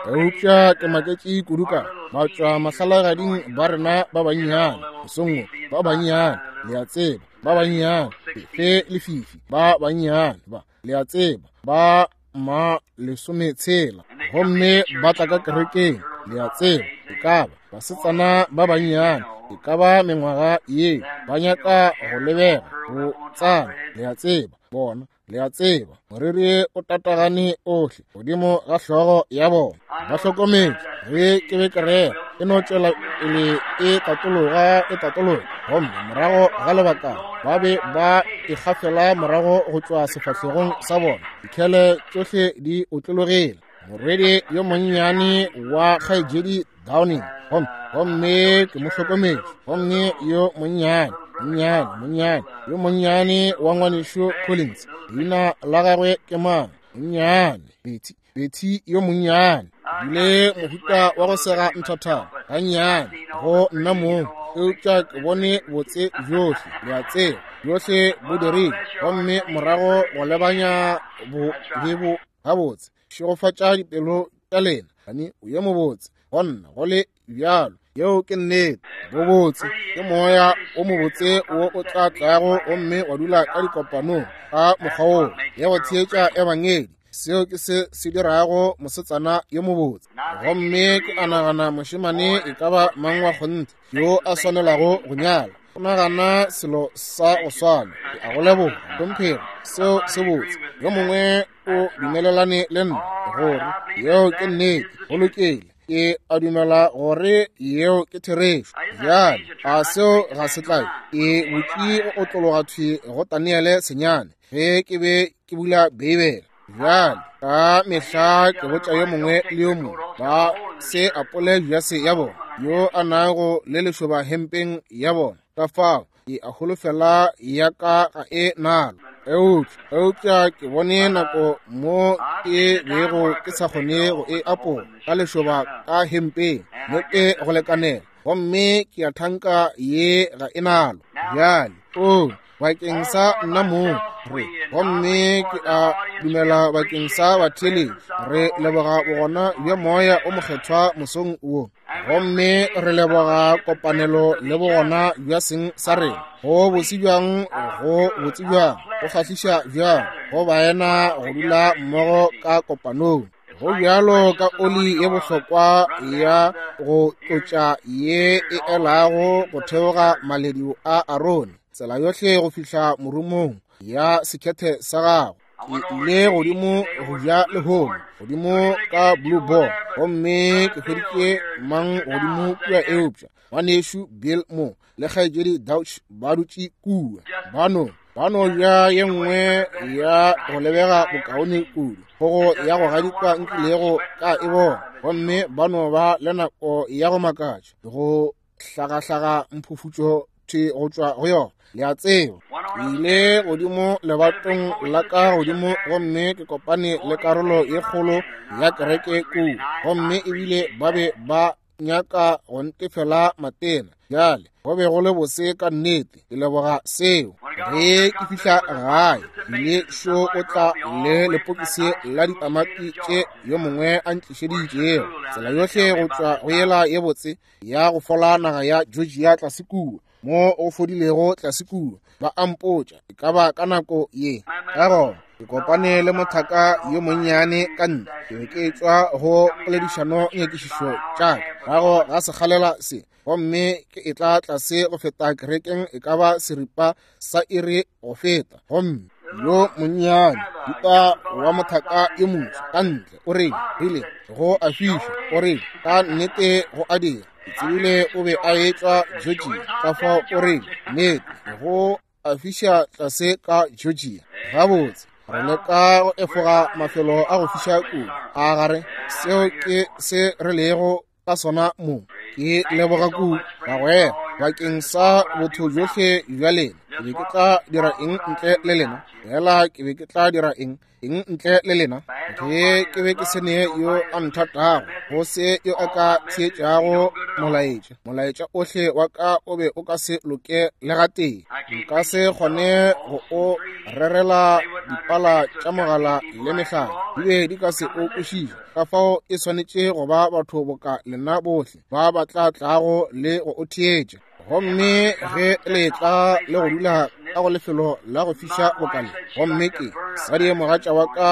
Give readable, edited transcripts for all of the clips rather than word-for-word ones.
Eupša ke maketše kudu ka batšwa mahlalagading ba rena ba bannyane, mosong wo, ba bannyane, le a tseba, ba bannyane, fe lefifi, ba bannyane ba, le a tseba, ba ma lesometshela, gomme ba tla ka kerekeng, le a tseba, e ka ba basetsana ba bannyane, e ka ba mengwaga ye, ba nyaka go lebega go tsana, le a tseba, bona, le a tseba, moriri o tatagane ohle godimo ga hlogo ya bona. Ba hlokometše ge ke be ke rera, e no tšwela pele e tatologa, e tatologa, gomme morago ga lebaka ba be ba ikgafela morago go tšwa sefahlegong sa bona, dikhele tšohle di otlologile. Morwedi yo monnyane wa kgaetšedi Downing, gomme ke mo hlokometše, gomme yo monnyane, monnyane, monnyane, yo monnyane wa ngwanešu Collins, leina la gagwe ke mang? Monnyane, Betty, Betty yo monnyane, bile mohuta wa go sega nthathana gannyane go nna mong, eupša ke bone botse bjohle, le a tseba, bjohle bo dirile, gomme morago go lebanya bo be bo gabotse. Šegofatša dipelo tša lena, gane o ye mobotse go nna go le bjalo. Yeo ke nnete. Bobotse ke moya o mobotse wo o tla tlago gomme wa dula ka dikopanong ka mokgwa woo ya go theetša ebangedi. Seo ke se se dirago mosetsana yo mobotse. Gomme ke a nagana mošemane e ka ba mang wa kgonthe yo a swanelago go nyala, o nagana selo sa go swana. Ke a go leboga, hlomphego, seo se botse. Yo mongwe o dumelelane le nna gore yeo ke nnete. Go lokile, ke a dumela gore yeo ke therešo. Bjale, a seo ga se tlabe? Ke butše go otlologa thwi go Daniele senyane ge ke be ke bula Beibele. Bjale, ka mehla ke botša yo mongwe le yo mongwe ba se apole jase ya bona, yo a nago le lešoba hempeng ya bona. Ka fao ke a holofela ya ka ga e nalo. Eupša ke bone nako mo ke bego ke sa kgone go e apola ka lešoba ka hempeng mo ke go lekanela, gomme ke a thanka ye ga e nalo. Bjale, o bakeng sa nna mong re, gomme ke a dumela bakeng sa batheeletši, re leboga bogona bja Moya o Mokgethwa mosong wo. Gomme re leboga kopanelo le bogona bja seng sa rena. Go botse bjang, go botse bjang, go kgahliša bjang go baena go dula mmogo ka kopanong. Go bjalo ka oli ye bohlokwa ya go tlotša ye e elago go theoga maledu a Arone, tsela yohle go fihla morumong ya sekhethe sa gagwe. Ke ile godimo go ja lehono, godimo ka Blue Boar, gomme ke hweditše mang godimo kua eupša ngwanešu Bill mo le kgaetšedi Dauch ba dutše kua. Ba no ja ye nngwe ya go lebega bokaone kudu kgogo ya go gadikwa nkilego ka e bona, gomme ba no ba le nako ya go makatša go hlagahlaga mphufutšo thwi go tšwa go yona, le a tseba. Ke ile godimo lebatong la ka godimo gomme ke kopane le karolo ye kgolo ya kereke kua, gomme ebile ba be ba nyaka go ntefela matena. Bjale go be go le bose ka nnete, ke leboga seo. Ge ke fihla gae, ile šo o tla le lepokisi la ditamati tše yo mongwe a ntlišeditšego, tsela yohle go tšwa go yela ye botse ya go fola naga ya Georgia tlase kua, mo o fodilego tlase kua. Ba a mpotša e ka ba ka nako ye. Ka gona ke kopane le mothaka yo monnyane ka ntle, ke be ke tšwa go poledišano nyakišišo tša ka morago ga sekgalela se, gomme ke etla tlase go feta kerekeng e ka ba seripa sa iri go feta, gomme yo monnyane duta wa mothaka yo moso ka ntle o rile, rile go a fiša, o rile ka nnete go a dira. Ke tsebile o be a etšwa Georgia, ka fao o rile nnete go a fiša tlase ka Georgia. Gabotse, re leka go efoga mafelo a go fiša kudu, a gare seo ke se re lego ka sona mo. Ke leboga kudu bagwera bakeng sa botho bjohle bja lena. Ke be ke tla dira eng ntle le lena? Fela ke be ke tla dira eng, eng ntle le lena? Ge ke be ke se ne yo a nthatago, go se yo a ka theetšago molaetša, molaetša ohle wa ka o be o ka se loke le gatee. Nka se kgone go o rerela dipala tša mogala le mehlala, di be di ka se o kwešiše. Ka fao e swanetše go ba batho boka lena bohle ba ba tla tlago le go o theetša. Gomme ge le tla le go dula ka go lefelo la go fiša bokale, gomme ke sadi mogatša wa ka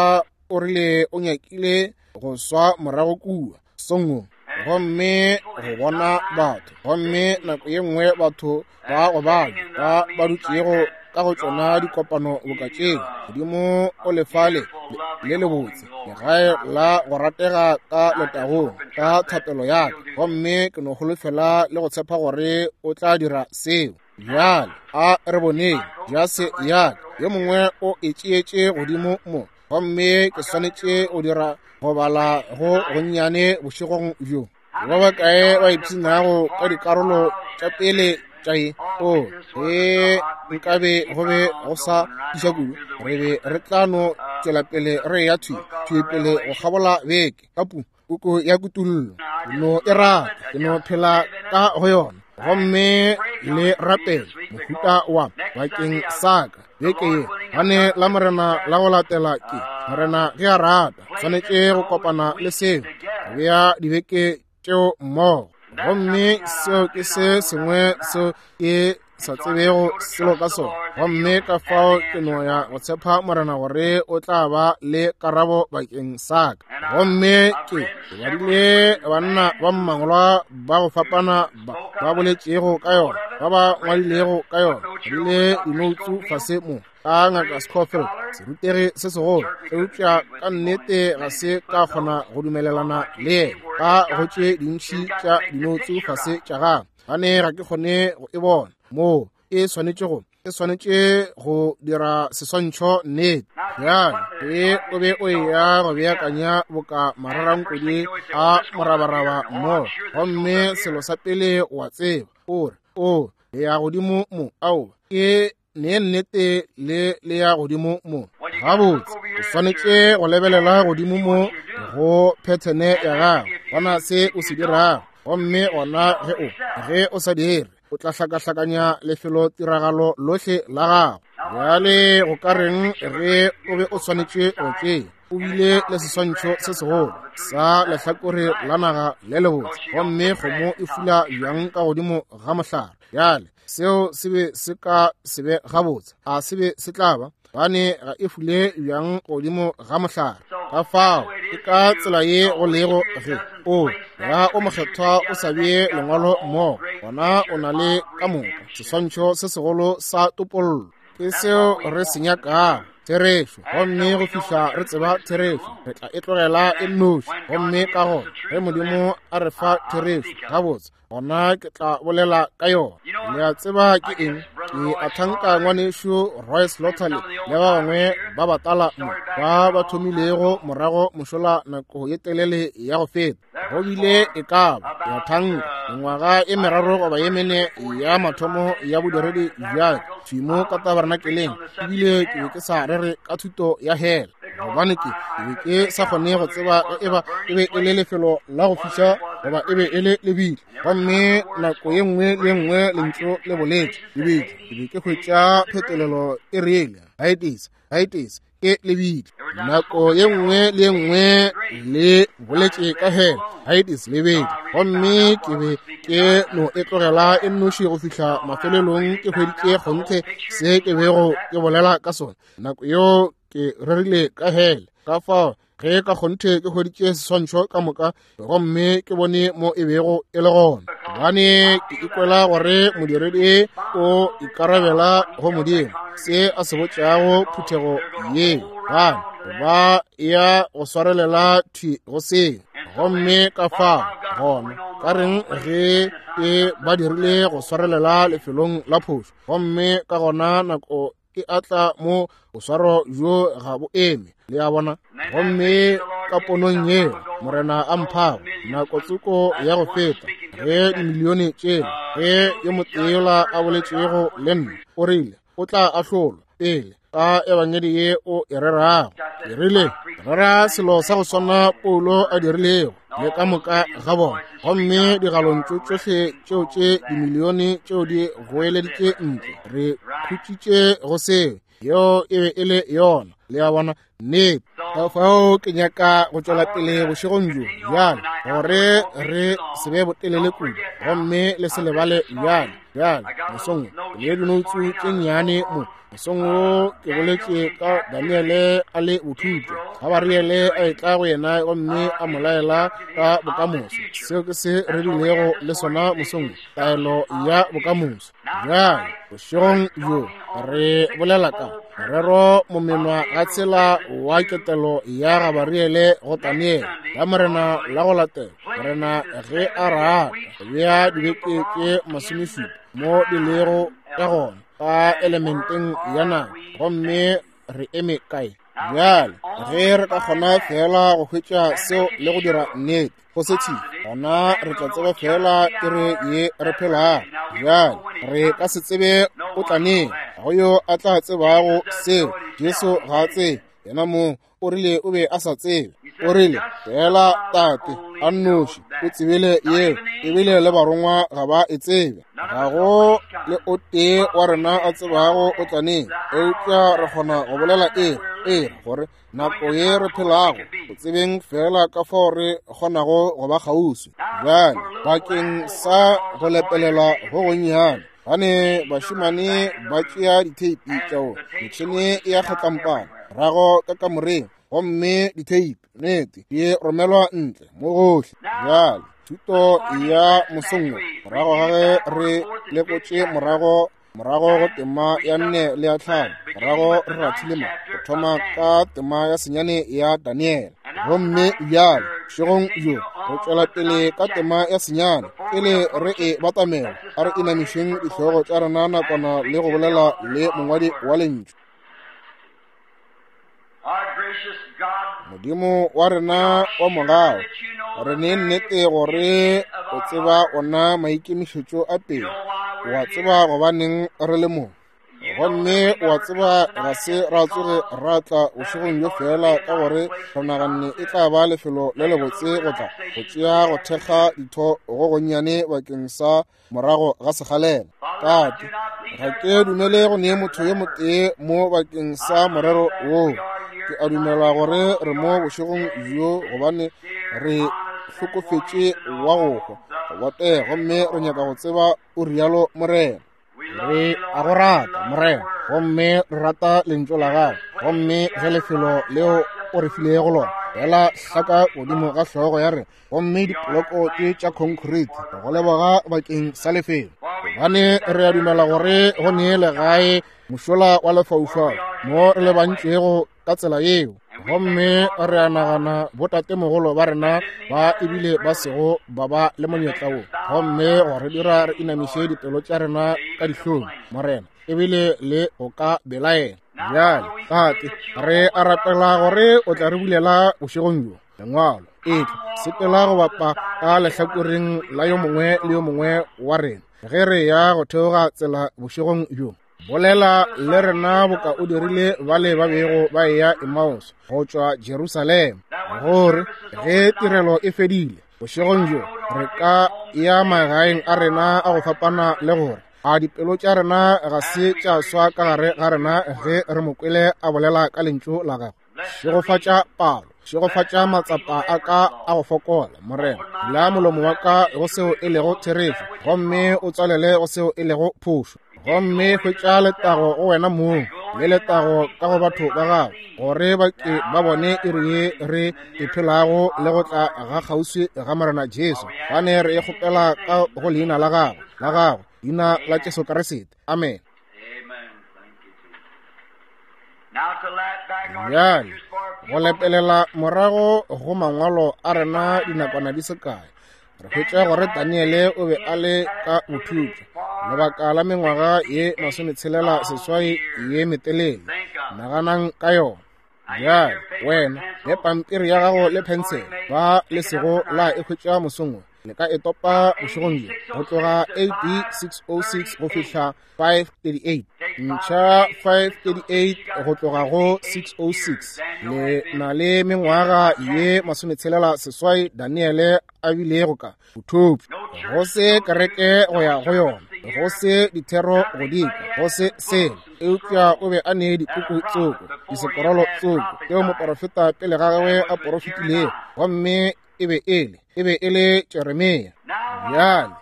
o rile o nyakile go swa morago kua songwe, gomme go bona batho, gomme nako ye nngwe batho ba go bana ba ba dutšego ka go tšona dikopano boka tšeo, Modimo o lefale le lebotse, legae la go ratega ka letagong, ka thapelo ya ka, gomme ke no holofela le go tshepa gore o tla dira seo. Bjale a re boneng jase ya ka, yo mongwe o e tšeetše godimo mo, gomme ke swanetše go dira go bala go gonnyane bošegong bjo. Ba bakae ba ipshinago ka dikarolo tša pele tša ye? O, ge nkabe go be go sa fiša kudu, re be re tla no tšwela pele re ya thwi thwi pele go kgabola beke ka pu puku ya Kutullo. Ke no e rata, ke no phela ka go yona. Gomme le rapele mohuta wa bakeng sa ka beke ye, gane la Morena la go latela ke Morena ge a rata, swanetše go kopana le seo, go bea dibeke tšeo mmogo. Gomme seo ke se sengwe seo ke sa tsebego selo ka sona, gomme ka fao ke no ya go tshepa Morena gore o tla ba le karabo bakeng sa ka. Gomme ke badile banna ba mmangolwa ba go fapana ba ba boletšego ka yona, ba ba ngwadilego ka yona, badile dinoutsu fase mo ka Ngaka Scofield, serutegi se segolo, eupša ka nnete ga se ka kgona go dumelelana le yena ka go tše dintši tša dinoutsu fase tša gagwe, gane ga ke kgone go e bona moo e swanetše go e swanetše go dira seswantšho nnete. Bjale ge o be o eya go beakanya boka mararankodi a morabaraba mo, gomme selo sa pele wa tseba o re, o le ya godimo mo, aowa, ke ne nnete le le ya godimo mo. Gabotse, o swanetše go lebelela godimo mo go phethene ya gago, bona se o se dirago, gomme gona ge o ge o sa dire, o tla hlakahlakanya lefelotiragalo lohle la gago. Bjale go ka reng ge o be o swanetše go tšea, o bile le seswantšho se segolo sa lehlakore la naga le lebotse, gomme kgomo e fula bjang ka godimo ga mohlare? Bjale seo se be se ka se be gabotse, a se be se tla ba, gobane ga e fule bjang godimo ga mohlare. Ka fao ke ka tsela ye go lego ge o ya o mokgethwa o sa bee lengwalo mmogo, gona o na le ka moka seswantšho se segolo sa topollo. Ke seo re se nyakago, therešo. Gomme go fihla re tseba therešo, re tla e tlogela e nnoši. Gomme ka gona ge Modimo a re fa therešo, gabotse, gona ke tla bolela ka yona. Le a tseba ke eng? Ke a thanka ngwanešu Royce Lotterly le ba bangwe ba batala mo ba ba thomilego morago mošola nako ye telele ya go feta. Go bile e ka ba, ke a thanka, mengwaga e meraro goba ye mene ya mathomo ya bodiredi bja ka thwi mo ka tabernakeleng, ebile ke be ke sa rere ka thuto ya hela, gobane ke be ke sa kgone go tseba ge eba e be e le lefelo la go fiša goba e be e le lebitla. Gomme nako ye nngwe le ye nngwe lentšu le boletše lebitla, ke be ke hwetša phetolelo e rile Hades, Hades ke lebitla. Nako ye nngwe le ye nngwe le boletše ka hela, Hades lebitla. Gomme ke be ke no e tlogela e nnoši go fihla mafelelong ke hweditše kgonthe se ke bego ke bolela ka sona. Nako yeo ke rerile ka hele. Ka fao ge ka kgonthe ke hweditše seswantšho ka moka gomme ke bone mo e bego e le gona, gobane ke ikwela gore modiredi o ikarabela go Modimo se a se botšago phuthego ye, gobane ba ya go swarelela thwi go seo. Gomme ka fao gona ka reng ge e ba dirile go swarelela lefelong la phošo, gomme ka gona nako e atla mo boswaro bjo ga bo eme, le a bona. Gomme ka ponong yeo Morena a mphago nako tsoko ya go feta, ge dimilione tšela, ge yo motee yola a boletšego le nna, o rile, O tla ahlolwa pele ka ebangedi ye o e rerago. Ke rile, rera selo sa go swana Paulo a dirilego le ka moka ga bona, gomme digalontšu tšohle tšeo tše dimilione tšeo di goeleditše ntle, re khutšitše go seo. Yeo e be e le yona, le a bona, nnete. Ka fao ke nyaka go tšwela pele bošegong bjo bjale, gore re se be botelele kudu, gomme le se lebale bjale. Bjale mosong wo le dinoutsu tše nnyane mo. Mosong wo ke boletše ka Daniele a le bothutwa, Gabariele a etla go yena gomme a mo laela ka bokamoso. Seo ke se re bilego le sona mosong wo, taelo ya bokamoso. Bjale bošegong bjo re bolela ka morero momenwa ga tsela wa ketelo ya Gabariele go Daniele la Morena la go latela. Morena ge a rata bea dibeke tše 17 mo di lego ka gona ka elementeng ya nako, gomme re eme kae bjale? Ge re ka kgona fela go hwetša seo le go dira nnete go se tšhi, gona re tla tseba fela iri ye re phelago. Bjale re ka se tsebe o tla neng, ga go yo a tla tsebago seo. Jesu ga a tsebe, yena mong o rile o be a sa tsebe. O rile fela Tate a nnoši o tsebile yeo, ebile le barongwa ga ba e tsebe. Ga go le o tee wa rena a tsebago o tla neng, eupša re kgona go bolela ere gore nako ye re phelago, go tsebeng fela ka fao re kgonago go ba kgauswi. Bjale bakeng sa go lepelela go gonnyane, gane bašemane ba tšea ditheipi tšao, metšhene ya kgatlampana morago ka kamoreng, gomme ditheipi nnete di romelwa ntle mo gohle. Bjale thuto ya mosong wo, morago ga ge re lekotše morago go tema ya 4 le ya 5, morago re rathile mo go thoma ka tema ya 9 ya Daniele. Gomme bjale bošegong bjo re tšwela pele ka tema ya 9. Pele re e batamela, a re inamišeng dihlogo tša rena nakwana le go bolela le mongwadi wa lentšu. Modimo wa rena wa mogau, re ne nnete gore o tseba ona maikemišetšo a pele, wa tseba gobaneng re le mo, gomme wa tseba ga se ra tsoge ra tla bošegong bjo fela ka gore re naganne e tla ba lefelo le lebotse go tla go tšea go thekga ditho go gonnyane bakeng sa morago ga segalela. Tate, ga ke dumele go nee motho yo motee mo bakeng sa morero woo. Ke a dumela gore re mo bošegong bjo gobane re hlokofetše wa go hwa go botega, gomme re nyaka go tseba o rialo Morena. Re a go rata Morena, gomme re rata lentšu la gago, gomme ge lefelo leo o re filego lona fela hlaka godimo ga hlogo ya rena, gomme dipoloko tše tša concrete, go leboga bakeng sa lefelo, gobane re a dumela gore go nee legae mošola wa lefaufau mo re lebantšwego ka tsela yeo. Gomme re a nagana botatemogolo ba rena ba ebile ba sego ba ba le monyetla wo, gomme go re dira re inamiše dipelo tša rena ka dihlong, Morena, ebile le go ka belaela. Bjale, Tate, re a rapela gore o tla re bulela bošegong bjo lengwalo, etla sepela go bapa ka lehlakoreng la yo mongwe le yo mongwe wa rena ge re ya go theoga tsela bošegong bjo. Bolela le rena boka o dirile bale ba bego ba eya Emmaus go tšwa Jerusalema, gore ge tirelo e fedile bošegong bjo re ka ya magaeng a rena a go fapana, le gore a dipelo tša rena ga se tša swa ka gare ga rena ge re mo kwele a bolela ka lentšu la gagwe. Šegofatša palo, šegofatša matsapa a ka a go fokola, Morena. Bula molomo wa ka go seo e lego therešo, gomme o tswalele go seo e lego phošo. Gomme hwetša letago go wena mong le letago ka go batho ba gago, gore ba ke ba bone iri ye re e phelago le go tla ga kgauswi ga Morena Jesu. Gane re e kgopela ka go leina la gago, la gago, leina la Jesu Kriste. Amen. Bjale go lepelela morago go mangwalo a rena dinakwana di se kae, re hwetša gore Daniele o be a le ka bothutša lebaka la mengwaga ye 68 ye metelele. Naganang ka yona. Bjale wena le pampiri ya gago le phensele, ba le sego la e hwetša mosong wo, le ka e topa bošegong bjo go tloga AD 606 go fihla 538. Ntšha 538 go tloga go 606. Le na le mengwaga ye 68 Daniele a bilego ka bothopša. Go se kereke go ya go yona, go se dithero go dikwa, go se selo. Eupša o be a ne dipuku tsoko, disekorolo tsoko, tšeo moporofeta pele ga gagwe a porofetilego, gomme e be e le, e be e le Jeremia. Bjale,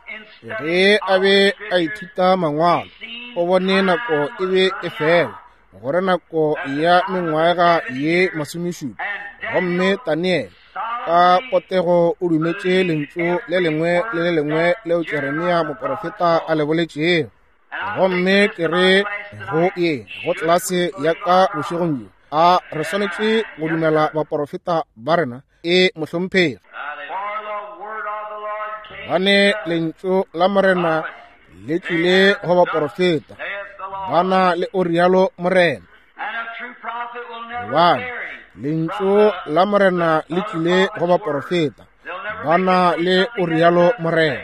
ge a be a ithuta mangwalo, o bone nako e be e fela, gore nako ya mengwaga ye masomešupa, gomme Daniele ka potego o dumetše lentšu le lengwe le le lengwe leo Jeremia moporofeta a le boletšego. Gomme ke re go ye go tlelase ya ka bošegong bjo, a re swanetše go dumela baporofeta ba rena? E, mohlomphegi. Gobane lentšu la Morena le tlile go baporofeta, ba na le o rialo Morena. Gobane lentšu la Morena le tlile go baporofeta, ba na le o rialo Morena.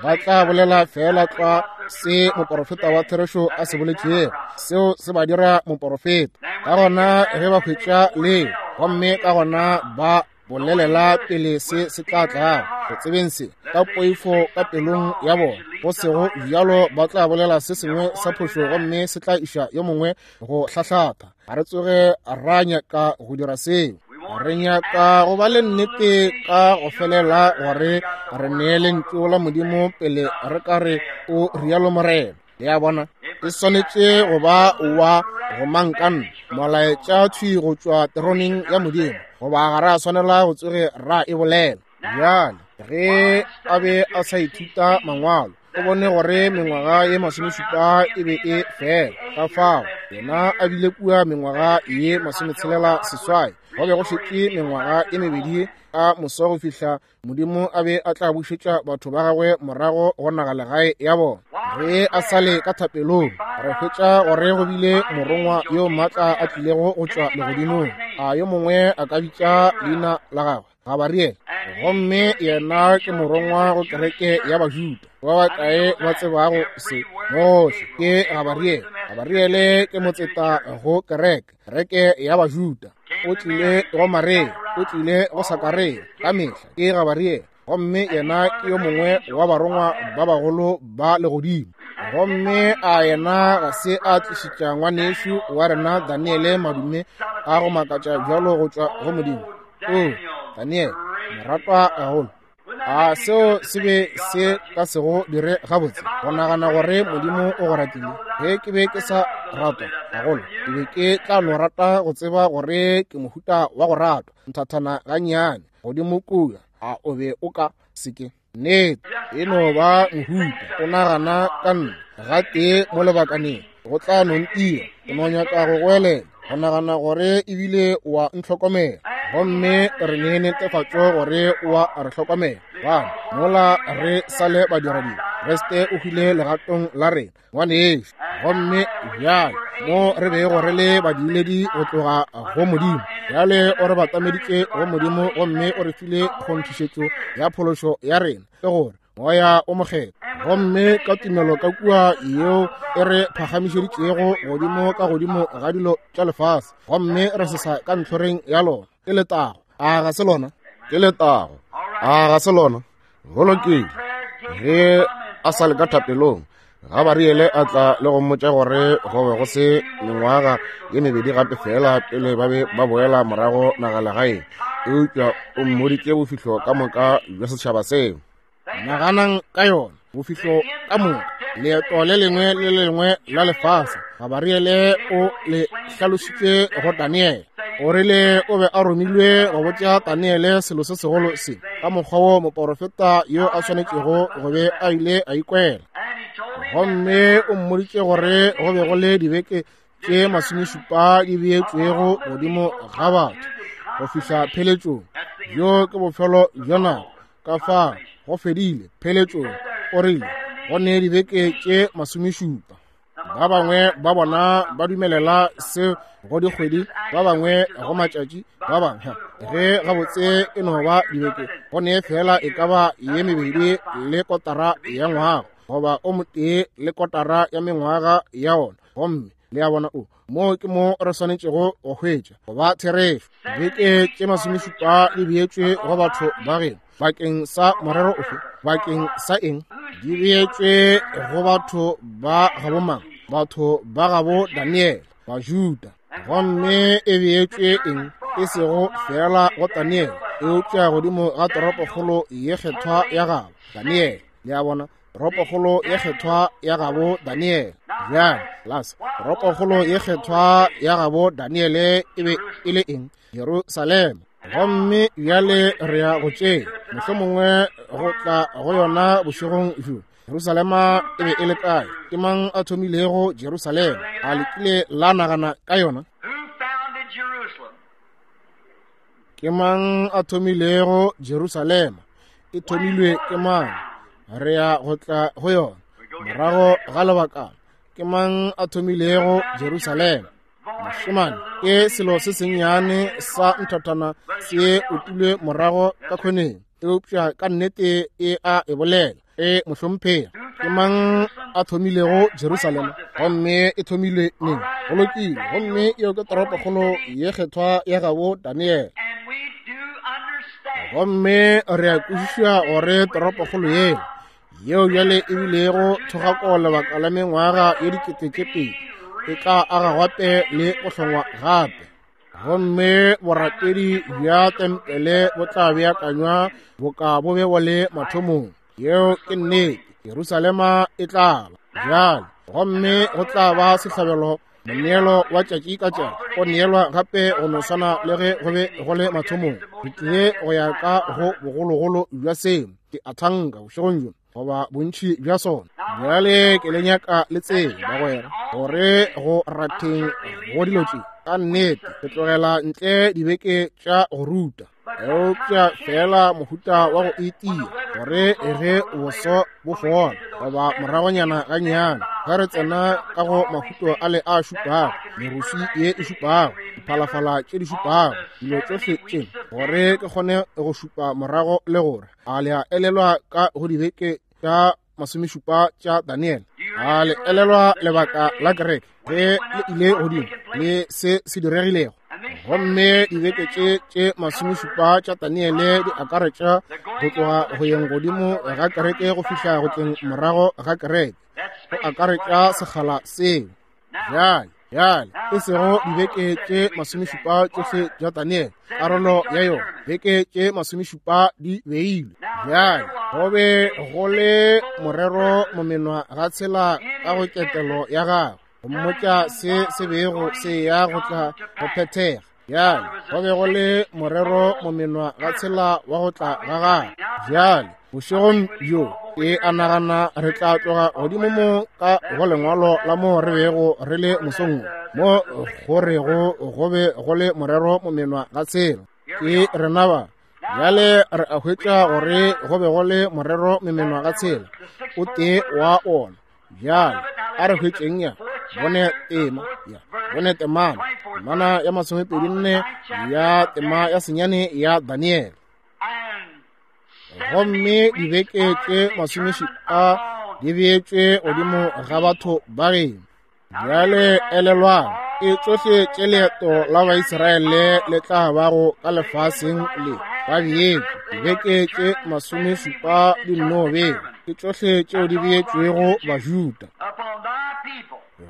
Ba tla bolela feela tlwa se moporofeta wa therešo a se boletšego, seo se ba dira moporofeta. Ka gona ge ba hwetša leo, gomme ka gona ba bolelela pele se se tla tlago, go tsebeng se ka poifo ka pelong ya bona, go sego bjalo ba tla bolela se sengwe sa phošo gomme se tla iša yo mongwe go hlahlatha. Ga re tsoge ra nyaka go dira seo. Re nyaka go ba le nnete ka go felela gore re nee lentšu la Modimo pele re ka re o rialo Morena. Le a bona, e swanetše go ba wa go mankanna, molaetša thwi go tšwa teroneng ya Modimo, goba ga ra swanela go tsoge ra e bolela. Bjale, ge a be a sa ithuta mangwalo, o bone gore mengwaga ye masomešupa e be e fela. Ka fao yena a bile kua mengwaga ye 68, go be go šetše mengwaga ye mebedi ka moso go fihla Modimo a be a tla bušetša batho ba gagwe morago go nagalegae ya bona. Ge a sa le ka thapelong, re hwetša gore go bile morongwa yo maatla a tlilego go tšwa legodimong. A yo mongwe a ka bitša leina la gagwe? Gabariele. Gomme yena ke morongwa go kereke ya Bajuda. Ba bakae ba tsebago se? Mohle ke Gabariele. Gabariele ke motseta go kereke, kereke ya Bajuda. O tlile go Maria, o tlile go Sakaria, ka mehla ke Gabariele. Gomme yena ke yo mongwe wa barongwa ba bagolo ba legodimo. Gomme a yena ga se a tlišetša ngwanešu wa rena Daniele madume a go makatša bjalo go tšwa go Modimo? O, Daniele, moratwa gagolo, a seo se be se ka se go dire gabotse go nagana gore Modimo o go ratile? Ge ke be ke sa ratwa gagolo, ke be ke tla no rata go tseba gore ke mohuta wa go ratwa nthathana gannyane godimo kua. A o be o ka se ke? Nnete, e no ba mohuta o nagana ka nna gatee mo lebakaneng, go tla no ntira ke no nyaka go goelela, go nagana gore ebile wa ntlhokomela. Gomme re ne netefatšo gore o a re hlokomela, gobane mola re sa le badiradibe, Kriste o hwile legatong la rena, ngwanešu. Gomme bjale mo re bego re le badiledi go tloga go Modimo, bjale o re batameditše go Modimo, gomme o re file kgonthišetšo ya phološo ya rena, ke gore Moya o Mokgethwa. Gomme ka tumelo ka kua yeo e re phagamišeditšego godimo ka godimo ga dilo tša lefase, gomme re sesa ka ntlhoreng ya lona. Ke letago, a ga se lona? Ke letago, a ga se lona? Go lokile. Ge a sa le ka thapelong, Gabariele a tla le go mmotša gore go be go se mengwaga ye mebedi gape fela pele ba be ba boela morago nagalegaeng, eupša o mmoditše bofihlo ka moka bja setšhaba seo. Naganang ka yona, bofihlo ka moka, leeto le lengwe le le lengwe la lefase. Gabariele o le hlalositše go Daniele. O rile o be a romilwe go botša Daniele selo se segolo se, ka mokgwa wo moporofeta yo a swanetšego go be a ile a ikwela. Gomme o mmoditše gore go be go le dibeke tše masomešupa di beetšwego godimo ga batho go fihla pheletšong. Bjo ke bofelo bja nako. Ka fao go fedile pheletšong. O rile go ne dibeke tše masomešupa. Ba bangwe ba bona ba dumelela se go dikgwedi, ba bangwe go matšatši, ba bangwe ge gabotse e no ba dibeke. Go ne fela e ka ba ye mebedi le kotara ya ngwaga, goba o motee le kotara ya mengwaga ya ona. Gomme le a bona, o moo ke mo re swanetšego go hwetša go ba therešo. Dibeke tše 70 di beetšwe go batho ba geno bakeng sa morero ofe? Bakeng sa eng? Di beetšwe go batho ba gabo mang? Batho ba gabo Daniele, Bajuda. Gomme e beetšwe eng? E sego fela go Daniele, eupša godimo ga toropokgolo ye kgethwa ya gabo Daniele. Le a bona, toropokgolo ye kgethwa ya gabo Daniele. Bjale, lasa, toropokgolo ye kgethwa ya gabo Daniele e be e le eng? Jerusalema. Gomme bjale re ya go tšea mohlomongwe go tla go yona bošegong bjo. Jerusalema e be e le kae? Ke mang a thomilego Jerusalema? A le kile la nagana ka yona? Ke mang a thomilego Jerusalema? E thomilwe ke mang? Re ya go tla go yona morago ga lebakana. Ke mang a thomilego Jerusalema? Mošemane, ke selo se sennyane sa nthathana se utilwe morago ka khoneng, eupša ka nnete e a e bolela. E mohlomphegi, ke mang a thomilego Jerusalema? Gomme e thomilwe neng? Go lokile. Gomme yeo ke toropokgolo ye kgethwa ya gabo Daniele. Gomme re a kwešiša gore toropokgolo yela, yeo bjale e bilego thogako lebaka la mengwaga ye 2000, e tla aga gape le go hlongwa gape. Gomme borapedi bja tempele bo tla beakanywa boka bo be bo le mathomong. Yeo ke nnete. Jerusalema e tla ba bjale, gomme go tla ba sehlabelo, moneelo wa tšatši ka tšatši o neelwa gape go no swana le ge go be go le mathomong. Re tlile go ya ka go bogologolo bja seo, ke a thanka bošegong bjo, goba bontši bja sona. Bjale ke le nyaka le tsebe, bagwera, gore go ratheng go dilo tše ka nnete re tlogela ntle dibeke tša go ruta, eupša fela mohuta wa go itia gore ge boso bo fola goba moragonyana gannyane, ge re tsena ka go mahuto a le a šupago, meruswi ye e šupago, diphalafala tše di šupago, dilo tšohle tše, gore ke kgone go šupa morago le gore a le a elelwa ka go dibeke tša 70 tša Daniele. A le elelwa lebaka la kereke ge le ile godimo le se se diregilego? Gomme dibeke tše tše 70 tša Daniele di akaretša go tloga go yeng godimo ga kereke go fihla go tleng morago ga kereke, go akaretša sekgala seo. Bjale, bjale, e sego dibeke tše 70 tšohle tša Daniele, karolo ya yona, beke tše 70 di beilwe. Bjale, go be go le morero momenwa ga tshela ka go ketelo ya gagwe, go mmotša se se bego se ya go tla go phethega. Bjale, go be go le morero momenwa ga tshela wa go tla ga gagwe. Bjale, bošegong bjo, ke a nagana re tla tloga godimo mo ka go lengwalo la mo re bego re le mosong mo, go rego go be go le morero momenwa ga tshela. Ke rena ba. Bjale re a hwetša gore go be go le morero momenwa ga tshela, o tee wa ona. Bjale a re hwetšeng ya bone tema, ya bone temana, temana ya 24 ya tema ya 9 ya Daniele. Gomme dibeke tše 70 di beetšwe godimo ga batho ba geno. Bjale elelwang, e tšohle tše leeto la Baisraele le tla bago ka lefaseng le ba beetšwe dibeke tše 70 di nno bewa, ke tšohle tšeo di beetšwego Bajuda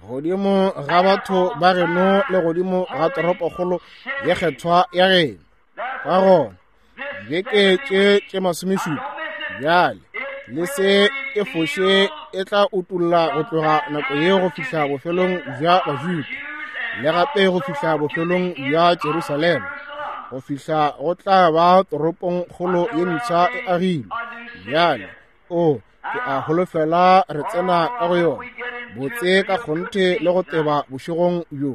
godimo ga batho ba geno le godimo ga toropokgolo ye kgethwa ya geno. Ka gona dibeke tše tše 70 bjale le se e foše e tla utolla go tloga nako ye go fihla bofelong bja Bajuda, le gape go fihla bofelong bja Jerusalema, go fihla go tla ba toropong kgolo ye mpsha e agilwe. Bjale o ke a holofela re tsena ka go yona botse ka kgonthe le go teba bošegong bjo.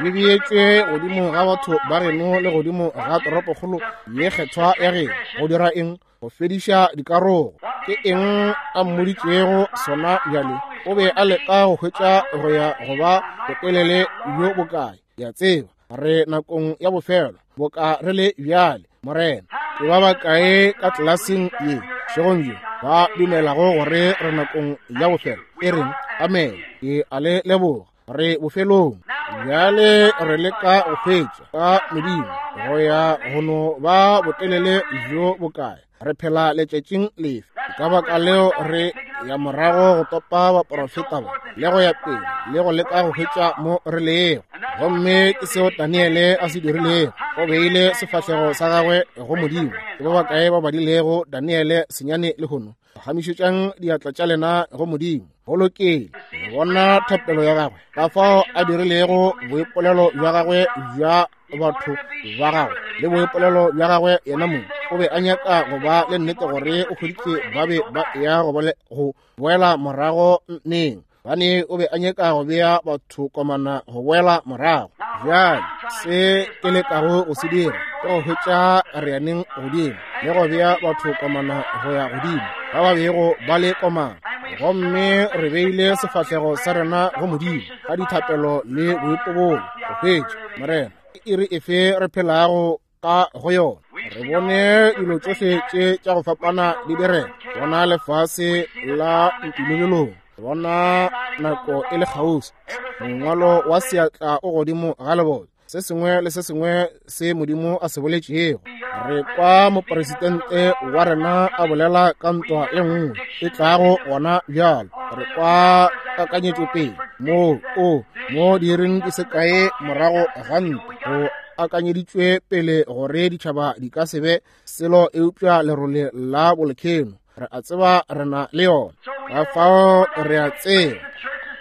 Di beetšwe godimo ga batho ba geno le godimo ga toropokgolo ye kgethwa ya geno. Go dira eng? Go fediša dikarogo. Ke eng a mmoditšego sona bjale? O be a leka go hwetša go ya go ba botelele bjo bokae? Ya tseba, re nakong ya bofelo, boka re le bjale, Morena. Ke ba bakae ka tlelaseng ye bošegong bjo ba dumelago gore re nakong ya bofelo? E reng, amen. Ke a le leboga. Re bofelong. Bjale re leka go hwetša ka Modimo go ya go no ba botelele bjo bokae. Re phela letšatšing lefe? Ka baka leo re ya morago go topa baprofeta ba le go ya pele le go leka go hwetša mo re lego. Gomme ke seo Daniele a se dirilego. O beile sefahlego sa gagwe go Modimo. Ke ba bakae ba badilego Daniele senyane lehono? Phagamišetšang diatla tša lena go Modimo. Go lokile. Le bona thapelo ya gagwe, ka fao a dirilego boipolelo bja gagwe bja batho ba gagwe le boipolelo bja gagwe yena mong. O be a nyaka go ba le nnete gore o hweditše ba be ba ya go boela morago neng. Bane o be a nyaka go bea batho komana go boela morago. Bjale se ke lekago go se dira ke go hwetša reaneng godimo le go bea batho komana go ya godimo ba ba bego ba le komana. Gomme re beile sefahlego sa rena go Modimo ka dithapelo le boipobolo go hwetša Morena ke iri efe re phelago ka go yona. Re bone dilo tšohle tše tša go fapana di direga, bona lefase la ntumelelong, bona nako e le kgauswi, mongwalo wa seatla o godimo ga leboto, se sengwe le se sengwe se Modimo a se boletšego. Re kwa mopresidente wa rena a bolela ka ntwa e nngwe e tlago gona bjalo. Re kwa kakanyetšopele moo o mo diiring di se kae morago ga ntwa go akanyeditšwe pele gore ditšhaba di ka se be selo eupša lerole la bolkheno. Re a tseba re na le yona, ka fao re a tseba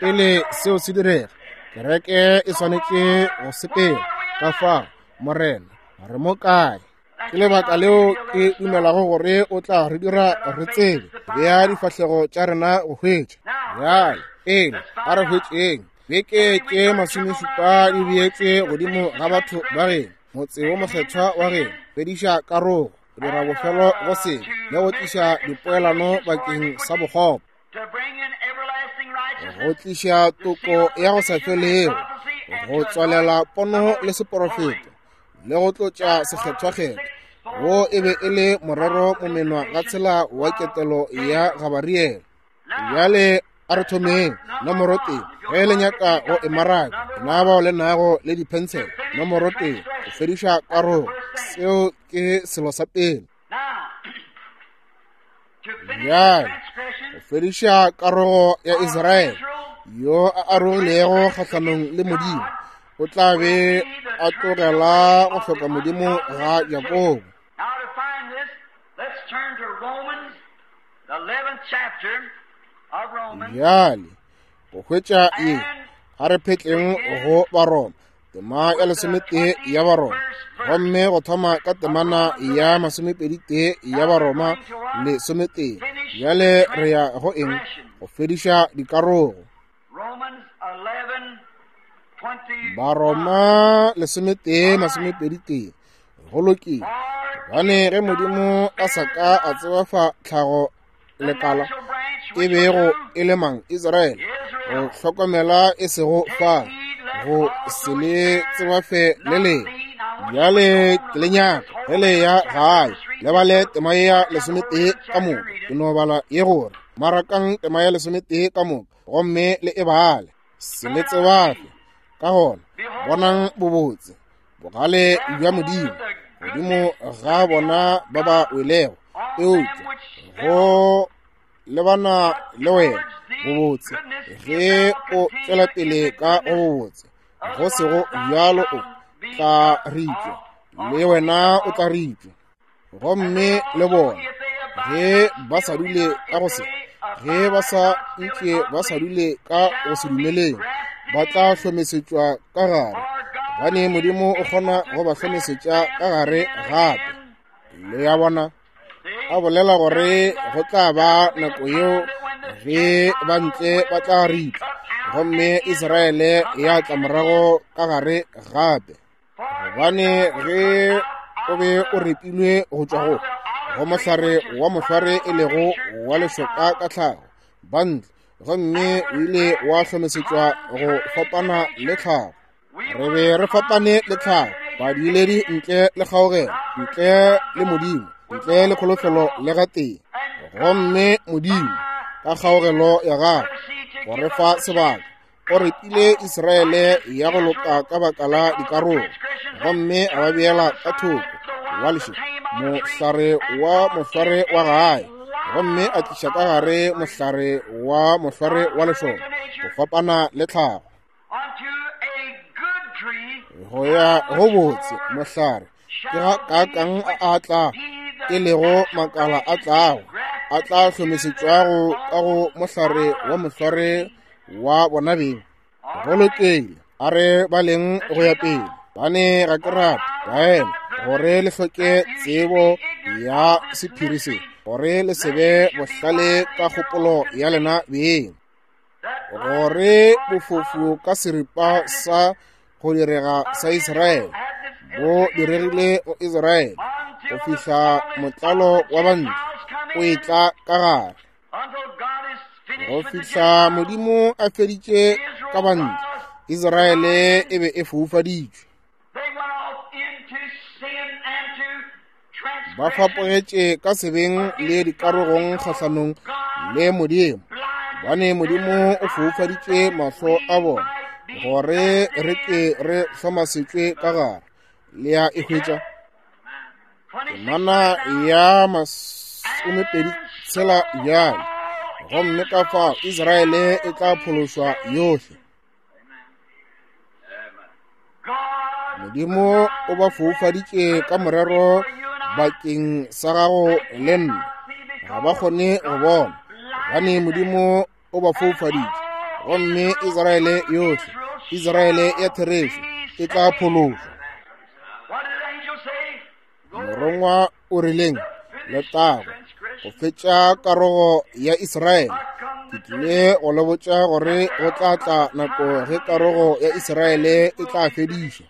pele seo se direga kereke e swanetše go sepela. Ka fao Morena re mo kae? Ke lebaka leo ke dumelago gore o tla re dira re tsebe bea difahlego tša rena go hwetša. Bjale pele a re hwetšeng beke tše 70 di beetšwe godimo ga batho ba geno, motse wo mokgethwa wa geno, fediša karogo, go dira bofelo go sebe le go tliša dipoelano bakeng sa bokgopo, go tliša toko ya go sa felego, go tswalela pono le seporofeto le go tlotša sekgethwakgethwa. Wo e be e le morero momenwa ga tshela wa ketelo ya Gabariele. Bjale a re thomeng nomoro 1. Ge le nyaka go e maraka, na bao le nago le diphensele, nomoro 1, go fediša karogo. Seo ke selo sa pele. Bjale go fediša karogo ya Israele yo a arogilego kgahlanong le Modimo, o tla be a tlogela go hloka Modimo ga Jakobo. Now to find this, let's turn to Romans, the 11th chapter of Romans. Bjale go hwetša ye, a re phetleng go Baroma, tema ya 11 ya Baroma, gomme go thoma ka temana ya 21 ya Baroma 11. Bjale re ya go eng? Go fediša dikarogo. Romans 11:21. Baroma 11 21. Go lokile. Gobane ge Modimo a sa ka a tsebafa tlhago lekala e bego e le mang Israele, go hlokomela e sego fa go se le tsebafe le lengwe. Bjale ke le nyaka ge le ya gae le bale tema ya 11 ka moka. Ke no bala ye gore marakang tema ya 11 ka moka gomme le e bale, se le tsebafe. Ka gona bonang bobotse bogale bja Modimo godimo ga bona ba ba welego, eupša go lebana le wena bobotse ge o tšwela pele ka go bobotse, go sego bjalo o tla ripša, le wena o tla ripša. Gomme le bona ge ba sa dule ka go se, ge ba sa ntše ba sa dule ka go se dumeleng, ba tla hlomesetšwa ka gare, gobane Modimo o kgona go ba hlomesetša ka gare gape. Le ya bona, a bolela gore go tla ba nako yeo ge ba ntle ba tla ripša, gomme Israele ya tla morago ka gare gape. Gobane ge o be o repilwe go tšwa go mohlare wa mohlware e lego wa lešoka ka tlhago, ba ntle, gomme o ile wa hlomesetšwa go fapana le tlhago. Re be re fapane le tlhago, badiledi ntle le kgaogelo, ntle le Modimo, ntle le kholofelo le gatee. Gomme Modimo ka kgaogelo ya gagwe go re fa sebaka O repile Israele ya go loka ka baka la dikarolo, gomme a ba beela ka thoko wa lešoka, mohlare wa mohlware wa gae, gomme a tliša ka gare mohlare wa mohlware wa lešoka, go fapana le tlhago. Go ya go botse mohlare ke ga kaakang a tla e lego makala a tlago a tla hlomesetšwago ka go mohlare wa mohlware wa bona beng. Go lokile, a re baleng go ya pele, bane ga ke rate baena gore le hloke tsebo ya sephiri se, gore le se be bohlale ka kgopolo ya lena beng, gore bofofu ka seripa sa go direga sa Israele bo diregile go Israele go fihla motlalo wa bantle o etla ka gare, go fihla Modimo a feditše ka bantle. Israele e be e foufaditšwe, ba fapogetše ka sebeng le dikarogong kgahlanong le Modimo, bane Modimo o foufaditše mahlo a bona gore re ke re hlomasetšwe ka gare. Le ya e hwetša temana ya 26 bjale, gomme ka fao Israele e tla phološwa yohle. Modimo o ba foufaditše ka morero bakeng sa gago le nna, ga ba kgone go bona, gobane Modimo o ba foufaditše. Gomme Israele yohle, Israele ya therešo, e tla phološwa. Morongwa o rileng? Letago go fetša karogo ya Israele. Ke tlile go le botša gore go tla tla nako ge karogo ya Israele e tla fedišwa.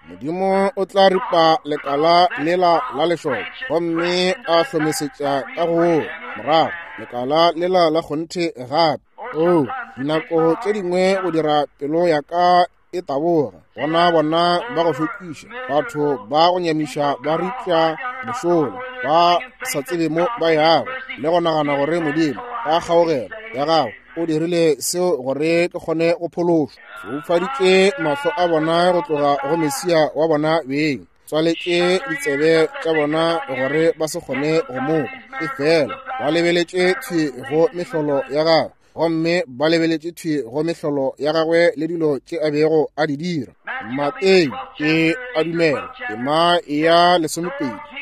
Modimo o tla ripa lekala lela la lešoka gomme a hlomesetša ka go morago lekala lela la kgonthe gape. Oh, dinako tše dingwe go dira pelo ya ka e taboga, bona bona ba go šokiša, batho ba go nyamiša ba ripša mošola, ba sa tsebe mo ba yago, le go nagana gore Modimo ka kgaogelo ya gago o dirile seo gore ke kgone go phološwa. Foufaditše mahlo a bona go tloga go Mesia wa bona beng, tswaletše ditsebe tša bona gore ba se kgone go mo kwa, efela ba lebeletše thwi go mehlolo ya gagwe, gomme ba lebeletše thwi go mehlolo ya gagwe le dilo tše a bego a di dira. Mateo ke a dumela tema ya 12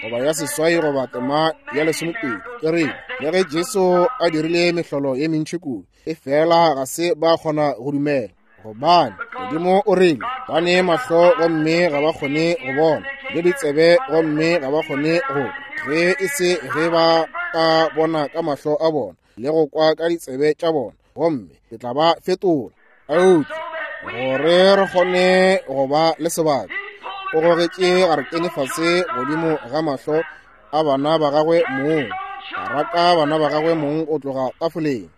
goba ya 8 goba tema ya 12 ke re le ge Jesu a dirile mehlolo ye mentši kudu, efela ga se ba kgona go dumela, gobane Modimo o rile ba ne mahlo gomme ga ba kgone go bona, le ditsebe gomme ga ba kgone go kwa, ge e se ge ba ka bona ka mahlo a bona le go kwa ka ditsebe tša bona, gomme ke tla ba fetola. Eupša gore re kgone go ba le sebaka, o gogetše garetene fase godimo ga mahlo a bana ba gagwe mong, a raka bana ba gagwe mong go tloga tafoleng,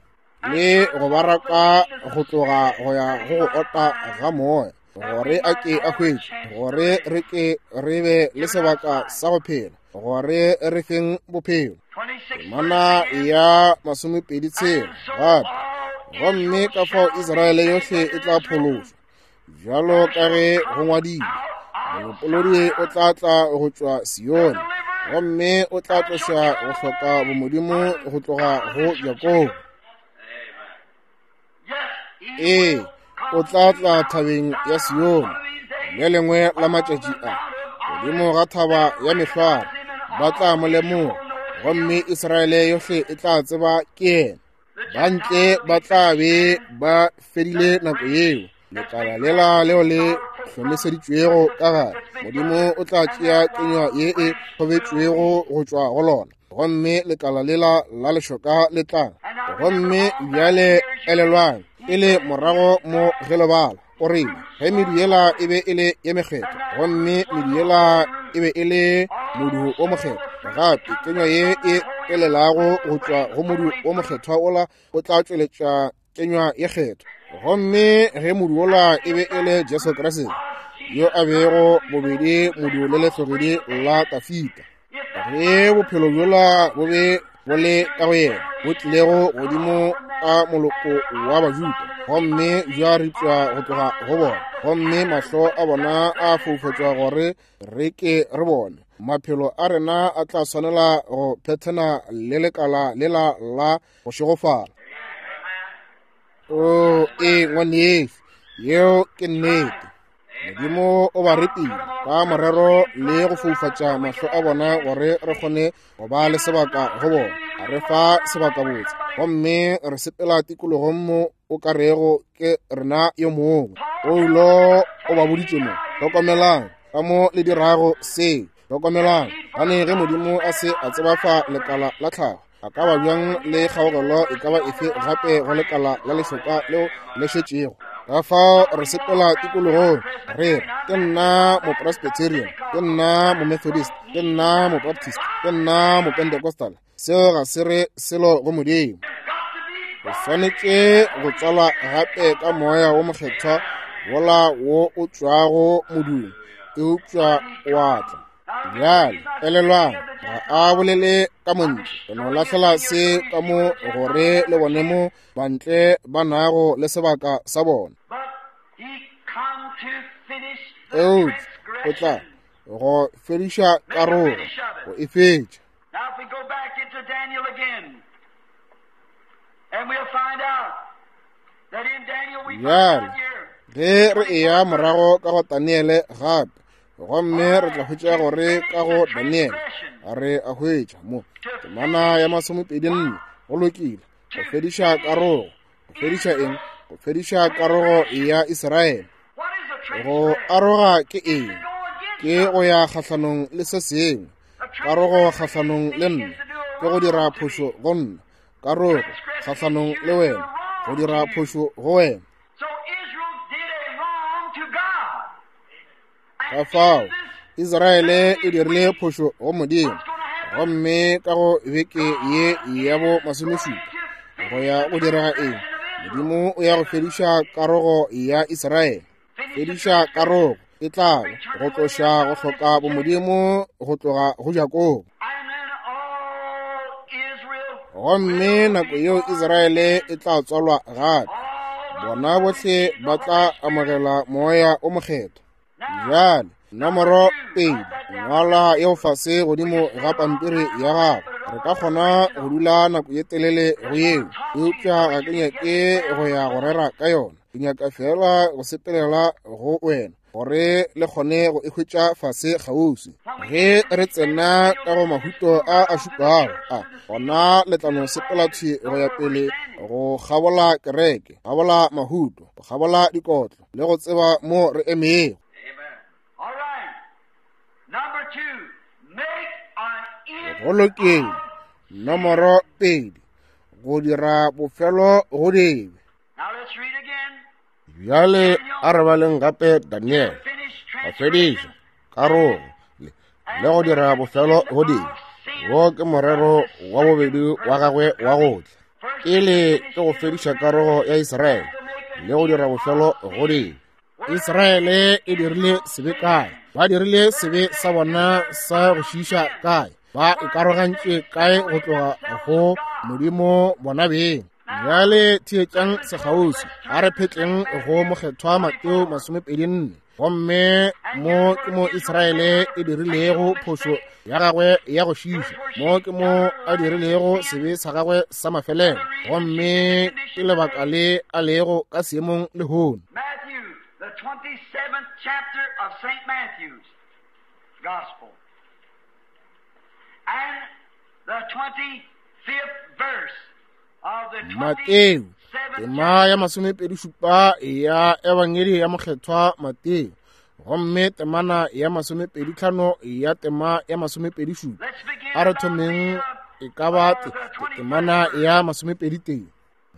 le go ba raka go tloga go ya go go ota ga moya, gore a ke a hwetše, gore re ke re be le sebaka sa go phela, gore re feng bophelo. Temana ya 26 gape, gomme ka fao Israele yohle e tla phološwa, bjalo ka ge go ngwadilwe, molopolodi o tla tla go tšwa Sione, gomme o tla tloša go hloka bomodimo go tloga go Jakobo. Ee, o tla tla thabeng ya Sione le lengwe la matšatši a, godimo ga thaba ya mehlware, ba tla mo lemoga, gomme Israele yohle e tla tseba ke yena. Ba ntle ba tla be ba fedile nako yeo, lekala lela leo le hlomeseditšwego ka gare, Modimo o tla tšea kenywa ye e kgobetšwego go tšwa go lona, gomme lekala lela la lešoka le tla. Gomme bjale elelwang, e le morago mo ge le bala, o rile ge medu yela e be e le ye mekgethwa, gomme medu yela e be e le modu o mokgethwa, gape kenywa ye e elelago go tšwa go modu o mokgethwa ola o tla tšweletša kenywa ye kgethwa. Gomme ge modu ola e be e le Jesu Kriste, yo a bego bobedi modu le lehlogedi la Dafida, ge bophelo bjola bo be bo le ka go yena, bo tlilego godimo ka moloko wa Bajuda, gomme bja ripša go tloga go bona, gomme mahlo a bona a foufatšwa gore re ke re bone. Maphelo a rena a tla swanela go phethena le lekala lela la go šegofala. O e ngwanešu, yeo ke nnete. Modimo o ba repile ka morero le go foufatša mahlo a bona gore re kgone go ba le sebaka go bona. A re fa sebaka botse, gomme re sepela tikologong mo o ka rego ke rena yo mongwe. Paulo o ba boditše mo, hlokomelang ka mo le dirago seo. Hlokomelang, gane ge Modimo a se a tsebafa lekala la tlhago, a ka ba bjang le kgaogelo e ka ba efe gape go lekala la lešoka leo le šetšego? Ka fao re sepela tikologong re re, ke nna Mopresbyterian, ke nna Momethodist, ke nna Mobaptist, ke nna Mopentecostal. Seo ga se re selo go Modimo. O swanetše go tswalwa gape ka Moya wo Mokgethwa wola wo o tšwago modung, eupša wa tla. Bjale, elelwang, ga a bolele ka montle. Re no lahlela se ka mo gore le bone mo bantle ba nago le sebaka sa bona. Eupša o tla go fediša karogo, go e fetša. Now if we go back into Daniel again, and we'll find out that in Daniel we find Bjale, out here. ge re eya morago ka go Daniele gape, gomme re tla hwetša gore ka go Daniele re a hwetša mo temana ya 24, go lokile, go fediša karogo. Go fediša eng? Go fediša karogo ya Israele. What is the Go aroga ke eng? Ke go ya kgahlanong le se sengwe. Karogo kgahlanong le nna ke go dira phošo go nna. Karogo kgahlanong le wena, go dira phošo go wena. So Israel did a wrong to God. Ka fao Israele e dirile phošo go Modimo, gomme ka go beke ye ya bo 17 go ya go direga eng? Modimo o ya go fediša karogo ya Israele. Fediša karogo e tla ba go tloša go hloka bomodimo go tloga go Jakobo. And then all Israel, Gomme nako yeo Israele e tla tswalwa gape, bona bohle ba tla amogela Moya o Mokgethwa. Bjale, nomoro 2, ngwala yeo fase godimo ga pampiri ya gago. Re ka kgona go dula nako ye telele go yeo, eupša ga ke nyake go ya go rera ka yona. Ke nyaka fela go sepelela go wena gore le kgone go e hwetša fase kgauswi. Ge re tsena ka go mahuto a a šupago a, gona le tla no sepela thwi go ya pele go kgabola kereke, kgabola mahuto, go kgabola dikotlo, le go tseba mo re emego. All right. Number 2, make an end Go lokile. Nomoro 2, go dira bofelo go dibe. Now let's read again. Bjale a re baleng gape Daniel, Finish go fediša karogo le go dira bofelo go dibe. Wo ke morero wa bobedi wa gagwe wa go tla. Pele ke go fediša karogo ya Israele le go dira bofelo go dibe. Israele e dirile sebe kae? Ba dirile sebe sa bona sa go šiiša kae? Ba ikarogantše kae go tloga go Modimo bona beng? Bjale theetšang sekgauswi, a re phetleng go Mokgethwa Mateo 24. Gomme mo ke mo Israele e dirilego phošo ya gagwe ya go šiiša, mo ke mo a dirilego sebe sa gagwe sa mafelelo, gomme ke lebaka le a lego ka seemong lehono. Matthew, the 27th chapter of St. Matthew's Gospel, and the 25th verse of the Mateo, 27th tema ya 27 ya Ebangedi ya Mokgethwa Mateo, gomme temana ya 25 ya tema ya 27. Let's begin A re about thomeng the, e ka ba temana ya 21.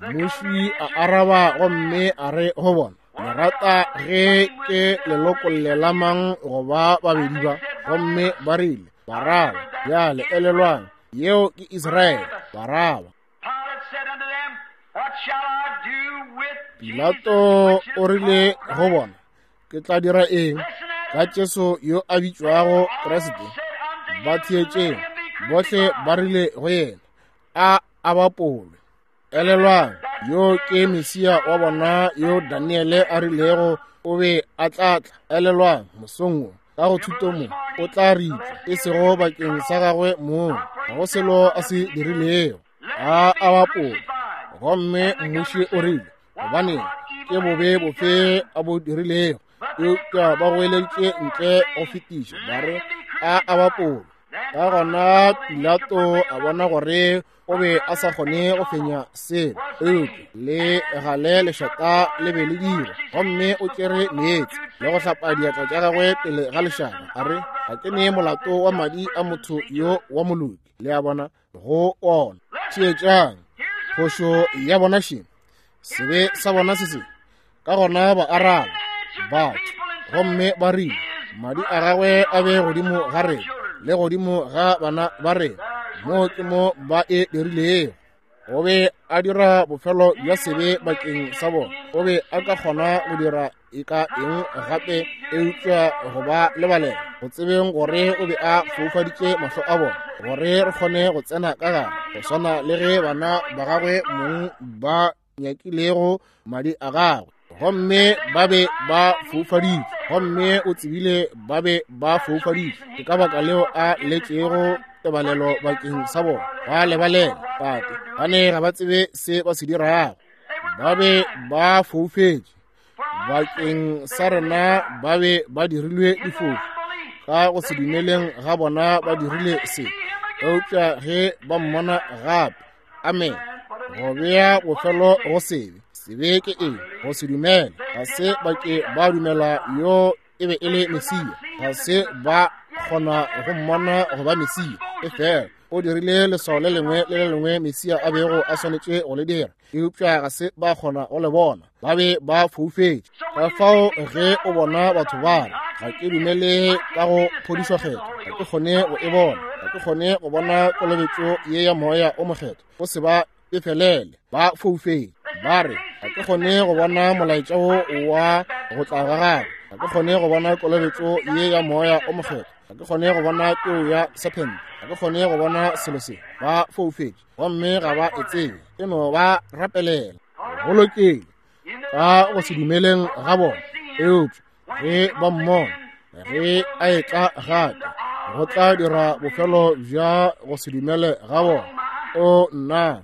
Mmuši a araba gomme a re go bona, le rata ge ke le lokollela mang go ba babedi ba? Gomme ba rile, Baraba. Bjale elelwang, yeo ke Israele, Baraba. Pilate said unto them, What shall I do with Pilato Jesus, which o is rile called go Christ? bona, ke tla dira eng Listen at ka Jesu yo a bitšwago Kriste? Said unto him, Ba theetšeng, Let him be bohle crucified. ba rile go yena, a a bapolwe. Elelwang, Yo ke Mesia wa bona yo Daniele a rilego o be a tla tla. Elelwang, mosong wo, ka go thuto mo, o tla ritla, e sego bakeng sa gagwe mong, ga go selo a se dirilego. A a bapola. Gomme mmuši o rile, gobaneng, ke bobe bofe a bo dirilego? Eupša ba goeleditše ntle go fetiša, ba re, a a bapola. Ka gona Pilato a bona gore o be a sa kgone go fenya selo, eupša le gale lešata le be le dira. Gomme o tšere meetse le go hlapa diatla tša gagwe pele ga lešata, a re, ga ke ne molato wa madi a motho yo wa moloki. Le a bona, go ona. Theetšang, phošo ya bona še, sebe sa bona se se. Ka gona ba araba batho gomme ba rile, madi a gagwe a be godimo ga rena le godimo ga bana ba rena. Mo ke mo ba e dirilego. O be a dira bofelo bja sebe bakeng sa bona. O be a ka kgona go dira e ka eng gape eupša go ba lebalela, go tsebeng gore o be a foufaditše mahlo a bona gore re kgone go tsena ka gare, go swana le ge bana ba gagwe mong ba nyakilego madi a gagwe, gomme ba be ba foufaditšwe, gomme o tsebile ba be ba foufaditšwe. Ke ka baka leo a letšego tebalelo bakeng sa bona. Ba lebalela, Tate, ba ne ga ba tsebe se ba se dirago. Ba be ba foufetše bakeng sa rena, ba be ba dirilwe difofu ka go se dumeleng ga bona, ba dirile se. Eupša ge ba mmona gape, amen, go bea bofelo go sebe. Sebe ke eng? Go se dumele. Ga se ba ke ba dumela yo e be e le Mesia. Ga se ba kgona go mmona go ba Mesia. Efela o dirile leswao le lengwe le le lengwe Mesia a bego a swanetše go le dira, eupša ga se ba kgona go le bona. Ba be ba foufetše. Ka fao ge o bona batho ba re, ga ke dumele ka go phodišwa kgetho, ga ke kgone go e bona, ga ke kgone go bona kolobetšo ye ya Moya o Mokgethwa, o se ba befelele, ba foufetše. Ba re, ga ke kgone go bona molaetša wo wa go tla ga gagwe, ga ke kgone go bona kolobetšo ye ya Moya o Mokgethwa, ga ke kgone go bona peo ya sephente, ga ke kgone go bona selo se. Ba foufetše gomme ga ba e tsebe. E no ba rapelela. Go lokile, ka go se dumeleng ga bona. Eupša ge ba mmona ge a etla gape, go tla dira bofelo bja go se dumele ga bona. O nna,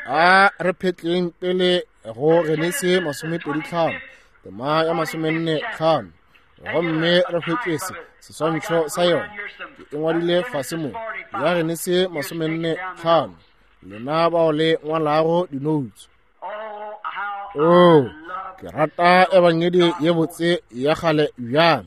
a re phetleng pele go Genesi 25, tema ya 45, gomme re hwetše se seswantšho sa yona. Ke e ngwadile fase mo, ya Genesi 45. Lena bao le ngwalago dinoutsu. Oh, ke rata ebangedi ye botse ya kgale bjang.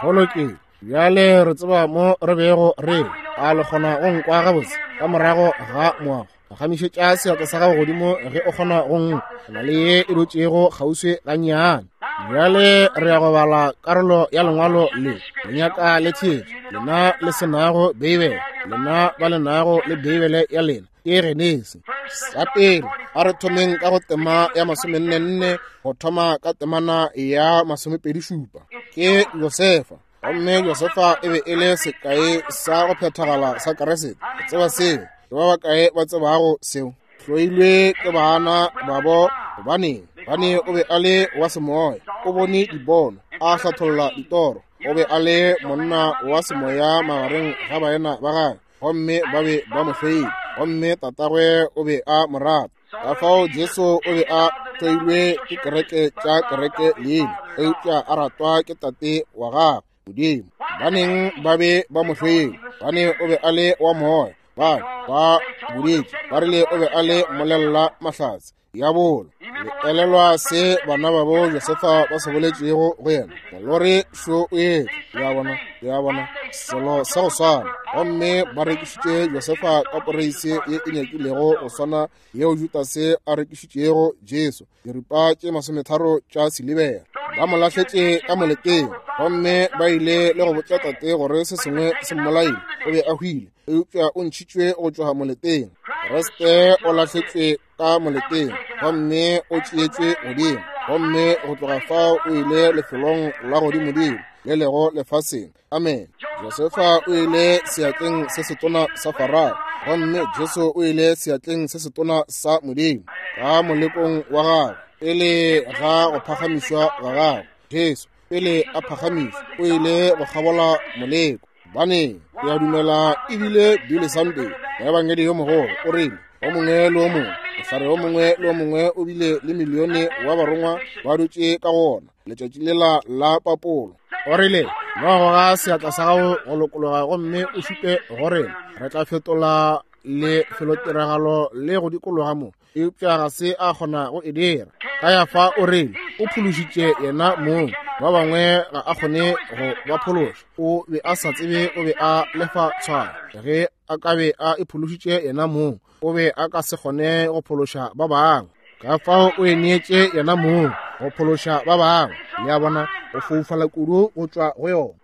Go lokile. Bjale re tseba mo re bego re le. A le kgona go nkwa gabotse ka morago ga moago? Phagamišetša seatla sa gago godimo ge o kgona go nkwa. Go na le ye e dutšego kgauswi gannyane. Bjale re ya go bala karolo ya lengwalo le. Le nyaka le theetše, lena le se nago Beibele, lena ba le nago le Beibele ya lena. Ke Genesi. Sa pele, a re thomeng ka go tema ya 44, go thoma ka temana ya 27. Ke Josefa. Gomme Josefa e be e le sekai sa go phethagala sa Kriste. O tseba seo? Ke ba bakae ba tsebago seo? Hloilwe ke bana babo, gobaneng? Gobane o be a le wa semoya. O bone dipono, a hlatholla ditoro. O be a le monna wa semoya magareng ga baena ba gagwe, gomme ba be ba mo hloile. Gomme tatagwe o be a mo rata. Ka fao Jesu o be a hloilwe ke kereke tša kereke leina, eupša a ratwa ke Tate wa gagwe, Modimo. Baneng ba be ba mo hloile, gobane o be a le wa moya. Ba ba boditše, ba rile o be a le mmolella mahlatse, diabolo. Le elelwa se bana babo Josefa ba se boletšego go yena? Molori šo o etla. Le a bona? Le a bona? Selo sa go swana. Gomme ba rekišitše Josefa ka poreise ye e nyakilego go swana yeo Judase a rekišitšego Jesu, diripa tše 30 tša silibera. Ba mo lahletše ka moleteng, gomme ba ile le go botša tate gore se sengwe se mmolaile. O be a hwile, eupša o ntšhitšwe go tšwa moleteng. Kriste o lahletšwe ka moleteng gomme o tšeetšwe godimo, gomme go tloga fao o ile lefelong la godimodimo le lego lefaseng. Amen. Josefa o ile seatleng se setona sa Farao, gomme Jesu o ile seatleng se setona sa Modimo. Ka molekong wa gagwe, pele ga go phagamišwa ga gagwe, Jesu, pele a phagamišwa, o ile go kgabola moleko. Bane, ke a dumela ebile Billy Sunday, moebangedi yo mogolo, o rile, o mongwe le o mongwe, mohlare o mongwe le o mongwe o bile le milione wa barongwa ba dutše ka go ona letšatši lela la papolo. O rile, no goga seatla sa gago go lokologa gomme o šupe go rena, re tla fetola lefelotiragalo le go dikologa mo. Eupša ga se a kgona go e dira. Kayafa o rile o phološitše yena mong, ba bangwe ga a kgone go ba phološa. O be a sa tsebe o be a lefa tshwaro. Ge a ka be a iphološitše yena mong, o be a ka se kgone go phološa ba bangwe. Ka fao o e neetše yena mong go phološa ba bangwe. Le a bona, o foufala kudu go tšwa go yona.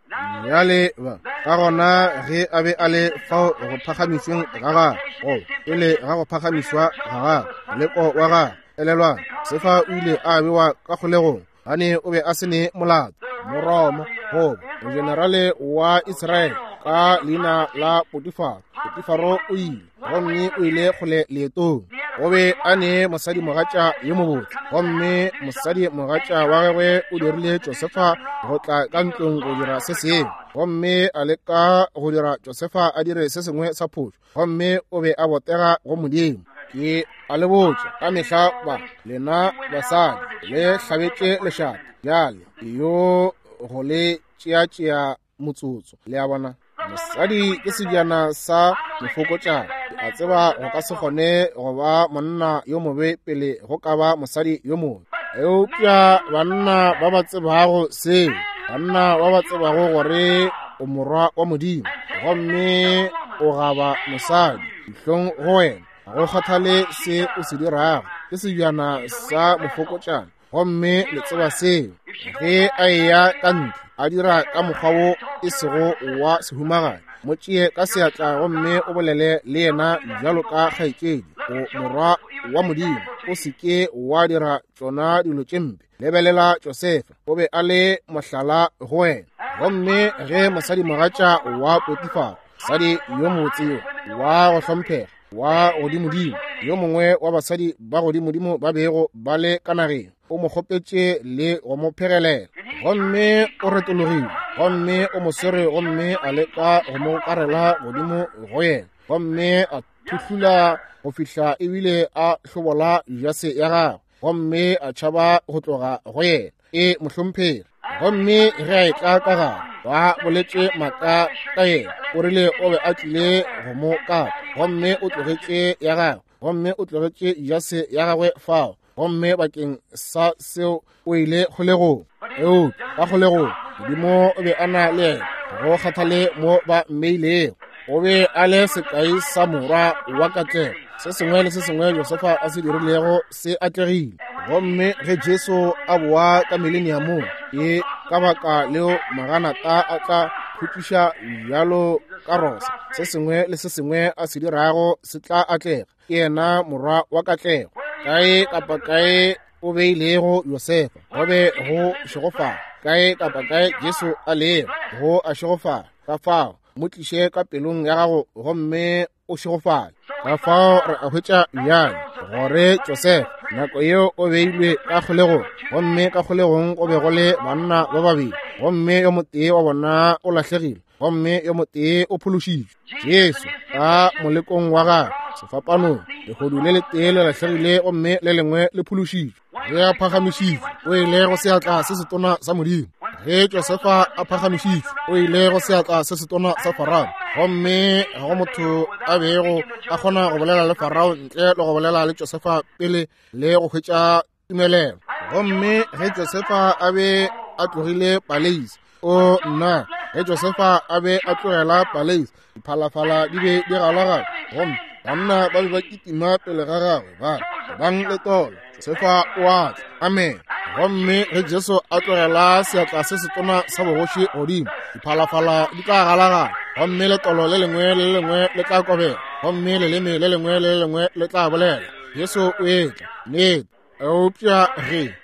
Bjale ba ka gona ge a be a le fao go phagamišweng ga gagwe, go pele ga go phagamišwa ga gagwe, moleko wa gagwe, elelwang, Josefa o ile a bewa ka kgolegong gane o be a se ne molato. Moroma goba mogenerale wa Israele ka leina la Potifaro. Potifaro o ile gomme o ile kgole leetong. O be a ne mosadimogatša yo mobotse, gomme mosadimogatša wa gagwe o dirile Josefa go tla ka ntlong go dira se sengwe, gomme a leka go dira Josefa a dire se sengwe sa phošo, gomme o be a botega go Modimo. Ke a le botša ka mehla ba lena basadi le hlabetše lešata bjale yo go le tšeatšea motsotso. Le a bona, mosadi ke sebjana sa mofokotšana. Ke a tseba go ka se kgone go ba monna yo mobe pele go ka ba mosadi yo mobe, eupša banna ba ba tsebago seo, banna ba ba tsebago gore o morwa wa Modimo gomme o gaba mosadi, dihlong go wena, ga go kgathale se o se dirago, ke sebjana sa mofokotšana. Gomme le tseba seo, ge a eya ka ntle a dira ka mokgwa wo e sego wa sehumagadi, mo tšee ka seatla gomme o bolele le yena bjalo ka kgaetšedi, o morwa wa Modimo, o se ke wa dira tšona dilo tše mpe. Lebelela Josefa, o be a le mohlala go wena. Gomme ge mosadimogatša wa Potifaro, mosadi yo mobotse yo wa go hlomphega wa godimodimo, yo mongwe wa basadi ba godimodimo ba bego ba le ka nageng, o mo kgopetše le go mo phegelela, gomme o retologile gomme o mo swere gomme a leka go mo karela godimo go yena, gomme a thuhlula go fihla ebile a hlobola jase ya gagwe gomme a tšhaba go tloga go yena. E mohlomphegi. Gomme ge a etla ka gare, ba boletše maaka ka yena, o rile o be a tlile go mo kapa, gomme o tlogetše ya gagwe, gomme o tlogetše jase ya gagwe fao, gomme bakeng sa seo o ile kgolegong. Eupša ka kgolegong Modimo o be a na le yena, go kgathale mo ba mmeilego. O be a le sekai sa morwa wa katlego. Se sengwe le se sengwe Josefa a se dirilego se atlegile. Gomme ge Jesu a boa ka mileniamong, ke ka baka leo maganata a tla khutšiša bjalo ka rosa. Se sengwe le se sengwe a se dirago se tla atlega. Ke yena morwa wa katlego. Kae kapa kae o beilego Josefa, go be go šegofala. Kae kapa kae Jesu a lego, go a šegofala. Ka fao mo tliše ka pelong ya gago gomme o šegofale. Ka fao re a hwetša bjale gore Josefa nako yeo o beilwe ka kgolegong, gomme ka kgolegong go be go le banna ba babedi, gomme yo motee wa bona o lahlegile gomme yo motee o phološitšwe. Jesu ka molekong wa gagwe sefapanong, lehodu le letee le lahlegile gomme le lengwe le phološitšwe. Ge a phagamišitšwe, o ile go seatla se setona sa Modimo. Ge Josefa a phagamišitšwe, o ile go seatla se setona sa Farao, gomme ga go motho a bego a kgona go bolela le Farao ntle le go bolela le Josefa pele le go hwetša tumelelo. Gomme ge Josefa a be a tlogile paleisi, o nna, ge Josefa a be a tlogela paleisi, diphalafala di be di galagala, gomme banna ba be ba kitima pele ga gagwe ba re, Bang le tolo, Josefa o a tla. Amen. Gomme ge Jesu a tlogela seatla se setona sa bogoši godimo, diphalafala di tla galagala, gomme letolo le lengwe le le lengwe le tla kobela, gomme leleme le lengwe le le lengwe le tla bolela, Jesu o etla. Nnete. Eupša ge,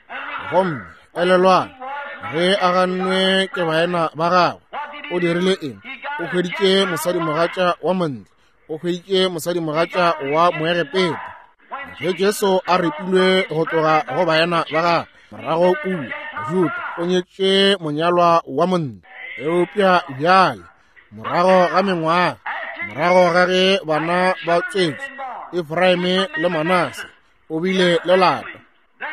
gomme elelwang, ge a gannwe ke baena ba gagwe, o dirile eng? O hweditše mosadimogatša wa montle, o hweditše mosadimogatša wa Moegepeta. Ge Jesu a ripilwe go tloga go baena ba gagwe morago kua Juda, o nyetše monyalwa wa monna. Eupša bjale morago ga mengwaga, morago ga ge bana ba tswetšwe, Efraime le Manase, o bile le lapa.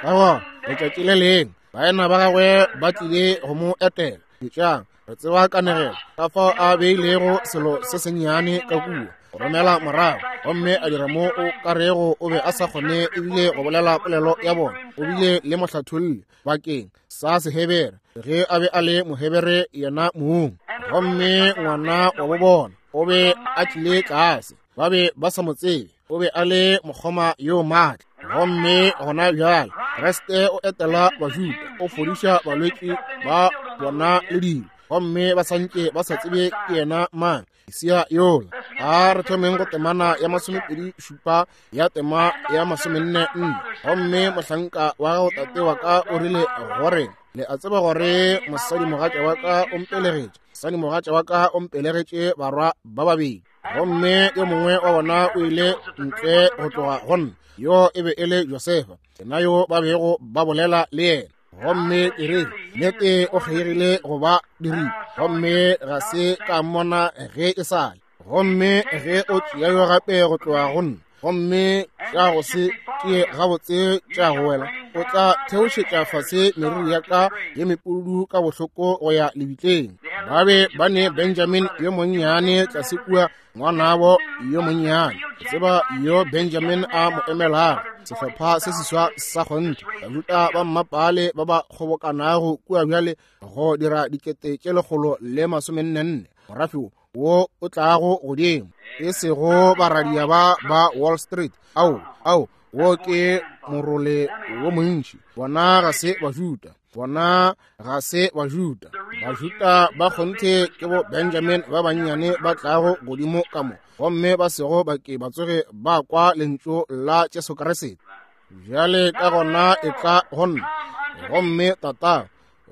Ka gona letšatši le lengwe baena ba gagwe ba tlile go mo etela. Etšang, re tseba kanegelo ka fao a beilego selo se sennyane ka kua go romela morago, gomme a dira mo o ka rego o be a sa kgone ebile go bolela polelo ya bona. O bile le mohlatholli bakeng sa Sehebere ge a be a le Mohebere yena mong, gomme ngwana wa bo bona o be a tlile tlase, ba be ba sa mo tsebe, o be a le mokgoma yo maatla. Gomme gona bjale Kriste o etela Bajuda, o fodiša balwetši ba bona le dilo, gomme ba santše ba sa tsebe ke yena mang, Mesia yola. A re thomeng go temana ya 27 ya tema ya 44. Gomme mohlanka wa gago tate wa ka o rile gore, le a tseba gore mosadimogatša wa ka o mpelegetše, mosadimogatša wa ka o mpelegetše barwa ba babedi, gomme yo mongwe wa bona o ile ntle go tloga go nna, yo e be e le Josefa, yena yo ba bego ba bolela le yena. Gomme ke re, nnete o kgeigile go ba diripa, gomme ga se ka mmona ge e sa le. Gomme ge o tšea yo gape go tloga go nna, gomme tša go se tšee gabotse tša go wela, o tla theošetša fase meriri ya ka ye mepudu ka bohloko go ya lebitleng. Ba be ba ne Benjamin yo monnyane tlase kua, ngwanabo yo monnyane. Tseba yo Benjamin a mo emelago, sehlopha se seswa sa kgonthe, Bajuda ba mmapale ba ba kgobokanago kua bjale go dira 144,000, morafe wo o tlago godimo, e sego baradia ba ba Wall Street. Ao, ao, wo ke morole wo montši. Bona ga se Bajuda, bona ga se Bajuda. Bajuda ba kgonthe ke bo Benjamin ba bannyane ba tlago godimo ka mo, gomme ba sego ba ke ba tsoge ba kwa lentšu la Jesu Kriste. Bjale ka gona e tla go nna, gomme tata,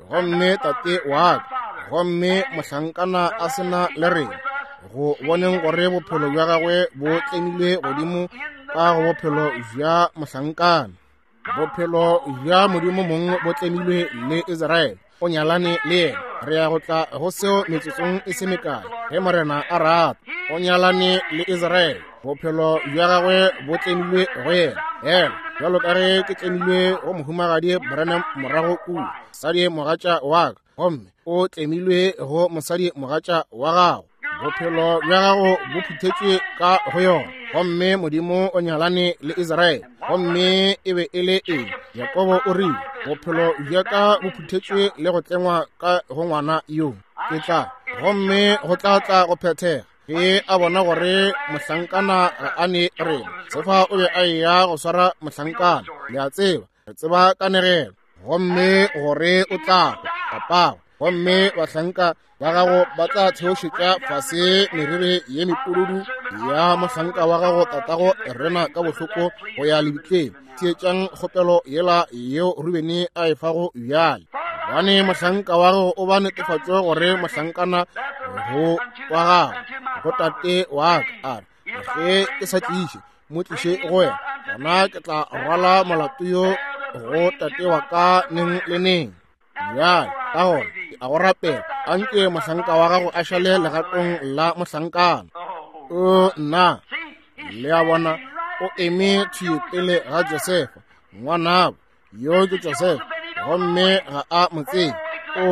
gomme tate wa ka, gomme mohlankana a sena le rena, go boneng gore bophelo bja gagwe bo tlemilwe godimo ka go bophelo bja mohlankana. Bophelo bja Modimo mong bo tlemilwe le Israele, o nyalane le yena. Re ya go tla go seo metsotsong e se mekae, ge Morena a rata. O nyalane le Israele, bophelo bja gagwe bo tlemilwe go yena. Hela, bjalo ka ge ke tlemilwe go mohumagadi Branham morago kua, mosadi mogatša wa ka, gomme o tlemilwe go mosadi mogatša wa gago. Bophelo bja gago bo phuthetšwe ka go yona. Gomme Modimo o nyalane le Israele, gomme e be e le eng? Jakobo o rile, bophelo bja ka bo phuthetšwe le go tlengwa ka go ngwana yo. Ke tla, gomme go tla tla go phethega ge a bona gore mohlankana ga a ne rena. Sefa o be a eya go swara mohlankana, le a tseba, re tseba kanegelo, gomme gore o tla hwa papago, gomme bahlanka ba gago ba tla theošetša fase meriri ye mepududu ya mohlanka wa gago tatago rena ka bohloko go ya lebitleng. Theetšang kgopelo yela yeo Rubene a e fago bjale, gobane mohlanka wa gago o ba netefatšo gore mohlankana go wa gago go tate wa ka, a re, ge ke sa tliše mo tliše go wena, gona ke tla rwala molato yo go tate wa ka neng le neng. Bjale ka gona ke a go rapela, a nke mohlanka wa gago a šale legatong la mohlankana. O nna, le a bona, o eme thwi pele ga Josefa ngwanabo, yo ke Josefa, gomme ga a mo tsebe. O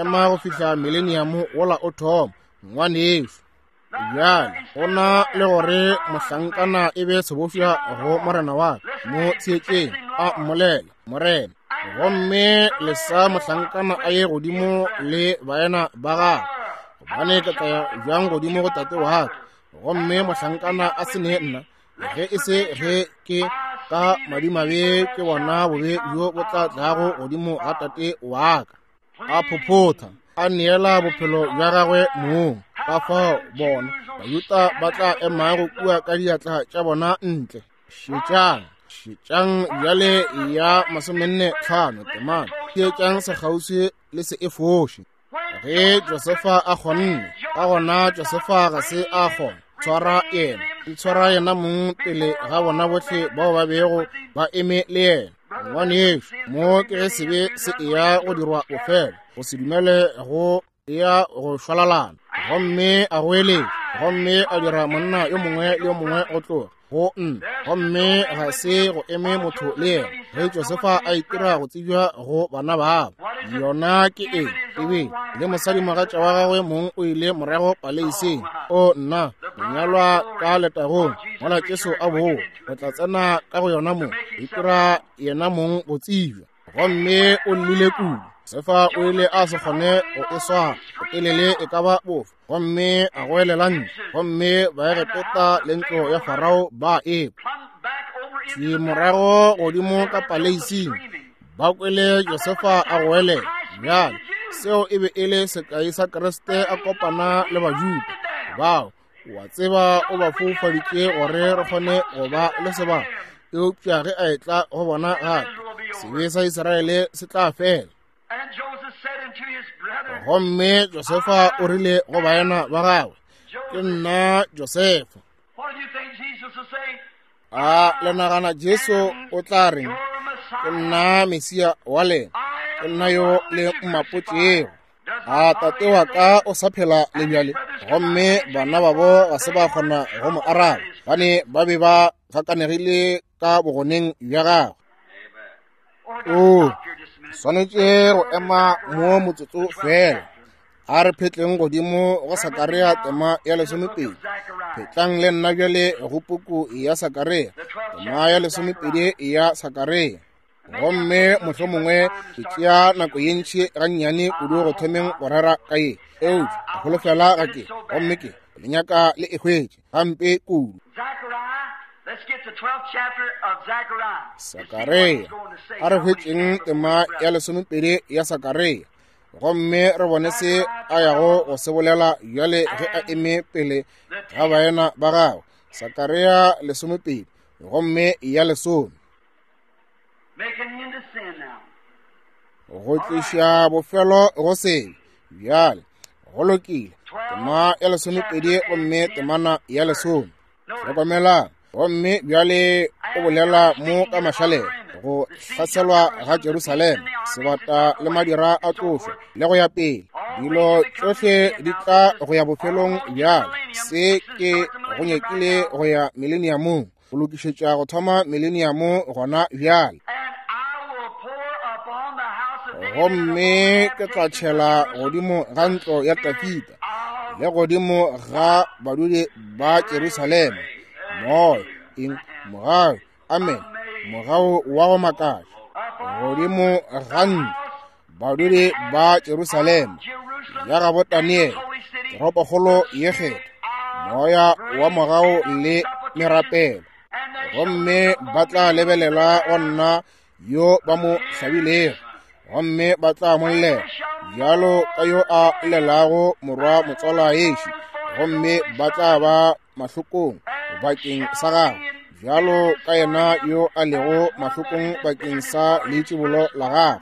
ema go fihla mileniamo wola o thoma, ngwanešu. Bjale go na le gore mohlankana e be sebofša go morena wa ka, mo tsietšeng a mmolela morena, gomme lesa mohlankana a ye godimo le baena ba gagwe, gobane ke tla ya bjang godimo go tate wa ka, gomme mohlankana a se ne nna, ge e se ge ke ka madimabe ke bona bobe bjo bo tla tlago godimo ga tate wa ka. A phophotha, a neela bophelo bja gagwe mong. Ka fao bona Bajuda ba tla emago kua ka diatla tša bona ntle. Šetšang, šetšang bjale ya 45 temana. Theetšang sekgauswi le se e foše. Ge Josefa a kgonne, ka gona Josefa ga se a kgona tshwara yena. Itshwara yena mong pele ga bona bohle bao ba bego ba eme le yena. Ngwanešu, mo ke ge sebe se eya go dirwa bofelo, go se dumele go eya go šwalalana. Gomme a goeletša, gomme a dira monna yo mongwe le yo mongwe go tloga go nna, gomme ga se go eme motho le yena. Ge Josefa a itira go tsebja go bana babo, yona ke eng? Ebe le mosadimogatša wa gagwe mong o ile morago paleiseng. O nna, monyalwa ka letagong, mola Jesu a boa, o tla tsena ka go yona mo, itira yena mong go tsebja. Gomme o llile kudu. Josefa o ile a se kgone go e swara botelele e ka ba bofe, gomme a goelela ntle, gomme Baegepeta le ntlo ya Farao ba ekwa. Thwi morago godimo ka paleising ba kwele Josefa a goelela. Bjale seo e be e le sekai sa Kriste a kopana le Bajuda bao, wa tseba, o ba foufaditše gore re kgone go ba le sebaka, eupša ge a etla go bona gape, sebe sa Israele se tla fela. Gomme Josefa o rile go baena ba gagwe, ke nna Josefa. A le nagana Jesu o tla reng? Ke nna Mesia wa lena, ke nna yo le mmapotšego. A tate wa ka o sa phela le bjale? Gomme bana babo ga se ba kgona go mo araba, bane ba be ba gakanegile ka bogoneng bja gagwe. O swanetše go ema mo motsotso fela. A re phetleng godimo go Sakaria tema ya 12. Phetlang le nna bjale go puku ya Sakaria, tema ya 12 ya Sakaria. Gomme mohlomongwe ke tšea nako ye ntši gannyane kudu go thomeng go rera ka ye, eupša holofela ga ke, gomme ke le nyaka le e hwetše gampe kudu. Sakaria, a re hwetšeng tema ya 12 ya Sakaria, gomme re bone se a yago go se bolela bjale ge a eme pele ga baena ba gagwe. Sakaria 12 gomme ya 10. Go tliša bofelo go sebe. Bjale go lokile, tema ya 12 gomme temana ya 10. Hlokomelang, gomme bjale o bolela mo ka mašalela, go hlaselwa ga Jerusalema, sebata le madira a tlošwa le go ya pele. Dilo tšohle di tla go ya bofelong bjale. Se ke go nyakile go ya mileniamong, go lokišetša go thoma mileniamo gona bjale. Gomme ke tla tšhela godimo ga ntlo ya Dafida le godimo ga badudi ba Jerusalema moya, eng, mogau, amen, mogau wa go makatša, godimo ga ntlo badudi ba Jerusalema ya gabo Daniele, toropokgolo ye kgethwa, moya wa mogau le merapelo. Gomme ba tla lebelela go nna yo ba mo hlabilego, gomme ba tla mo llela bjalo ka yo a llelago morwa motswala ešo, gomme ba tla ba mahlokong bakeng sa gagwe bjalo ka yena yo a lego mahlokong bakeng sa leitšibolo la gagwe.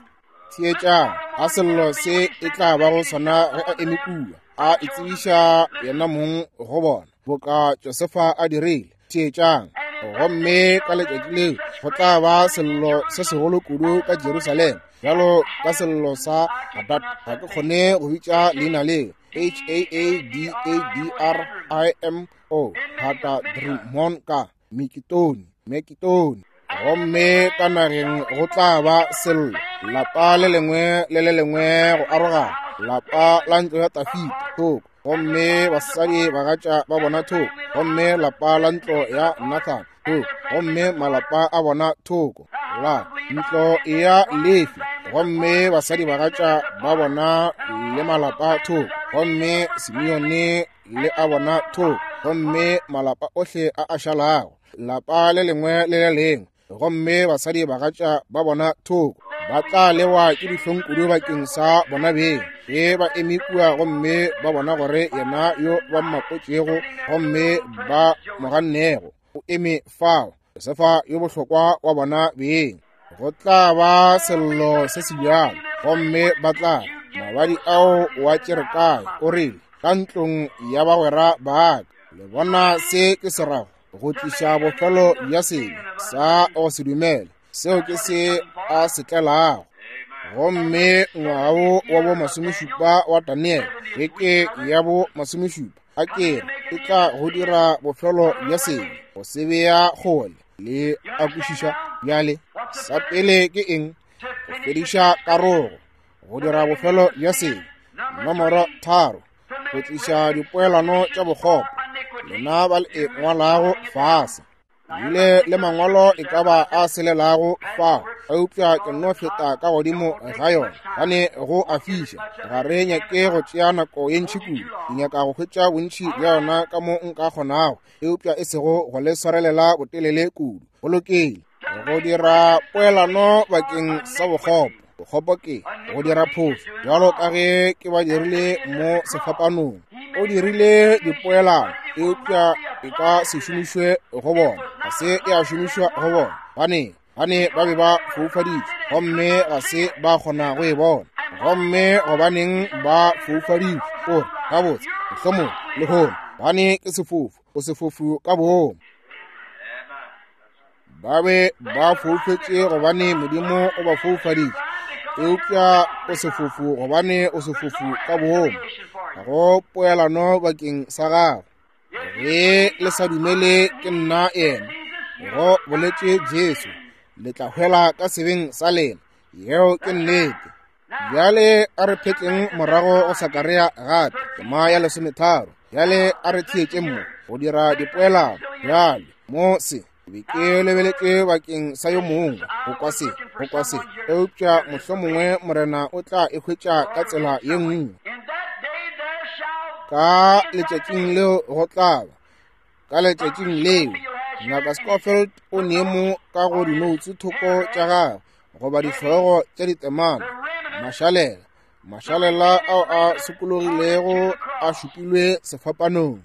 Theetšang, a sello se e tla ba go sona ge a eme kua, a itsebiša yena mong go bona, boka Josefa a dirile. Theetšang, gomme ka letšatši leo go tla ba sello se segolo kudu ka Jerusalema, bjalo ka sello sa Hadad. Ga ke kgone go bitša leina leo, H A A D A D R I M O, Hadadrimon ka Mikitoni, Mekitoni. Gomme ka nageng go tla ba sello, lapa le lengwe le le lengwe go arogana, lapa la ntlo ya Dafida thoko, gomme basadi bagatša ba bona thoko, gomme lapa la ntlo ya Nathan thoko, gomme malapa a bona thoko, la ntlo ya Lefi, gomme basadi bagatša ba bona le malapa thoko, gomme Simeone le a bona thoko, gomme malapa ohle a a šalago, lapa le lengwe le le lengwe, gomme basadi bagatša ba bona thoko, ba tla lewa ke dihlong kudu bakeng sa bona beng ge ba eme kua gomme ba bona gore yena yo ba mmapotšego gomme ba mo gannego o eme fao, Josefa yo bohlokwa wa bona beng. Go tla ba sello se se bjalo, gomme ba tla mabadi ao wa tšere kae? O rile, ka ntlong ya bagwera ba ka. Le bona se ke se rago? Go tliša bofelo bja sebe sa go se dumele, seo ke se a se tlelago. Gomme ngwaga wo wa bo masomešupa wa Daniele, beke ya bo masomešupa, a ke e tla go dira bofelo bja sebe, go se bea kgole le a kwešiša. Bjale sa pele ke eng? Go fediša karogo, go dira bofelo bja sebe. Nomoro 3, go tliša dipoelano tša bokgopo. Lena ba le e ngwalago fase, bile le mangwalo e ka ba a selelago fao, eupša ke nno feta ka godimo ga yona gane go a fiša. Ga re nyake go tšea nako ye ntši kudu, ke nyaka go hwetša bontši bja yona ka mo nka kgonago, eupša e sego go le swarelela botelele kudu. Go lokile. Go dira poelano bakeng sa bokgopo. Bokgopo ke go dira phošo, bjalo ka ge ke ba dirile mo sefapanong. O dirile dipoelano, eupša e ka se šomišwe go bona. Ga se ya šomišwa go bona. Gane, gane ba be ba foufaditšwe, gomme ga se ba kgona go e bona. Gomme gobaneng ba foufaditšwe? O re, gabotse, mohlomong lehono, gane ke sefofu, o sefofu ka boomo. Ba be ba foufetše gobane Modimo o ba foufaditše, eupša o sefofu gobane o sefofu ka boomo. Ga go poelano bakeng sa gago. Ge le sa dumele ke nna yena, go boletše Jesu, le tla hwela ka sebeng sa lena. Yeo ke nnete. Bjale a re phetleng morago go Sakaria gape, tema ya 13. Bjale a re theetše mo go dira dipoelano. Bjale mo se be ke lebeletše bakeng sa yo mongwe go kwa se, go kwa se, eupša mohlomongwe Morena o tla e hwetša ka tsela ye nngwe. Ka letšatšing leo go tla ba, ka letšatšing leo, Ngaka Scofield o ne mo ka go dinoutse thoko tša gagwe, goba dihlogo tša ditemana, mašalela, mašalela ao a sokologilego a šupilwe sefapanong,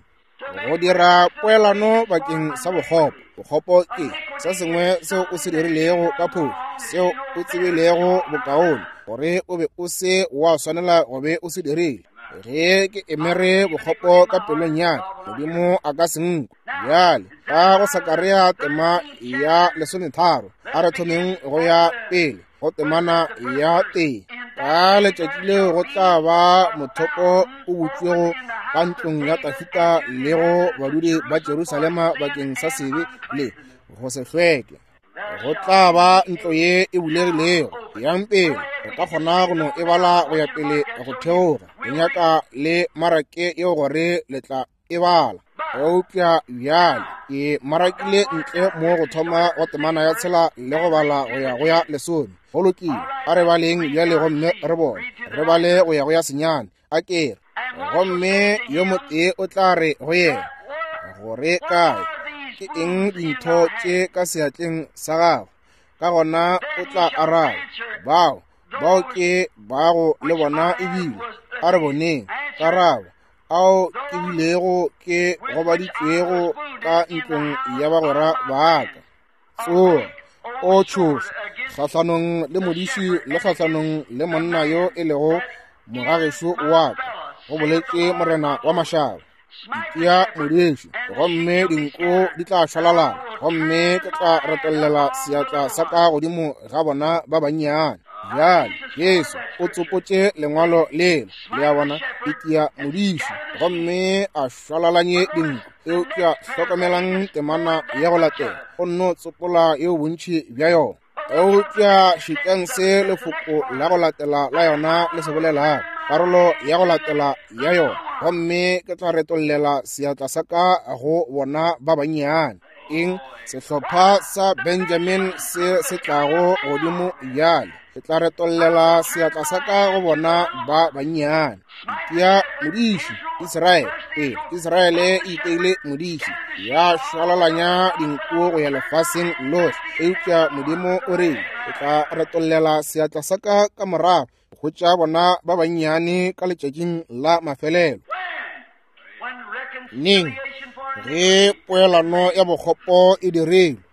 go dira poelano bakeng sa bokgopo. Bokgopo ke se sengwe seo o se dirilego ka phošo, seo o tsebilego bokaone gore o be o se wa swanela go be o se dirile. Ge ke emere bokgopo ka pelong ya ka, Modimo a ka se nkwe. Bjale ka go Sakaria tema ya 13, a re thomeng go ya pele go temana ya 1. Ka letšatši leo go tla ba mothopo o butšwego ka ntlong ya Dafida le go badudi ba Jerusalema bakeng sa sebe le go se hlweke. Go tla ba ntlo ye e bulegilego. Yang pele, re ka kgona go no e bala go ya pele go theoga. Re nyaka le marake yeo gore le tla e bala. Eupša bjale ke marakile ntle mo go thoma go temana ya 6 le go bala go ya go ya 10. Go lokile, a re baleng bjale gomme re bone. Re bale go ya go ya 9. A ke re, gomme yo motee o tla re go yena, gore kae ke eng dintho tše ka seatleng sa gago? Ka gona o tla araba, bao, bao ke bago le bona ebile. A re boneng karabo, ao ke bilego ke gobaditšwego ka ntlong ya bagwera ba ka. Tsoga, o tšhoša kgahlanong le modiši le kgahlanong le monna yo e lego mogagešo wa ka, go boletše Morena wa mašaba. Itia modiši, gomme dinko di tla šwalalana, gomme ke tla retollela seatla sa ka godimo ga bona ba bannyane. Bjale Jesu o tsopotše lengwalo lela, le a bona, itia modiši, gomme a šwalalanye dinku. Eupša hlokomelang temana ya go latela, o nno tsopola yeo bontši bja yona. Eupša šetšang se lefoko la go latela la yona le se bolelago, karolo ya go latela ya yona, gomme ke tla retollela seatla sa ka go bona ba bannyane. Eng? Sehlopha sa Benjamin se se tlago godimo bjale, ke tla retollela seatla sa ka go bona ba bannyane. Ya modiši Israele, ee, Israele e iteile modiši, ya šwalalanya dinku go ya lefaseng lohle. Eupša Modimo o re, ke tla retollela seatla sa ka ka morago go hwetša bona ba bannyane ka letšatšing la mafelelo. Neng? Ge poelano ya bokgopo e dirilwe.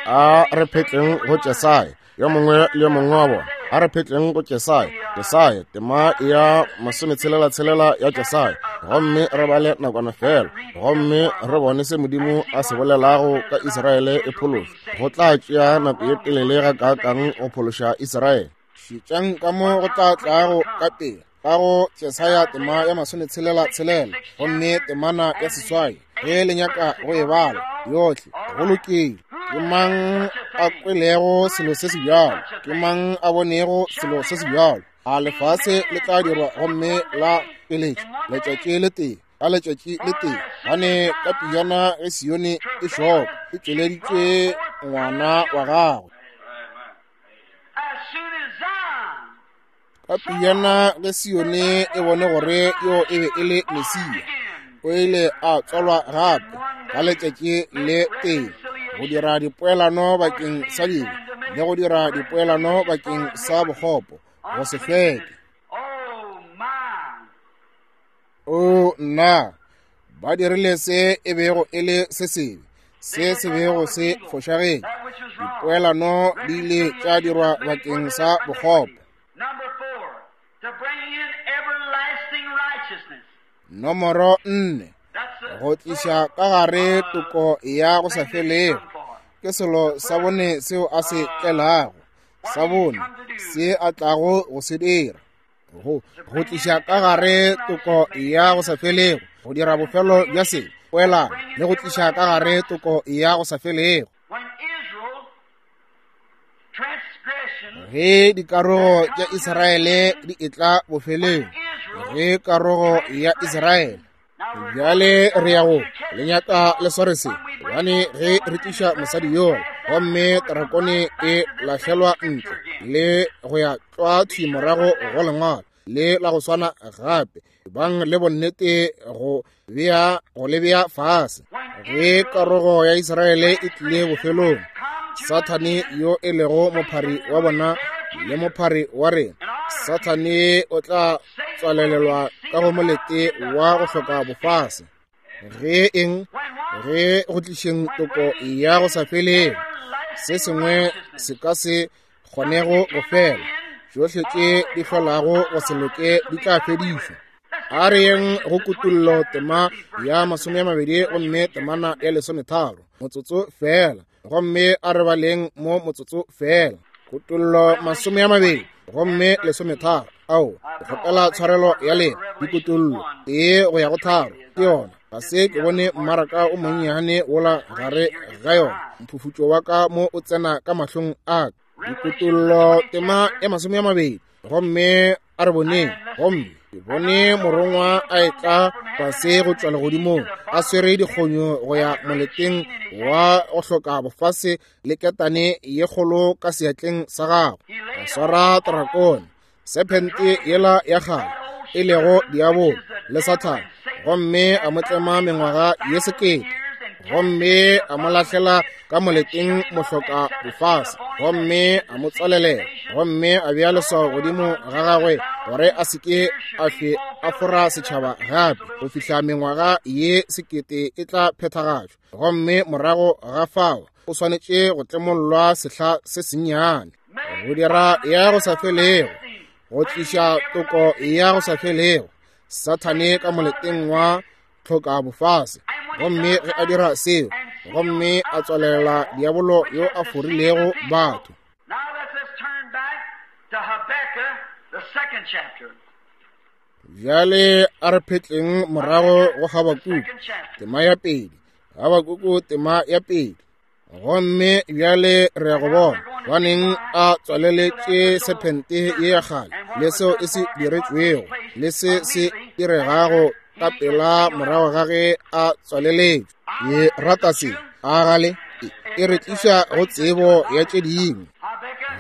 A re phetleng go Jesaya, yo mongwe le yo mongwe wa bona. A re phetleng go Jesaya, Jesaya, tema ya 66 ya Jesaya. gomme re bale nakwana fela, gomme re bone se Modimo a se bolelago ka Israele e phološwa. Go tla tšea nako ye telele gakaakang go phološa Israele. Šetšang ka mo go tla tlago ka pela ka go Jesaya tema ya 66 gomme temana ya 8, ge le nyaka go e bala yohle. Go lokile. Ke mang a kwelego selo se se bjalo? Ke mang a bonego selo se se bjalo? A lefase le tla dirwa gomme la peletša letšatši le tee ka letšatši le tee, gane ka pejana ge Sione e šoka e tšweleditšwe ngwana wa gagwe. Ka pejana ge Sione e bone gore yo e be e le Mesia, o ile a tswalwa gape ka letšatši le tee go dira dipoelano bakeng sa dibe le go dira dipoelano bakeng sa bokgopo go se hlweke. O nna, ba dirile se e bego e le se sebe, se se bego se fošagetše. Dipoelano di ile tša dirwa bakeng sa bokgopo. Nomoro 4, go tliša ka gare toko ya go sa felego, ke selo sa bone seo a se tlelago, sa bone se a tlago go se dira, go tliša ka gare toko ya go sa felego, go dira bofelo bja se poelano le go tliša ka gare toko ya go sa felego. Ge dikarogo tša Israele di etla bofelong, ge karogo ya Israele bjale re ya go le nyaka le sware se, gobane ge re tliša mosadi yola gomme terakone e lahlelwa ntle le go ya tlwa thwi morago go lengwalo le la go swana gape, bang le bonnete go le bea fase. Ge karogo ya Israele e tlile bofelong, Sathane yo e lego mophari wa bona le mophari wa rena, Sathane o tla tswalelelwa ka go molete wa go hloka bofase. Ge eng? Ge go tlišeng toko ya go sa felego, se sengwe se ka se kgonego go fela, tšohle tše di hlolago go se loke di tla fedišwa. A re yeng go Kutullo tema ya 20 gomme temana ya 13, motsotso fela, gomme a re baleng mo motsotso fela. Kutullo 20 gomme 13. Ao, ke kgopela tshwarelo ya lena. Dikutullo 1 go ya go 3 ke yona. Ga se ke bone mmaraka o monnyane wola gare ga yona, mphufutšo wa ka mo o tsena ka mahlong a ka. Dikutullo tema ya 20 gomme a re boneng, gomme ke bone morongwa a etla fase go tšwa legodimong a swere dikgonyo go ya moleteng wa go hloka bofase le ketane ye kgolo ka seatleng sa gagwe, a swara drakone, sephente yela ya kgale e lego diabolo le Sathane, gomme a mo tlema mengwaga ye 1000, gomme a mo lahlela ka moleteng mohloka bofase, gomme a mo tswalelela, gomme a bea leswao godimo ga gagwe gore a se ke a hlwe a fora setšhaba gape go fihla mengwaga ye 1000 e tla phethagatšwa, gomme morago ga fao o swanetše go tlemollwa sehla se sennyane go dira ya go sa felego, go tliša toko ya go sa felego, Sathane ka moleteng wa tlhoka bofase. Gomme ge a dira seo, gomme a tswalela diabolo yo a forilego batho. Bjale a re phetleng morago go Habakuku tema ya 2, Habakuku tema ya 2. Gomme bjale re ya go bona baneng a tswaleletše sephente ye ya kgale le seo e se diretšwego le se se diregago ka pela morago ga ge a tswaleletšwe. Ke rata se, a gale e re tliša go tsebo ya tše dingwe.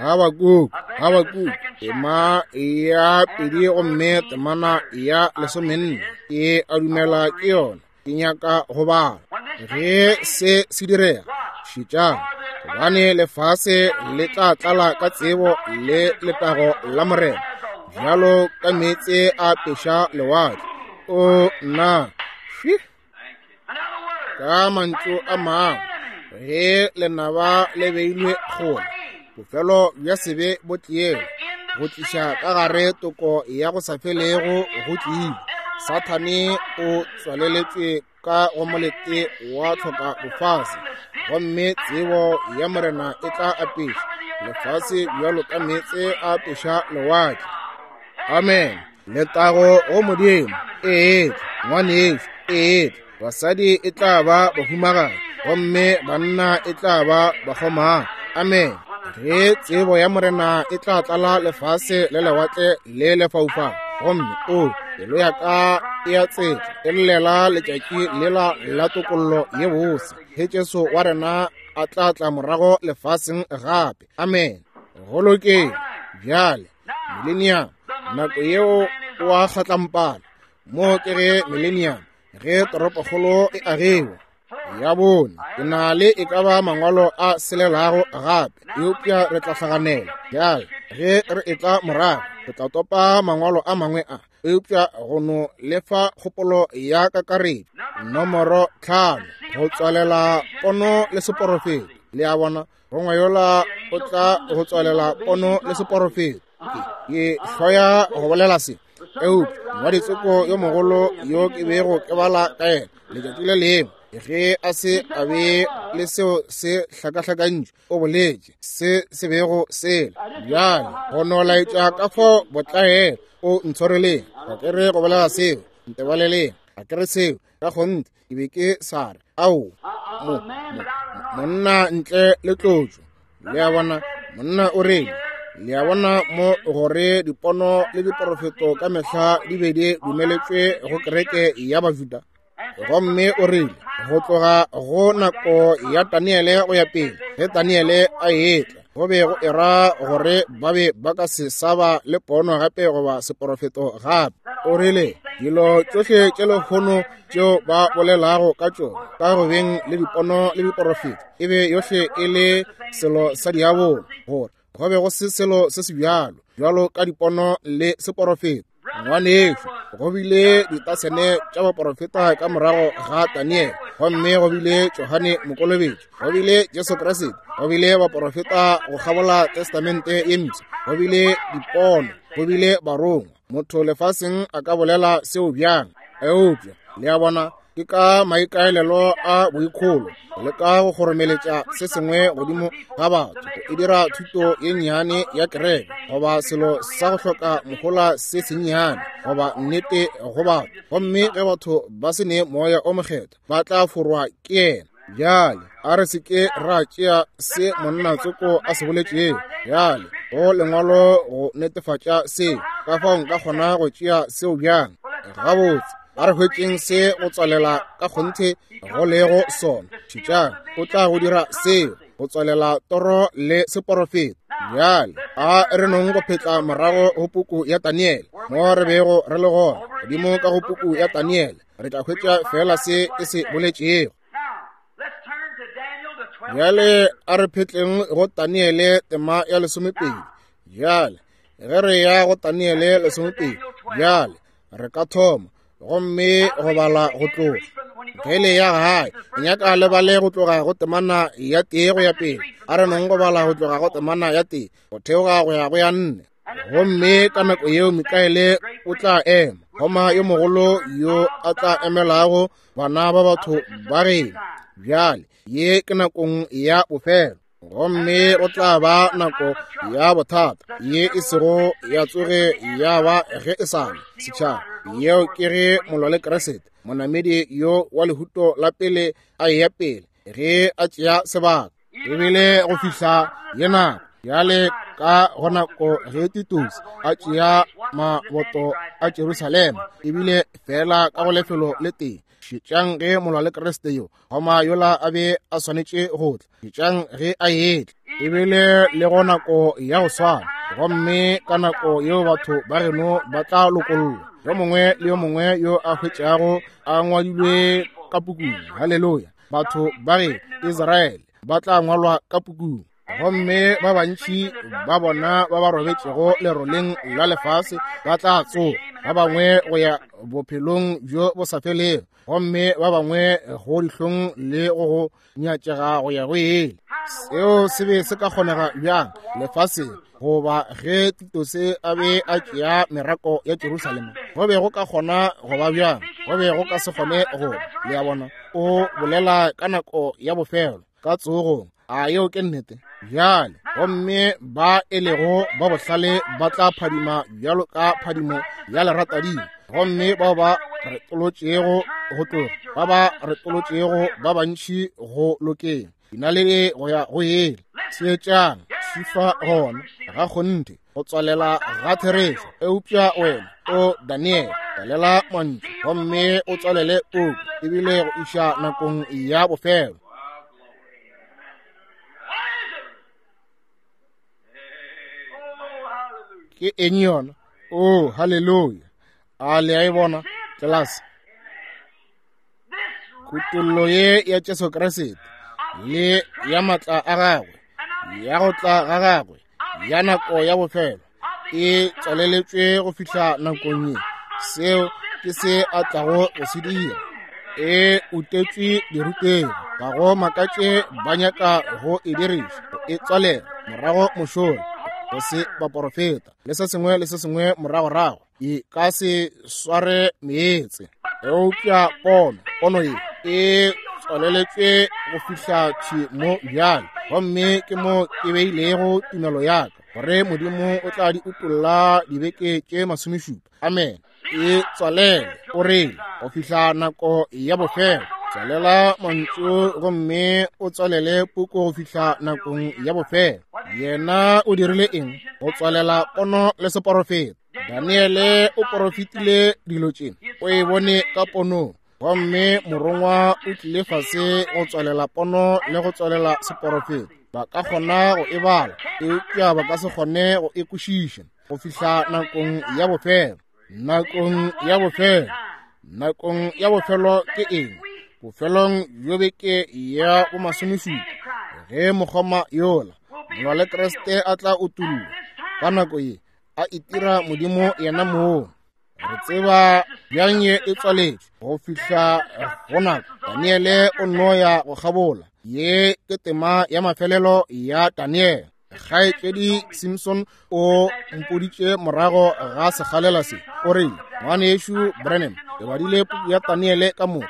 Habakuku tema ya 2 gomme temana ya 14, ke a dumela ke yona. Ke nyaka go bala. Ge se se direga, šetšang, gobane lefase le tla tlala ka tsebo le letago la Morena, bjalo ka meetse a peša lewatle. O nna, hwi! Ka mantšu a mangwe, ge lenaba le beilwe kgole, bofelo bja sebe bo tliele, go tliša ka gare toko ya go sa felego go tlile. Sathane o tswaleletšwe ka go molete wa tlhoka bofase, gomme tsebo ya Morena e tla apeša lefase bjalo ka meetse a apeša lewatle. Amen. Letago go Modimo. Ee, ngwanešu. Ee, basadi e tla ba bahumagadi, gomme banna e tla ba bakgomana. Amen. Ge tsebo ya Morena e tla tlala lefase le lewatle le lefaufau, gomme o pelo ya ka e a tsetla e llela letšatši lela la tokollo ye bose, ge Jesu wa rena a tla tla morago lefaseng gape. Amen. Go lokile. Bjale millennium, nako yeo o a kgatlampana. Mo ke ge millennium, ge toropokgolo e agiwa. Ya bone, ke na le e ka ba mangwalo a selelago gape, eupša re tla hlaganela. Bjale ge re etla morago, re tla topa mangwalo a mangwe a, eupša go no lefa kgopolo ya kakaretšo. Nomoro 5, go tswalela pono le seporofeto. Le a bona, gongwe yola o tla go tswalela pono le seporofeto. Ke hloya go bolela se, eupša ngwaditsoko yo mogolo yo ke bego ke bala ka yena letšatši le lengwe, ge a se a be le seo se hlakahlakantšwe, o boletše se se bego sele. Bjale go no laetša ka fao botlaela o ntshwareleng, ga ke re go bolela seo, ntebaleleng, ga ke re seo ka kgonthe, ke be ke sa re ao monna ntle le tlotšo. Le a bona, monna o reng? Le a bona mo gore dipono le diporofeto ka mehla di be di dumeletšwe go kereke ya Bajuda. Gomme o rile go tloga go nako ya Daniele go ya pele, ge Daniele a etla, go be go era gore ba be ba ka se sa ba le pono gape goba seporofeto gape. O rile dilo tšohle tše lehono tšeo ba bolelago ka tšona ka go beng le dipono le diporofeto e be yohle e le selo sa diabolo, gore go be go se selo se se bjalo bjalo ka dipono le seporofeto. Ngwanešu, go bile ditasene tša baporofeta ka morago ga Daniele, gomme go bile Johane Mokolobetši, go bile Jesu Kriste, go bile baporofeta go kgabola Testamente ye Mpsha, go bile dipono, go bile barongwa. Motho lefaseng a ka bolela seo bjang? Eupša le a bona, ke ka maikaelelo a boikholo le ka go kgoromeletša se sengwe godimo ga batho, e dira thuto ye nnyane ya kereke goba selo sa go hloka mohola se sennyane goba nnete go batho. Gomme ge batho ba se ne Moya o Mokgethwa, ba tla forwa ke yena. Bjale a re se ke ra tšea se monna tsoko a se boletšego bjale go lengwalo go netefatša se, ka fao nka kgona go tšea seo bjang? Gabotse, a re hwetšeng se go tswalela ka kgonthe go lego sona. Šetšang, o tla go dira seo go tswalela toro le seporofeto. Bjale a re nong go phetla morago go puku ya Daniele, mo re bego re le gona, godimo ka go puku ya Daniele, re tla hwetša fela se e se boletšego. Bjale a re phetleng go Daniele tema ya 12. Bjale ge re ya go Daniele 12, bjale re ka thoma gomme go bala go tloga ge le ya gae. Nyaka le bale go tloga go temana ya 1 go ya pele. A re nong go bala go tloga go temana ya 1 go theoga go ya go ya 4. Gomme ka nako yeo Mikaele o tla ema, goma yo mogolo yo a tla emelago bana ba batho ba geno. Bjale ye ke nakong ya bofelo, gomme go tla ba nako ya bothata ye e sego ya tsoge ya ba ge e sa le setšhaba. Yeo ke ge molwa le Kriste, monamedi yo wa lehuto la pele a eya pele, ge a tšea sebaka. Ebile go fihla ye nako bjale ka go nako ge Titus a tšea maboto a Jerusalema, ebile fela ka go lefelo le tee. Šetšang ge molwa le Kriste yo goma yola a be a swanetše go tla, šetšang ge a etla, ebile le go nako ya go swana. Gomme ka nako yeo batho ba geno ba tla lokollwa, yo mongwe le yo mongwe yo a hwetšago a ngwadilwe ka pukung. Haleluya! Batho ba ge Israele ba tla ngwalwa ka pukung. Gomme ba bantši ba bona ba ba robetšego leroleng la lefase ba tla tsoga, ba bangwe go ya bophelong bjo bo sa felego, gomme ba bangwe go dihlong le go go nyatšega go ya go ele. Seo se be se ka kgonega bjang lefaseng, goba ge Titose a be a tšea merako ya Jerusalema, go be go ka kgona go ba bjang? Go be go ka se kgone go ba. Le a bona, o bolela ka nako ya bofelo, ka tsogong. A yeo ke nnete? Bjale, gomme ba e lego ba bohlale ba tla phadima bjalo ka phadimo ya leratadima, gomme bao ba retolotšego go tloga, ba ba retolotšego ba bantši go lokeng, dinaledi go ya go yele. Theetšang, šifa gona ga kgonthe go tswalela ga therešo. Eupša wena, o Daniel, tswalela mantšu gomme o tswalele puku, ebile go iša nakong ya bofelo. Ke eng yona? Oh, haleluya! A le a e bona, tlelase? Kutollo ye ya Jesu Kriste le ya matla a gagwe, ya go tla ga gagwe, ya nako ya bofelo, e tswaleletšwe go fihla nakong ye. Seo ke se a tlago go se dira. E utetšwe dirutegi, ga go makatše ba nyaka go e diriša, go e tswalela morago mošola, go se baporofeta le se sengwe le se sengwe moragorago. E ka se sware meetse. Eupša pono, pono ye e tswaleletšwe go fihla thwi mo bjale, gomme ke mo ke beilego tumelo ya ka, gore Modimo o tla di utolla dibeke tše masomešupa. Amen. E tswalele, o rile, go fihla nako ya bofelo. Tswalela mantšu gomme o tswalele puku go fihla nakong ya bofelo. Yena o dirile eng? Go tswalela pono le seporofeta. Daniele o porofetile dilo tše, o e bone ka ponong, gomme morongwa o tlile fase go tswalela pono le go tswalela seporofeta. Ba ka kgona go e bala, eupša ba ka se kgone go e kwešiša go fihla nakong ya bofelo. Nakong ya bofelo, nakong ya bofelo ke eng? Bofelong bjo beke ya bomasomešupa, ge mokgoma yola molwa le Kriste a tla utollwa, ka nako ye a itira Modimo yena mong. Re tseba bjang ye e tswaletšwe go fihla go nako. Daniele o nno ya go kgabola. Ye ke tema ya mafelelo ya Daniele. Kgaetšedi Simpson o mpoditše morago ga sekgalela se, o rile, Ngwanešu Branham, ke badile puku ya Daniele ka moka,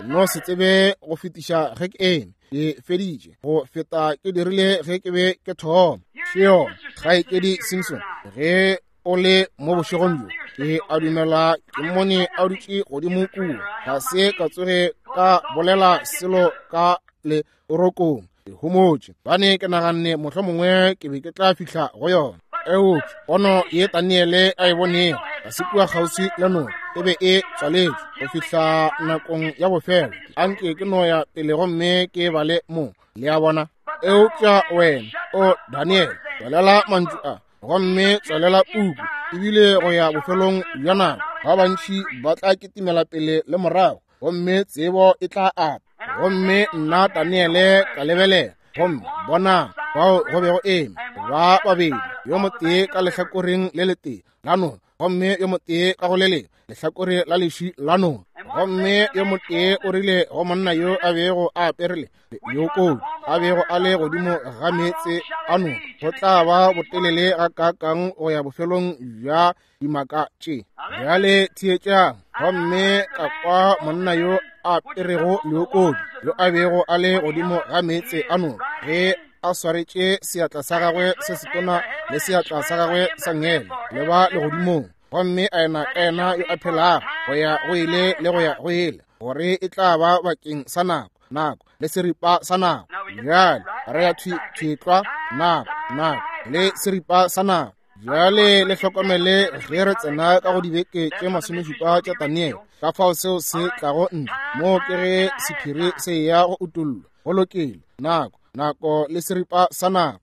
no se tsebe go fetiša ge ke eme. Ke feditše go feta ke dirile ge ke be ke thoma. Še yona, Kgaetšedi Simpson, ge o le mo bošegong bjo, ke a dumela ke mmone a dutše godimo kua. Ga se ka tsoge ka bolela selo ka le rokong. Ke homotše, bane ke naganne mohlomongwe ke be ke tla fihla go yona. Eupša pono ye Daniele a e bonego ga se kua kgauswi le noka, e be e tswaletšwe go fihla nakong ya bofelo. Anke ke no ya pele gomme ke bale mo, le a bona. Eupša wena, o Daniele, tswalela mantšu a gomme tswalela puku, ebile go ya bofelong bja nako ba bantši ba tla kitimela pele le morago, gomme tsebo e tla ata. Gomme nna Daniele ka lebelela, gomme bonang, bao go bego eme ba babedi, yo motee ka lehlakoreng le letee la noka, gomme yo motee ka go le lengwe lehlakore la leši la noka. Gomme yo motee o rile go monna yo a bego a aperele leokodi, a bego a le godimo ga meetse a noka, go tla ba botelele gakaakang go ya bofelong bja dimaka tše? Bjale theetšang. Gomme ka kwa monna yo a aperego leokodi, yo a bego a le godimo ga meetse a noka, ge a swaretše seatla sa gagwe se setona le seatla sa gagwe sa ngele le ba legodimong, gomme a ena ka yena yo a phelago go ya go ile le go ya go ile, gore e tla ba bakeng sa nako, nako le seripa sa nako. Bjale re ya thwi thwi tlwa, nako, nako le seripa sa nako. Bjale le hlokomele ge re tsena ka go dibeke tše masomešupa tša Daniele, ka fao seo se tlago ntle moo ke ge sephiri se eya go utollwa. Go lokile, nako, nako le seripa sa nako.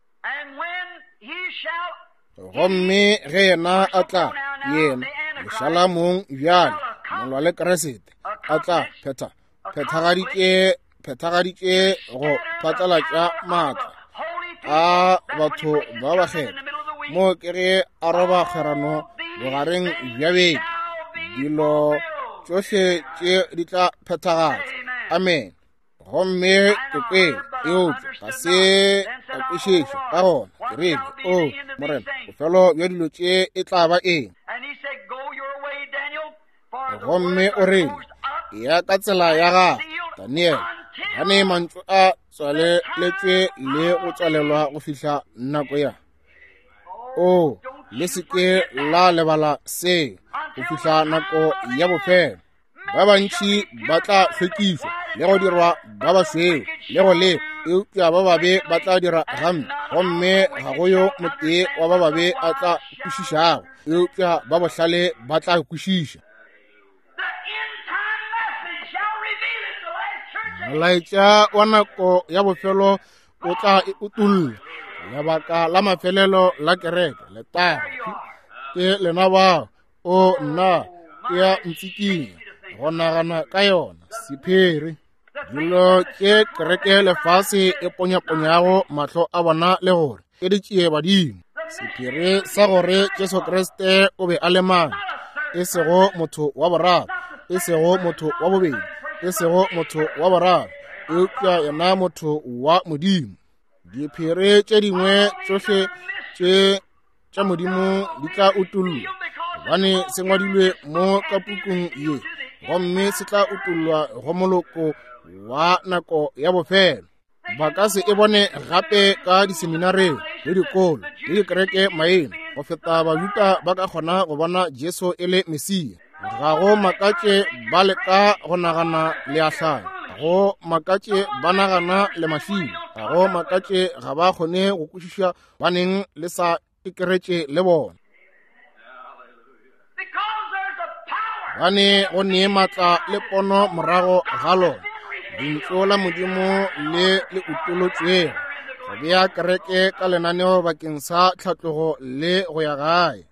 Gomme ge yena a tla, yena lešala mong bjale, molwa le Kriste, a tla phetha, phethagaditše, phethagaditše go phatlalatša maatla a batho ba bakgethwa. Moo ke ge a roba kgwerano bogareng bja beke, dilo tšohle tše di tla phethagatšwa. Amen. Gomme ke kwele Eupša ga se ka kwešiša. Ka gona ke rile, O Morena, bofelo bja dilo tše e tla ba eng? Gomme o rile, Eya ka tsela ya gago, Daniele, gane mantšu a tswaleletšwe le go tswalelwa go fihla nako ya. O, le se ke la lebala seo, go fihla nako ya bofelo. Ba bantši ba tla hlwekišwa le go dirwa ba bašweu le go le, eupša ba babe ba tla dira gampe, gomme ga go yo motee wa ba babe a tla kwešišago, eupša ba bohlale ba tla kwešiša. Molaetša wa nako ya bofelo o tla e utolla lebaka la mafelelo la kereke. Letago ke lena bao. O nna, e a ntsikinya go nagana ka yona. Sephiri dilo tše kereke lefase e ponyaponyago mahlo a bona le gore ke di tšee badimo. Sephiri sa gore Jesu Kriste o be a le mang, e sego motho wa boraro, e sego motho wa bobedi, e sego motho wa boraro, eupša yena motho wa Modimo. Diphiri tše dingwe tšohle tše tša Modimo di tla utollwa, gobane se ngwadilwe mo ka pukung ye, gomme se tla utollwa go moloko wa nako ya bofelo. Ba ka se e bone gape ka diseminareng le dikolo le dikereke maina, go feta Bajuda ba ka kgona go bona Jesu e le Mesia. Ga go makatše ba leka go nagana le a hlaya, ga go makatše ba nagana le mašilo, ga go makatše ga ba kgone go kwešiša baneng le sa ikeretše le bona. Gane go nee maatla le pono morago ga lona, lentšu la Modimo le le utolotšwego, go bea kereke ka lenaneo bakeng sa tlhatlogo le go ya gae.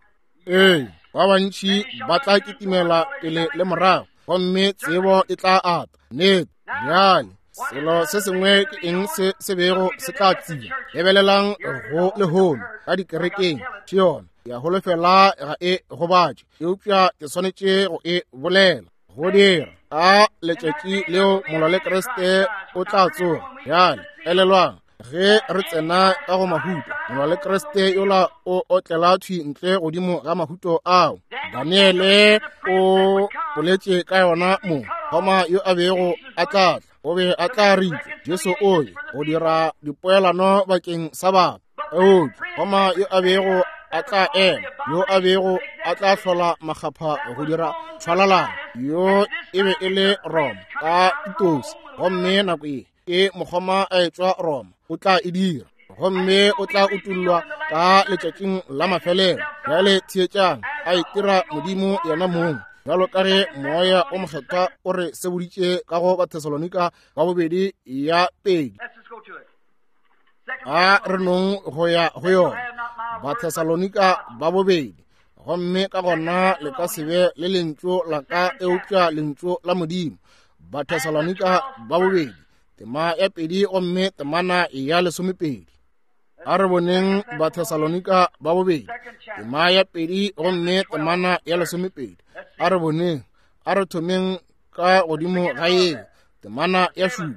Ee, ba bantši ba tla kitimela pele le morago, gomme tsebo e tla ata. Nnete. Bjale, selo se sengwe ke eng se se bego se tla tseba? Lebelelang go lehono ka dikerekeng, ke yona ya holofela ga e gobatše, eupša ke swanetše go e bolela. Go dira a letšatši leo molwa le Kriste o tla tsoga. Bjale elelwang, ge re tsena ka go mahuto, molwa le Kriste yola o otlela thwi ntle godimo ga mahuto ao. Daniele o boletše ka yona mo, goma yo a bego a tla tla, o be a tla ritšwa Jesu o ye go dira dipoelano bakeng sa batho. Eupša goma yo a bego a tla ema, yo a bego a tla hlola makgapha go dira tšhwalalano, yo e be e le Roma ka Titosi. Gomme nako ye ke mokgoma a etšwa Roma, o tla e dira, gomme o tla utollwa ka letšatšing la mafelelo. Bjale theetšang, a itira Modimo yena mong, bjalo ka ge Moya o Mokgethwa o re seboditše ka go Bathesalonika ba bobedi ya pedi. A re nong go ya go yona, Bathesalonika ba bobedi, gomme ka gona le ka se be le lentšu la ka eupša lentšu la Modimo. Bathesalonika ba bobedi, tema ya 2 gomme temana ya 12. A re boneng Bathesalonika ba bobedi, tema ya 2 gomme temana ya 12. A re boneng, a re thomeng ka godimo ga ye, temana ya 7.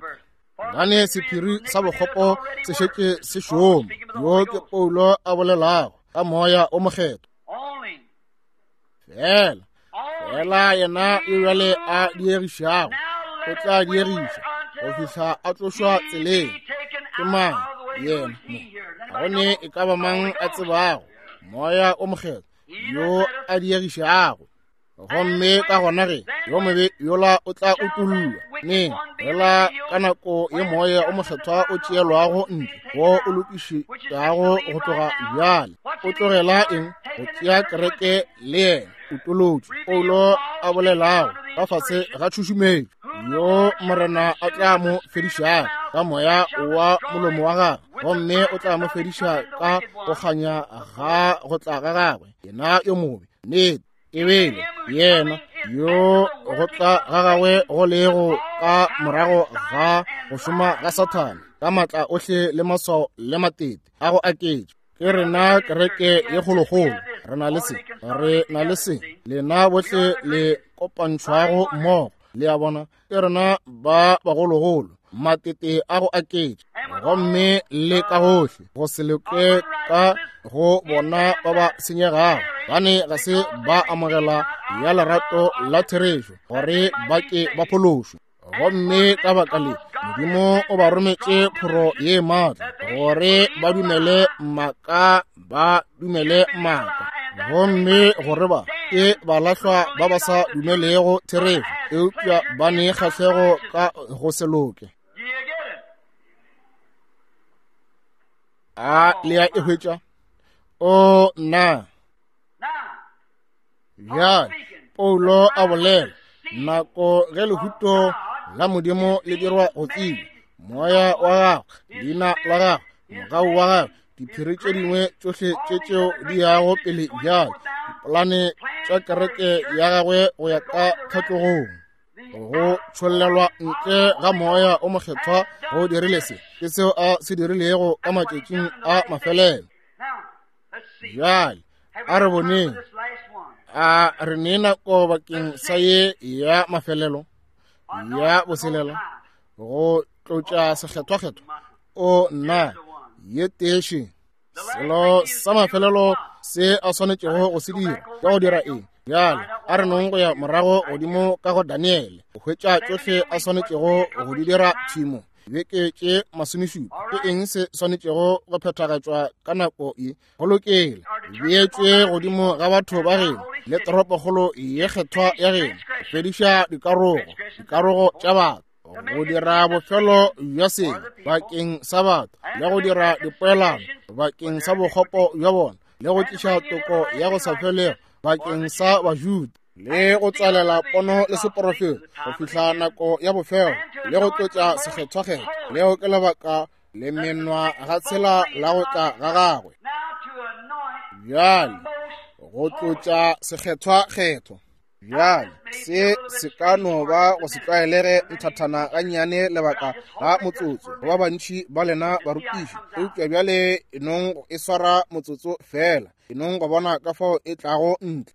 Gane sephiri sa bokgopo se šetše se šoma. Yo ke Paulo a bolelago ka Moya o Mokgethwa. Fela, fela yena yo bjale a diegišago, o tla diegiša go fihla a tlošwa tseleng. Ke mang yena mo? Ga go ne e ka ba mang a tsebago Moya o Mokgethwa yo a diegišago. Gomme ka gona ge yo mobe yola o tla utollwa neng? Fela ka nako ye Moya o Mokgethwa o tšeelwago ntle, wo o lokišetšago go tloga bjale, o tlogela eng? Go tšea kereke le yena. Utolotšwe, Paulo a bolelago ka fase ga tšhušumetšo, yo Morena a tla mo fedišago ka moya wa molomo wa gagwe, gomme o tla mo fediša ka go kganya ga go tla ga gagwe, yena yo mobe. Nnete. Ebile yena yo go tla ga gagwe go lego ka morago ga go šoma ga Sathane ka maatla ohle le maswao le matete a go aketša. Ke rena kereke ye kgolokgolo, re na le se, re na le se, lena bohle le kopantšhwago mmogo, le a bona, ke rena ba bagologolo, matete a go aketša. Gomme le ka gohle go se loke ka go bona ba ba senyegago, bane ga se ba amogela ya lerato la therešo gore ba ke ba phološwe. Gomme ka baka le Modimo o ba rometše phoro ye maatla gore ba dumele maaka, ba dumele maaka, gomme gore ba ke balahlwa ba ba sa dumelego therešo, eupša ba ne kgahlego ka go se loke. A le ya e hwetša? O nna bjale Paulo a bolela nako ge lehuto la Modimo le dirwa go tseba, moya wa gagwe, leina la gagwe, mogau wa gagwe, diphiri tše dingwe tšohle tše tšeo di yago pele bjale, dipolane tša kereke ya gagwe go ya ka tlhatlogong, go tšhollelwa ntle ga moya o mokgethwa go dirile se, ke seo a se dirilego ka matšatšing a mafelelo. Bjale a re boneng, a re ne nako bakeng sa ye ya mafelelo ya boselela go tlotša sekgethwakgethwa. O nna ye teše selo sa mafelelo se a swanetšego go se dira ke go dira eng? Bjale a re nong go ya morago godimo ka go Daniele go hwetša tšohle a swanetšego go di dira tšhimo beke tše 17. Ke eng se swanetšego go phethagatšwa ka nako ye? Go lokela beetšwe godimo ga batho ba geno le toropokgolo ye kgethwa ya geno, go fediša dikarogo tša batho, go dira bofelo bja sebe bakeng sa batho, le go dira dipoelano bakeng sa bokgopo bja bona, le go tliša toko ya go sa felego bakeng sa Bajuda, le go tswalela pono le seporofeto go fihla nako ya bofelo, le go tlotša sekgethwakgethwa. Leo ke lebaka le menwa ga tshela la go tla ga gagwe. Bjale go tlotša sekgethwakgethwa. Bjale se se ka no ba go se tlwaelege nthathana gannyane lebaka la motsotso go ba bantši ba lena barutiši, eupša bjale e nong go e swara motsotso fela, e nong go bona ka fao e tlago ntle.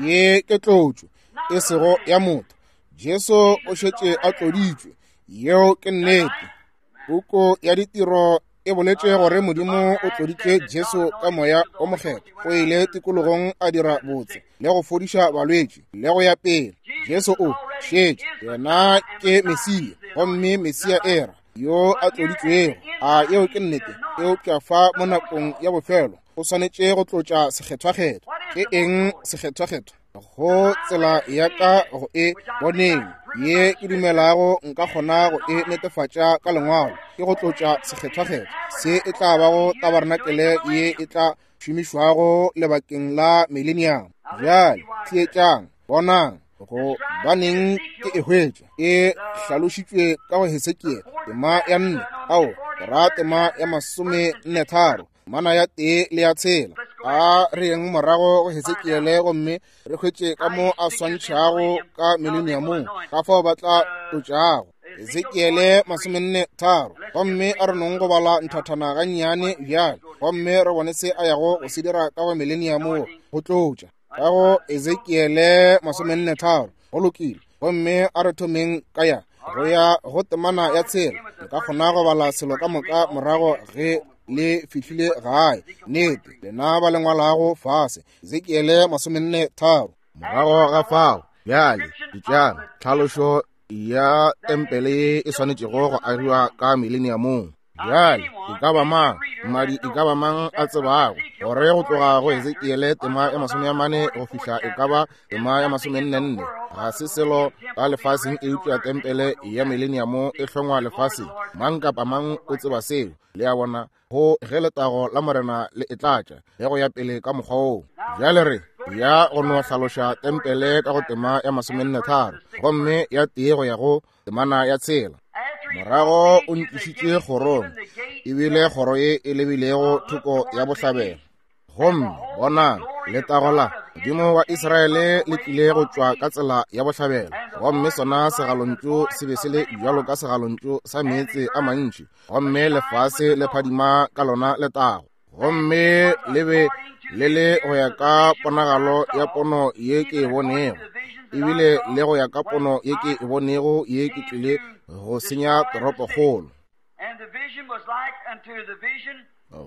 Ye ke tlotšo e sego ya motho. Jesu o šetše a tloditšwe, yeo ke nnete. Puku ya ditiro e boletše gore Modimo o tloditše Jesu ka moya o mokgethwa, o ile tikologong a dira botse le go fodiša balwetši le go ya pele. Jesu o šetše yena ke Mesia, gomme Mesia era yo a tloditšwego. A yeo ke nnete? Eupša fa mo nakong ya bofelo o swanetše go tlotša sekgethwakgethwa. Ke eng sekgethwakgethwa? Go tsela ya ka go e boneng ye ke dumelago nka kgona go e netefatša ka lengwalo, ke go tlotša sekgethwakgethwa. Se e tla bago tabarenakele ye e tla šomišwago lebakeng la millennium. Bjale theetšang, bonang go baneng ke e hwetša e hlalošitšwe ka go Hesekiele tema ya 4, ao ra tema ya 43, mana ya 1 le ya 6. A re yeng morago go Hesekiele gomme re hwetše ka mo a swantšhago ka millenniumong, ka fao ba tla tlotšago. Hesekiele 43, gomme a re nong go bala nthathana gannyane bjale, gomme re bone se a yago go se dira ka go millennium, go tlotša. Ka go Ezekiele 43, go lokile, gomme a re thomeng ka ya go ya go temana ya 6. Nka kgona go bala selo ka moka morago ge le fihlile gae. Nnete, lena ba le ngwalago fase. Ezekiele 43. Morago ga fao, bjale ditšang tlhalošo ya tempele ye e swanetšego go agiwa ka millenniumong. Bjale e ka ba mang mmadi, e ka ba mang a tsebago gore go tloga go Ezekiele tema ya 40 go fihla e ka ba tema ya 44 ga se selo ka lefaseng eupša tempele ya millennium e hlongwa lefaseng. Mang kapa mang o tseba seo. Le a bona, go ge letago la Morena le e tlatša le go ya pele ka mokgwa woo. Bjale re ya go no hlaloša tempele ka go tema ya 43 gomme ya 1 go ya go temana ya 6. Morago o ntlišitše kgorong, ebile kgoro ye e lebilego thoko ya bohlabela. Gomme bonang, letago la Modimo wa Israele le tlile go tšwa ka tsela ya bohlabela, gomme sona segalontšu se be se le bjalo ka segalontšu sa meetse a mantši, gomme lefase le phadima ka lona letago. Gomme le be le le go ya ka ponagalo ya pono ye ke e bonego, ebile le go ya ka pono ye ke e bonego ye ke tlile go senya toropokgolo.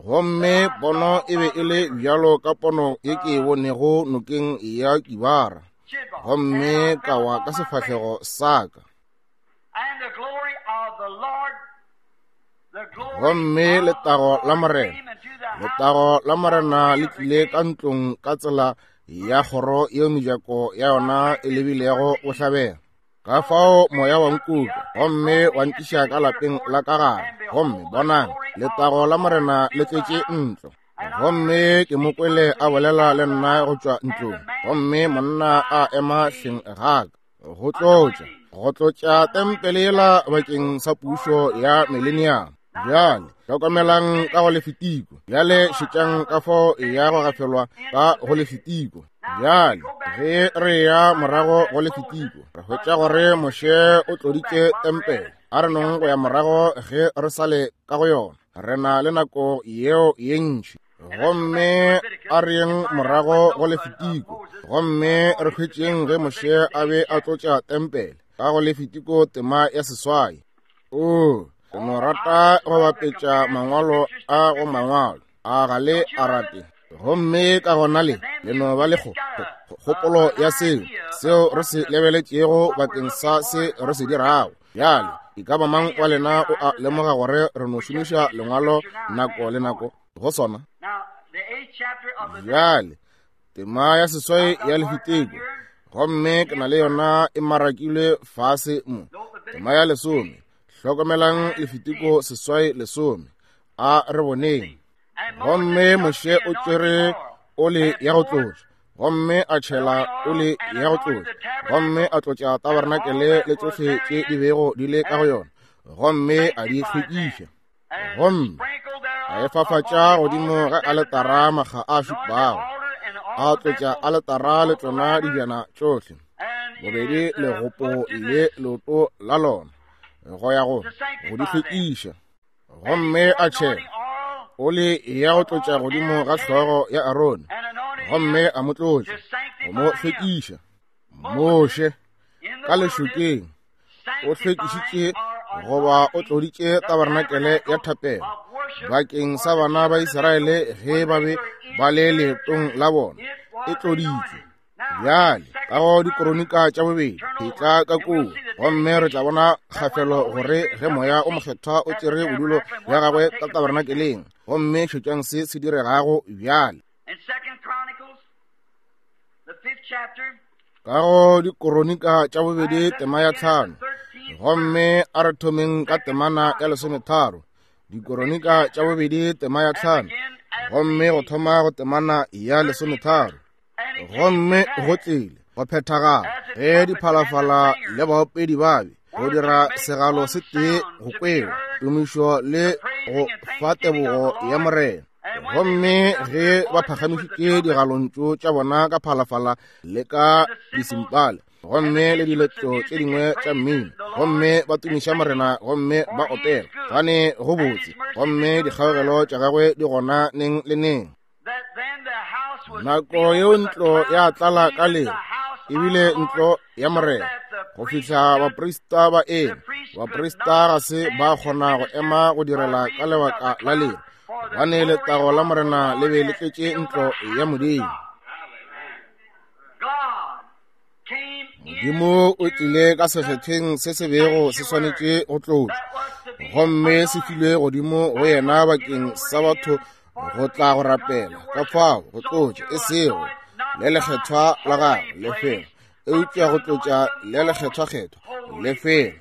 Gomme pono e be e le bjalo ka pono ye ke e bonego nokeng ya Kibara, gomme ka wa ka sefahlego sa ka. Gomme letago la Morena, letago la Morena le tlile ka ntlong ka tsela ya kgoro yeo mejako ya yona e lebilego bohlabela. Ka fao moya wa nkuka gomme wa nkiša ka lapeng la ka gare, gomme bonang, letago la Morena le tletše ntlo. Gomme ke mo kwele a bolela le nna go tšwa ntlong, gomme monna a ema hleng ga ka go tlotša, go tlotša tempele yela bakeng sa pušo ya mileniamo. Bjale hlokomelang ka go Lefitiko. Bjale šetšang ka fao ya go gafelwa ka go Lefitiko. Bjale ge re ya morago go Lefitiko, re hwetša gore Moshe o tloditše tempele. A re nong go ya morago ge re sa le ka go yona. Re na le nako yeo ye ntši. Gomme a re yeng morago go Lefitiko, gomme re hwetšeng ge Moshe a be a tlotša tempele ka go Lefitiko tema ya 8. O, ke no rata go bapetša mangwalo a go mangwalo a ga le a rate. Gomme ka gona le le no ba le kgopolo ya seo seo re se lebeletšego bakeng sa se re se dirago. Bjale, e ka ba mang wa lena o a lemoga gore re no šomiša lengwalo nako le nako go sona? Bjale, tema ya 8 ya Lefitiko, gomme ke na le yona e marakilwe fase mo. Tema ya 10, hlokomelang Lefitiko 8:10. A re boneng. Gomme Moshe o tšere ole ya go tlotša, gomme a tšhela ole ya go tlotša, gomme a tlotša tabernakelé le tšohle tše di bego di le ka go yona, gomme a di hlwekiša. Gomme a e fafatša godimo ga aletara makga a šupago, a tlotša aletara le tšona dibjana tšohle, bobedi legopo le leoto la lona, go ya go di hlwekiša. Gomme a tšhela oli ya go tlotša godimo ga hlogo ya Arone, gomme a mo tlotša go mo hlwekiša. Moshe ka lešokeng o hlwekišitše goba o tloditše tabernakelé ya thapelo bakeng sa bana ba Israele ge ba be ba le leetong la bona, e tloditšwe. Bjale ka go Dikronika tša bobedi etla ka koo, gomme re tla bona kgafelo gore ge Moya o Mokgethwa o tšere bodulo bja gagwe ka tabernakeleng, gomme šetšang se se diregago bjale. Ka go Dikronika tša bobedi tema ya 5, gomme a re thomeng ka temana ya 13. Dikronika tša bobedi tema ya 5, gomme go thoma go temana ya 13. Gomme go tlile go phethagala ge diphalafala le baopedi ba be go dira segalo se tee go kwewa tumišo le go fa tebogo ya Morena. Gomme ge ba phagamišitše digalontšu tša bona ka phalafala le ka disimpale, gomme le diletšo tše dingwe tša mmino, gomme ba tumiša Morena gomme ba opela, gane go botse, gomme dikgaogelo tša gagwe di gona neng le neng. Nako yeo ntlo ya tlala ka lero, ebile ntlo ya Morena, go fihla baprista ba eme. Baprista ga se ba kgona go ema go direla ka lebaka la lero, gobane letago la Morena le be le tletše ntlo ya Modimo. Modimo o tlile ka sekgethweng se se bego se swanetše go tlotšwa, gomme se filwe godimo go yena bakeng sa batho go tla go rapela. Ka fao go tlotša e sego le lekgethwa la gagwe lefelo, eupša go tlotša le lekgethwakgethwa lefelo.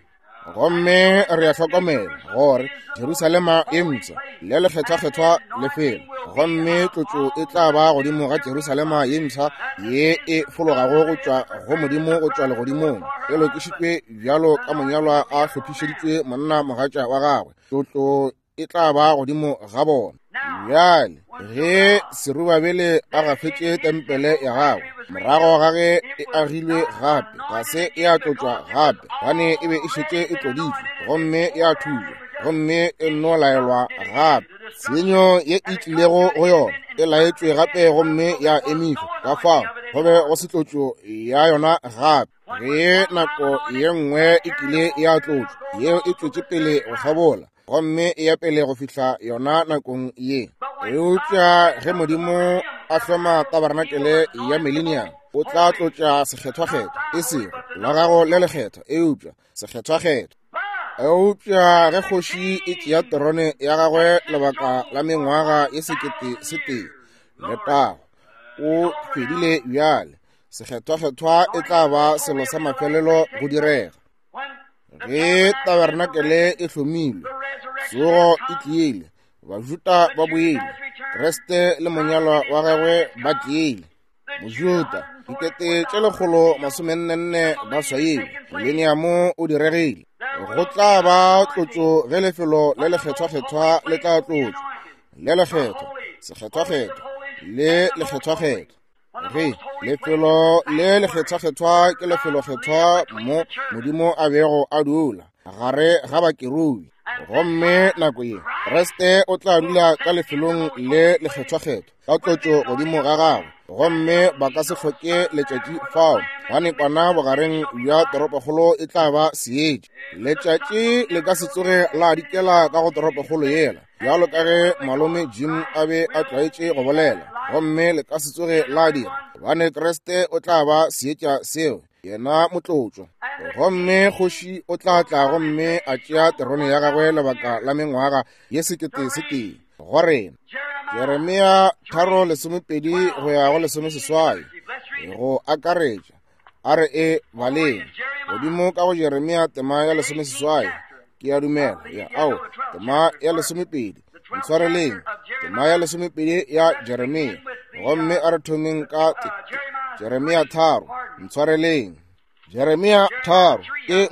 Gomme re a hlokomela gore Jerusalema e mpsha le lekgethwakgethwa lefelo, gomme tlotšo e tla ba godimo ga Jerusalema ye mpsha ye e fologago go tšwa go Modimo go tšwa legodimong, e lokišitšwe bjalo ka monyalwa a hlophišeditšwe monna mogatša wa gagwe. Tlotlo e tla ba godimo ga bona. Bjale ge Serubabele a gafetše tempele ya gagwe morago ga ge e agilwe gape, ga se e a tlotšwa gape, gobane e be e šetše e tloditšwe gomme ya thulwa, gomme e nno laelwa gape. Tshenyo ye e tlilego go yona e laetšwe gape gomme ya emišwa, ka fao go be go se tlotšo ya yona gape. Ge nako ye nngwe e kile ya tlotšwa, yeo e tšwetše pele go kgabola. Gomme e ya pele go fihla yona nakong ye. Eupša ge Modimo a hloma tabarenakele ya Millennium, o tla tlotša Sekgethwakgethwa, e sego la gago le lekgethwa, eupša Sekgethwakgethwa. Eupša ge kgoši e tšea terone ya gagwe lebaka la mengwaga ye 1000, letago, o fedile bjale. Sekgethwakgethwa e tla ba selo sa mafelelo go direga. Ge tabarenakele e hlomilwe, tsogo e tlile, Bajuda ba boile, Kriste le monyalwa wa gagwe ba tlile. Mojuda, 144 ba swailwe, mileniamo o diregile. Go tla ba tlotšo ge lefelo le lekgethwakgethwa le tla tlotšwa, le lekgethwa, sekgethwakgethwa, le lekgethwakgethwa. Ge lefelo le lekgethwakgethwa ke lefelokgethwa mo Modimo a bego a dula gare ga bakerubi, gomme nako ye Kriste o tla dula ka lefelong le lekgethwakgethwa ka tlotšo godimo ga gagwe, gomme ba ka se hloke letšatši fao, gobane kwana bogareng bja toropokgolo e tla ba seetša. Letšatši le ka se tsoge la dikela ka go toropokgolo yela, bjalo ka ge malome Jim a be a tlwaetše go bolela, gomme le ka se tsoge la dira, gobane Kriste o tla ba seetša seo, yena motlotšwa. Gomme kgoši o tla tla gomme a tšea terone ya gagwe lebaka la mengwaga ye 1000 go rena. Jeremia 3:12 go ya go 18, go akaretša, a re e baleng godimo ka go Jeremia tema ya 18, ke a dumela, ya ao, tema ya 12, ntshwareleng, tema ya 12 ya Jeremia, gomme a re thomeng ka Jeremia 3, ntshwareleng, Jeremia 3, ke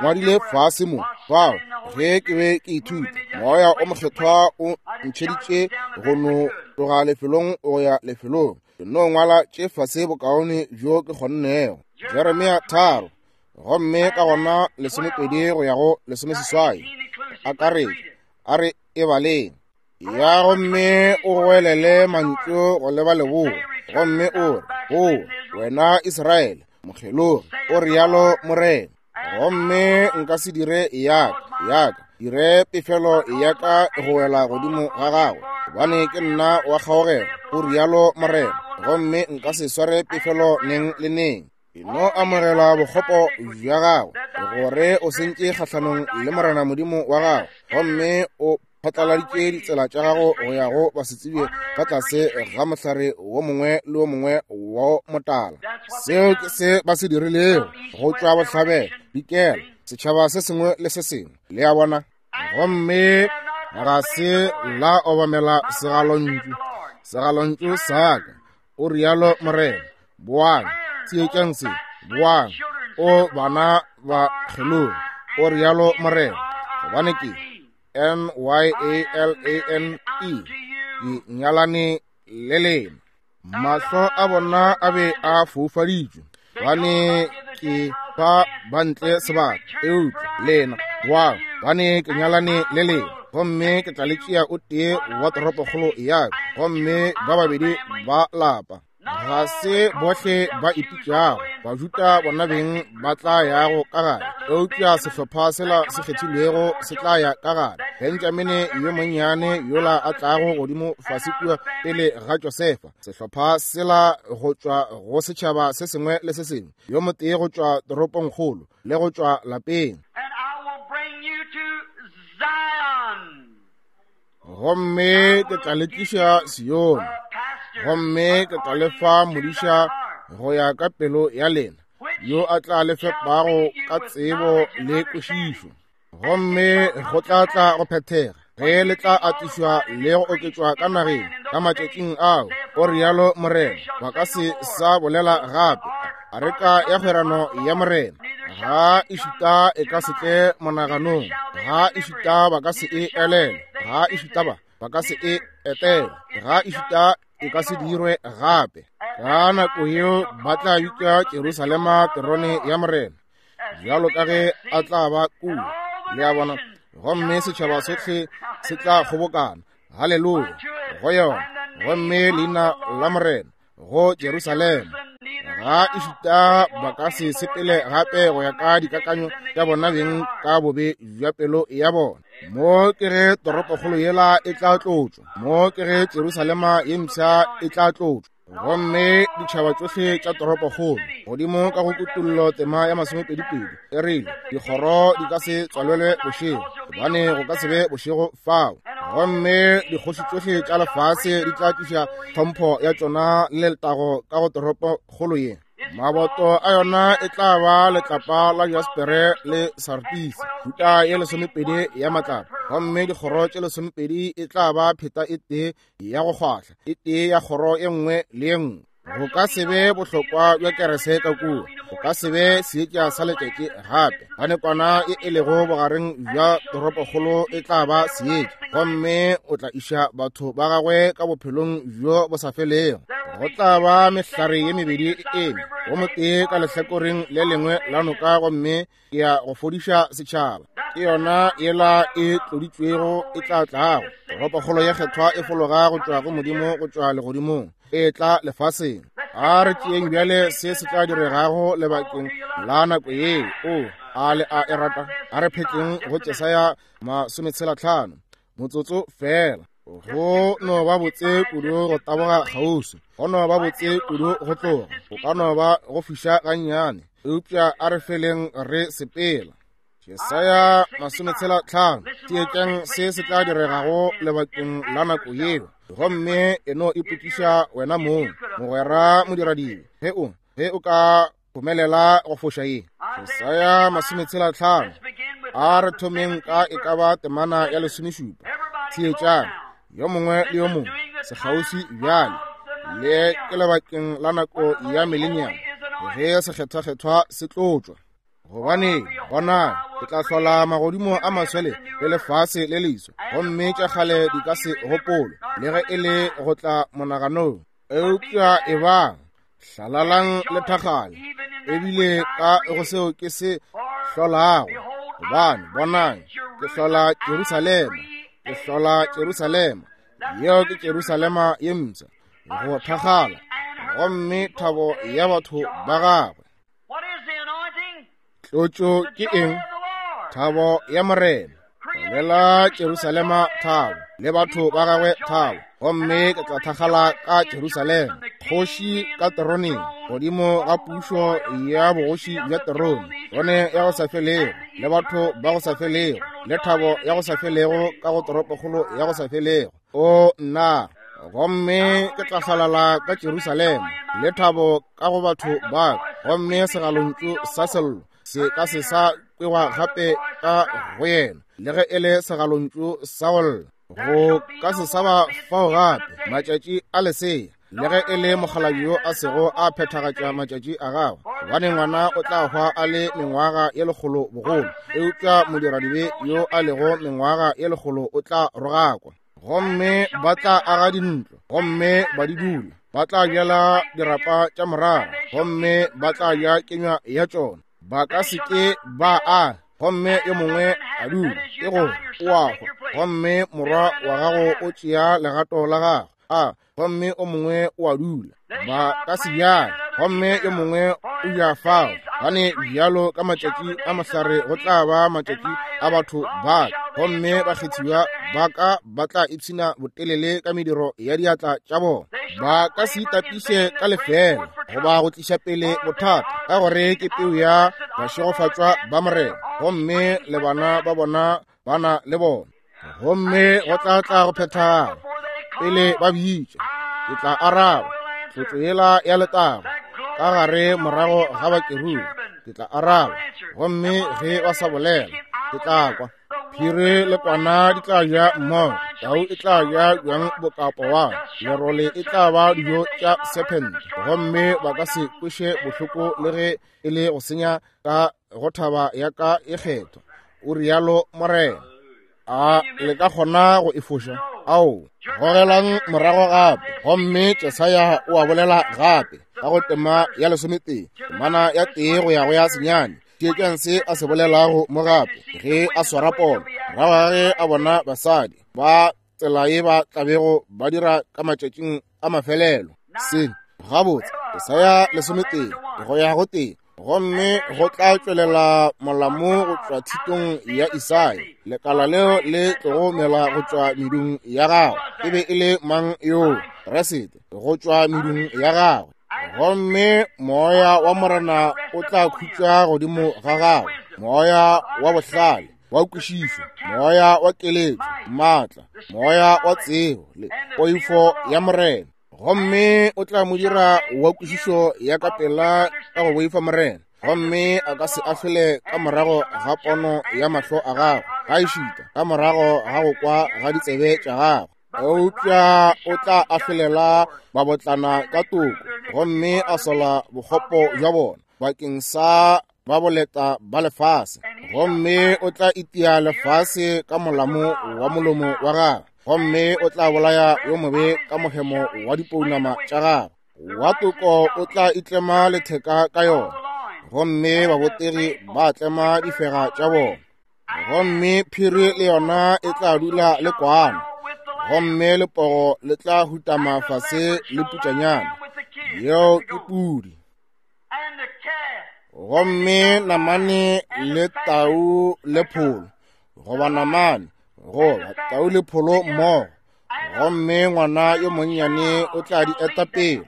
ngwadile fase mo, fao, ge ke be ke ithuta, Moya o Mokgethwa o ntšheditše go no tloga lefelong go ya lefelong, ke no ngwala tše fase bokaone bjo ke kgonnego. Jeremia 3, gomme ka gona 12 go ya go 18, akaretša, a re e baleng. Ya gomme o goelele mantšu go leba leboa, gomme o re, Boa, wena Israele, mokgelogi, o rialo Morena. Gomme nka se dire yaka, yaka, dire pefelo ya ka go wela godimo ga gagwe, gobane ke nna wa kgaogelo, o rialo Morena, gomme nka se sware pefelo neng le neng. E no amogela bokgopo bja gago, gore o sentše kgahlanong le Morena Modimo wa gago, gomme o phatlaladitše ditsela tša gago go ya go basetsebje ka tlase ga mohlare wo mongwe le wo mongwe wo motala. Seo ke se ba se dirilego go tšwa bohlabela, dikela, setšhaba se sengwe le se sengwe, le a bona. Gomme ga se la obamela segalontšu, segalontšu sa ka, o rialo Morena. Boang, tsietšang se, boang, o bana ba kgelogi, o rialo Morena, gobane ke N-Y-A-L-A-N-E, ke nyalane le lena. Mahlo a bona a be a foufaditšwe, gobane ke fa ba ntle sebaka, eupša lena, boang, gobane ke nyalane le lena, gomme ke tla le tšea o tee wa toropokgolo ya ka, gomme ba babedi ba lapa. Ga se bohle ba ipitšago Bajuda bona beng ba tla yago ka gare, eupša sehlopha sela se kgethilwego se tla ya ka gare. Benjamene yo monnyane yola a tlago godimo fase kua pele ga Josefa, sehlopha sela go tšwa go setšhaba se sengwe le se sengwe, yo motee go tšwa toropongkgolo le go tšwa lapeng. And I will bring you to Zion. Gomme ke tla le tliša Sione, gomme ke tla le fa modiša go ya ka pelo ya lena, yo a tla le fepago ka tsebo le kwešišo. Gomme go tla tla go phethega ge le tla atišwa le go oketšwa ka nageng ka matšatšing ao, o rialo Morena, ba ka se sa bolela gape areka ya kgwerano ya Morena. Ga ešita e ka se tle monaganong, ga ešita ba ka se e elele, ga ešita ba ka se e etele, ga ešita e ka se dirwe gape. Ka nako yeo ba tla bitša Jerusalema terone ya Morena, bjalo ka ge a tla ba kua. Le a bona? Gomme setšhaba sohle se tla kgobokana, haleluya, go yona, gomme leina la Morena go Jerusalema. Ga ešita ba ka se sepele gape go ya ka dikakanyo tša bona beng ka bobe bja pelo ya bona. Mo ke ge toropokgolo yela e tla tlotšwa, mo ke ge Jerusalema ye mpsha e tla tlotšwa, gomme ditšhaba tšohle tša toropokgolo. Godimo ka go Kutollo tema ya masomepedipedi e rile, dikgoro di ka se tswalelwe bošego, gobane go ka se be bošego fao. Gomme dikgoši tšohle tša lefase di tla tliša tlhompho ya tšona le letago ka go toropokgolo ye. Maboto a yona e tla ba letlapa la jaspere le sartisi, thuta ye lesomepedi ya matlapa, gomme dikgoro tše lesomepedi e tla ba pheta e tee ya go kgwahla, e tee ya kgoro e nngwe le e nngwe. Go ka se be bohlokwa bja kerese ka kua, go ka se be seetša sa letšatši gape, gane kwana e e lego bogareng bja toropokgolo e tla ba seetša, gomme o tla iša batho ba gagwe ka bophelong bjo bo sa felego. Go tla ba mehlare ye mebedi e eme, go motee ka lehlakoreng le lengwe la noka, gomme ke ya go fodiša setšhaba. Ke yona yela e tloditšwego e tla tlago. Toropokgolo ye kgethwa e fologa go tšwa go Modimo go tšwa legodimong, e tla lefaseng. A re tšeeng bjale se se tla diregago lebakeng la nako yeo. O a le a e rata? A re phetleng go Jesaya 65 motsotso feela. Go no ba botse kudu go taboga kgauswi, go no ba botse kudu go tloga, go ka no ba go fiša gannyane, eupša a re feleng re sepela. Jesaya 65, theetšang se se tla diregago lebakeng la nako yeo, gomme e no ipotšiša wena mong, mogwera modiradibe, ge o ka phomelela go foša ye. Jesaya 65, a re thomeng ka e ka ba temana ya 17. Theetšang, yo mongwe le yo mongwe sekgauswi bjale, le ke lebakeng la nako ya millennium, ge sekgethwakgethwa se tlotšwa. Gobane bonang, ke tla hlola magodimo a maswele le lefase le leswa, gomme tša kgale di ka se gopolwe, le ge e le go tla monaganong. Eupša ebang hlalalang le thakgale, ebile ka go seo ke se hlolago. Gobane bonang, ke hlola Jerusalema, ke hlola Jerusalema, yeo ke Jerusalema ye mpsha, go thakgala, gomme thabo ya batho ba gagwe. Tlotšo ke eng? Thabo ya Morena. Bolela Jerusalema thabo, le batho ba gagwe thabo, gomme ke tla thakgala ka Jerusalema, kgoši ka teroneng, godimo ga pušo ya bogoši bja terone, terone ya go sa felego, le batho ba go sa felego, le thabo ya go sa felego ka go toropokgolo ya go sa felego. O nna, gomme ke tla hlalala ka Jerusalema, le thabo ka go batho ba ka, gomme segalontšu sa sello se ka se sa kwewa gape ka go yena, le ge e le segalontšu sa go lla, go ka se sa ba fao gape matšatši a lesea, le ge e le mokgalabje yo a sego a phethagatša matšatši a gagwe, gobane ngwana o tla hwa a le mengwaga ye lekgolo bogolo, eupša modiradibe yo a lego mengwaga ye lekgolo o tla rogakwa. Gomme ba tla aga dintlo, gomme ba di dula, ba tla bjala dirapa tša morara, gomme ba tla ja kenywa ya tšona. Ba ka se ke ba aga, gomme yo mongwe a dula, ke gore o a hwa, gomme morwa wa gago o tšea legato la gagwe, a gomme o mongwe o a dula. Ba ka se bjale, gomme yo mongwe o ja fao. Gane bjalo ka matšatši a mohlare go tla ba matšatši a batho ba ka, gomme bakgethiwa ba ka ba tla ipshina botelele ka mediro ya diatla tša bona. Ba ka se itapiše ka lefeela goba go tliša pele bothata, ka gore ke peu ya bašegofatšwa ba Morena, gomme le bana ba bona ba na le bona. Gomme go tla tla go phethagala pele ba bitša, ke tla araba. Tlotšo yela ya letago ka gare morago ga bakerubi, ke tla araba. Gomme ge ba sa bolela, ke tla kwa. Phiri le kwana di tla ja mmogo, tau e tla ja bjang bokapowana, lerole e tla ba dijo tša sephente, gomme ba ka se kweše bohloko le ge e le go senya ka go thaba ya ka e kgethwa, o rialo Morena. A le ka kgona go e foša? Ao, gogelang morago gape. Gomme Jesaya o a bolela gape ka go tema ya 11, temana ya 1 go ya go ya 9. Theetšang se a se bolelago mo gape ge a swara pono, morago ga ge a bona basadi ba tsela ye ba tlabego ba dira ka matšatšing a mafelelo. Se gabotse, Jesaya 11 go ya go 1. Gomme go tla tšwelela molamo go tšwa thitong ya Isai, lekala leo le tlogo mela go tšwa medung ya gagwe. E be e le mang yoo? Kriste, go tšwa medung ya gagwe. Gomme moya wa Morena o tla khutša godimo ga gagwe, moya wa bohlale, wa kwešišo, moya wa keletšo, maatla, moya wa tsebo le poifo ya Morena. Gomme o tla mo dira wa kwešišo ya ka pela ka go boifa Morena, gomme a ka se ahlole ka morago ga pono ya mahlo a gagwe, gaešita ka morago ga go kwa ga ditsebe tša gagwe. Eupša o tla ahlolela babotlana ka toko, gomme a sola bokgopo bja bona bakeng sa ba boleta ba lefase. Gomme o tla itia lefase ka molamo wa molomo wa gagwe, gomme o tla bolaya yo mobe ka mohemo wa dipounama tša gagwe. Wa toko o tla itlema letheka ka yona, gomme babotegi ba tlema difega tša bona. Gomme phiri le yona e tla dula le kwana, gomme lepogo le tla hutama fase le putšanyana, yeo ke pudi. Gomme namane le tau le pholo, goba namane goba tau le pholo mmogo, gomme ngwana yo monnyane o tla di eta pele.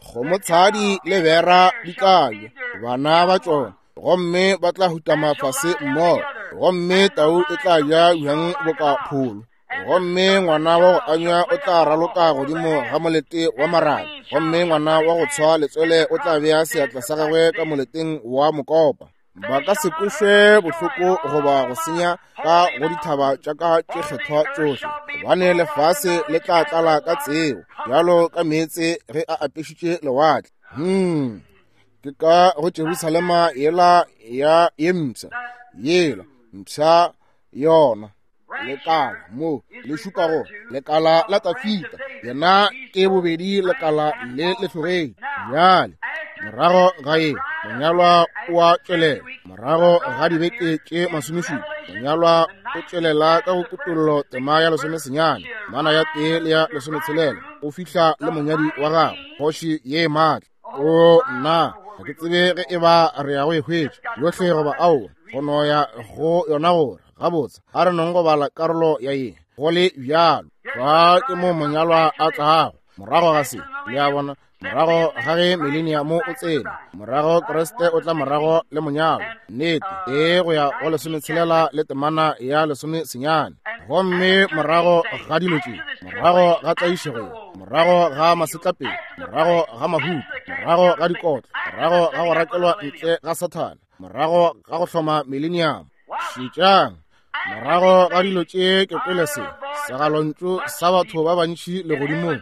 Kgomotshadi le bera di tla ja bana ba tšona, gomme ba tla hutama fase mmogo, gomme tau e tla ja bjang boka pholo. Gomme ngwana wa go anywa o tla raloka godimo ga molete wa marabe, gomme ngwana wa go tshwa letswele o tla bea seatla sa gagwe ka moleteng wa mokopa. Ba ka se kwešwe bohloko goba go senya ka go dithaba tša ka tše kgethwa tšohle, gobane lefase le tla tlala ka tsebo bjalo ka meetse ge a apešitše lewatle. Ke ka go Jerusalema yela ya ye mpsha, yela mpsha yona lekala mo le šupa go lekala la Tafita, yena ke bobedi lekala le lehlogedi. Bjale morago ga ye monyalwa o a tšwelela, morago ga dibeke tše 17 monyalwa o tšwelela ka go kutollo tema ya 19, mana ya 1 le ya 16, o fihla le monyadi wa gagwe, kgoši ye maatla. O nna ga ke tsebe ge e ba re ya go e hwetša yohle goba aowa, go no ya go yona gore gabotse a re nong go bala karolo ya ye go le bjalo. Fa ke mo monyalwa a tlago morago ga se, le a bona, morago ga ge mileniamo o tsene, morago Kriste o tla morago le monyalwa. Nnete, e go ya go 16 le temana ya 19. Gomme morago ga dilo tše, morago ga tlaišego, morago ga masetlapelo, morago ga mahuto, morago ga dikotlo, morago ga go rakelwa ntle ga Sathane, morago ga go hloma mileniamo, šetšang, morago ga dilo tše ke kwele se segalontšu sa batho ba bantši legodimong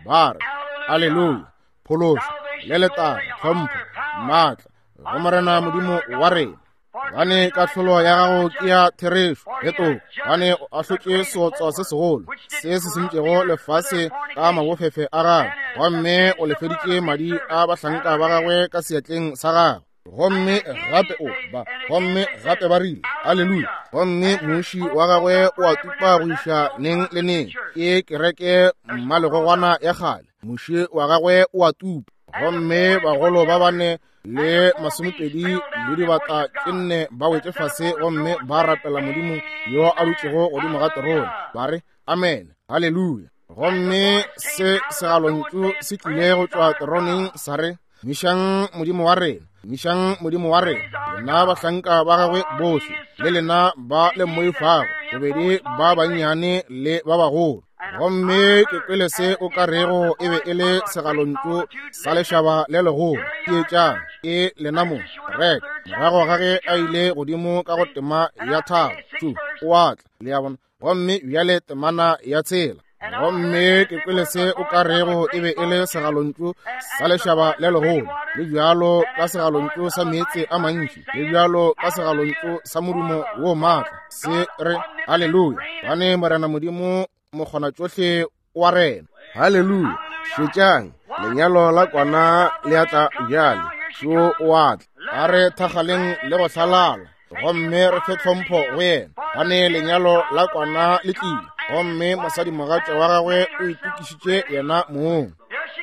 ba re, Aleluya, phološo le letago, tlhompho, maatla go Morena Modimo wa rena, gobane kahlolo ya gago ke ya therešo le toko, gobane o ahlotše seotswa se segolo se se sentšego lefase ka mabofefe a gagwe, gomme o lefeditše madi a bahlanka ba gagwe ka seatleng sa gagwe. Gomme gape o ba, gomme gape ba rile, Aleluya, gomme muši wa gagwe o a tupa go iša neng le neng. Ke kereke mmalegogwana ya kgale, muši wa gagwe o a tupa. Gomme bagolo ba bane le 22 le dibata tše nne ba wetše fase gomme ba rapela Modimo yo a dutšego godimo ga terone, ba re, Amen, haleluya. Gomme se segalontšu se tlile go tšwa teroneng sa re, Mišang Modimo wa rena, mišang Modimo wa rena, lena bahlanka ba gagwe bohle, le lena ba le mmoifago, bobedi ba bannyane le ba bagolo. Gomme ke kwele se o ka rego e be e le segalontšu sa lešaba le legolo. Theetšang, ke lena mo, reka, morago ga ge a ile godimo ka go tema ya thaba, tšu, o a tla, le a bona. Gomme bjale temana ya tshela. Gomme ke kwele se o ka rego e be e le segalontšu sa lešaba le legolo, le bjalo ka segalontšu sa meetse a mantši, le bjalo ka segalontšu sa modumo wo maatla, se re, Haleluya, gobane Morena Modimo mokgonatšohle wa rena. Haleluya! Šetšang, lenyalo la kwana le a tla bjale, šo o a tla. A re thagaleng le go hlalala, gomme re fe tlhompho go yena, gobane lenyalo la kwana le tlile, gomme mosadimogatša wa gagwe o itokišitše yena mong.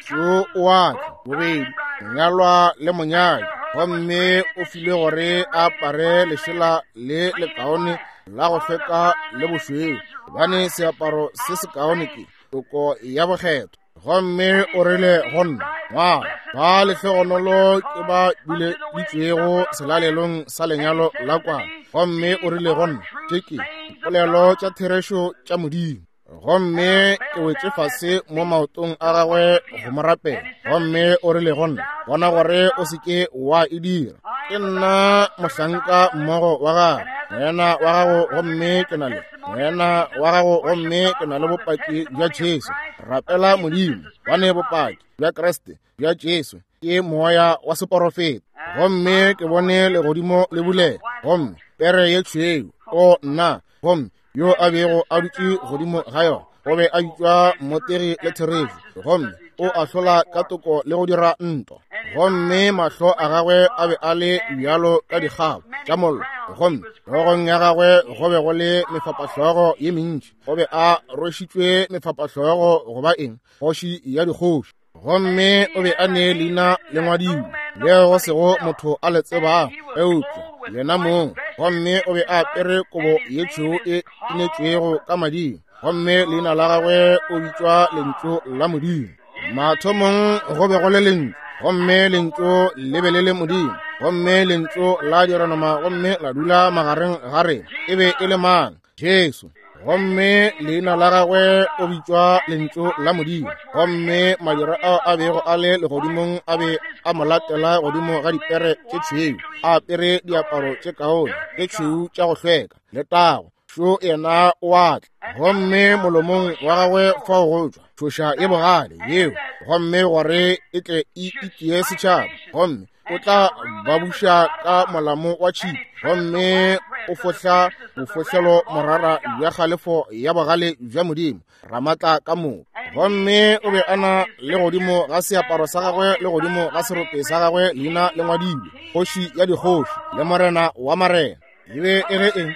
Šo o a tla, bobedi monyalwa le monyadi. Gomme o filwe gore a apare lešela le lekaone la go hlweka le bošweu, gobane seaparo se sekaone ke toko ya bokgethwa. Gomme o rile go nna, Ngwala, ba lehlogonolo ke ba bileditšwego selalelong sa lenyalo la kwana. Gomme o rile go nna, Tše ke dipolelo tša therešo tša Modimo. Gomme ke wetše fase mo maotong a gagwe go mo rapela. Gomme o rile go nna, Bona gore o se ke wa e dira. Ke nna mohlanka mmogo wa gago, moena wa gago, gomme ke na le moena wa gago, gomme ke na le bopaki bja Jesu. Rapela Modimo, gobane bopaki bja Kriste bja Jesu ke moya wa seporofeta. Gomme ke bone legodimo le bulega, gomme pere ye tšhweu, o nna, gomme yo a bego a dutše godimo ga yona o be a bitšwa Mmotegi le Therešo, gomme o ahlola ka toko le go dira ntwa. Gomme mahlo a gagwe a be a le bjalo ka dikgabo tša mollo, gomme hlogong ya gagwe go be go le mefapahlogo ye mentši. O be a rwešitšwe mefapahlogo go ba eng? Kgoši ya dikgoši. Gomme o be a ne leina le ngwadilwe leo go sego motho a le tsebago eupša yena mong. Gomme o be a apere kobo ye tšhweu e inetšwego ka mading, gomme leina la gagwe o bitšwa Lentšu la Modimo. Mathomong go be go le Lentšu, gomme Lentšu le be le le Modimo, gomme Lentšu la dira nama gomme la dula magareng ga rena. E be e le mang? Jesu. Gomme leina la gagwe o bitšwa Lentšu la Modimo. Gomme madira ao a bego a le legodimong a be a mo latela godimo ga dipere tše tšhweu, a apere diaparo tše kaone tše tšhweu tša go hlweka. Letago! Šo yena o a tla. Gomme molomong wa gagwe fao go tšwa tšhoša ye bogale yeo, gomme gore e tle e itie setšhaba. Gomme o tla ba buša ka molamo wa tšhipi, gomme o fohla bofohlelo morara bja kgalefo ya bogale bja Modimo Ramatla ka moka. Gomme o be a na le godimo ga seaparo sa gagwe le godimo ga serope sa gagwe leina le ngwadilwe, Kgoši ya dikgoši le Morena wa marena. E be e re eng?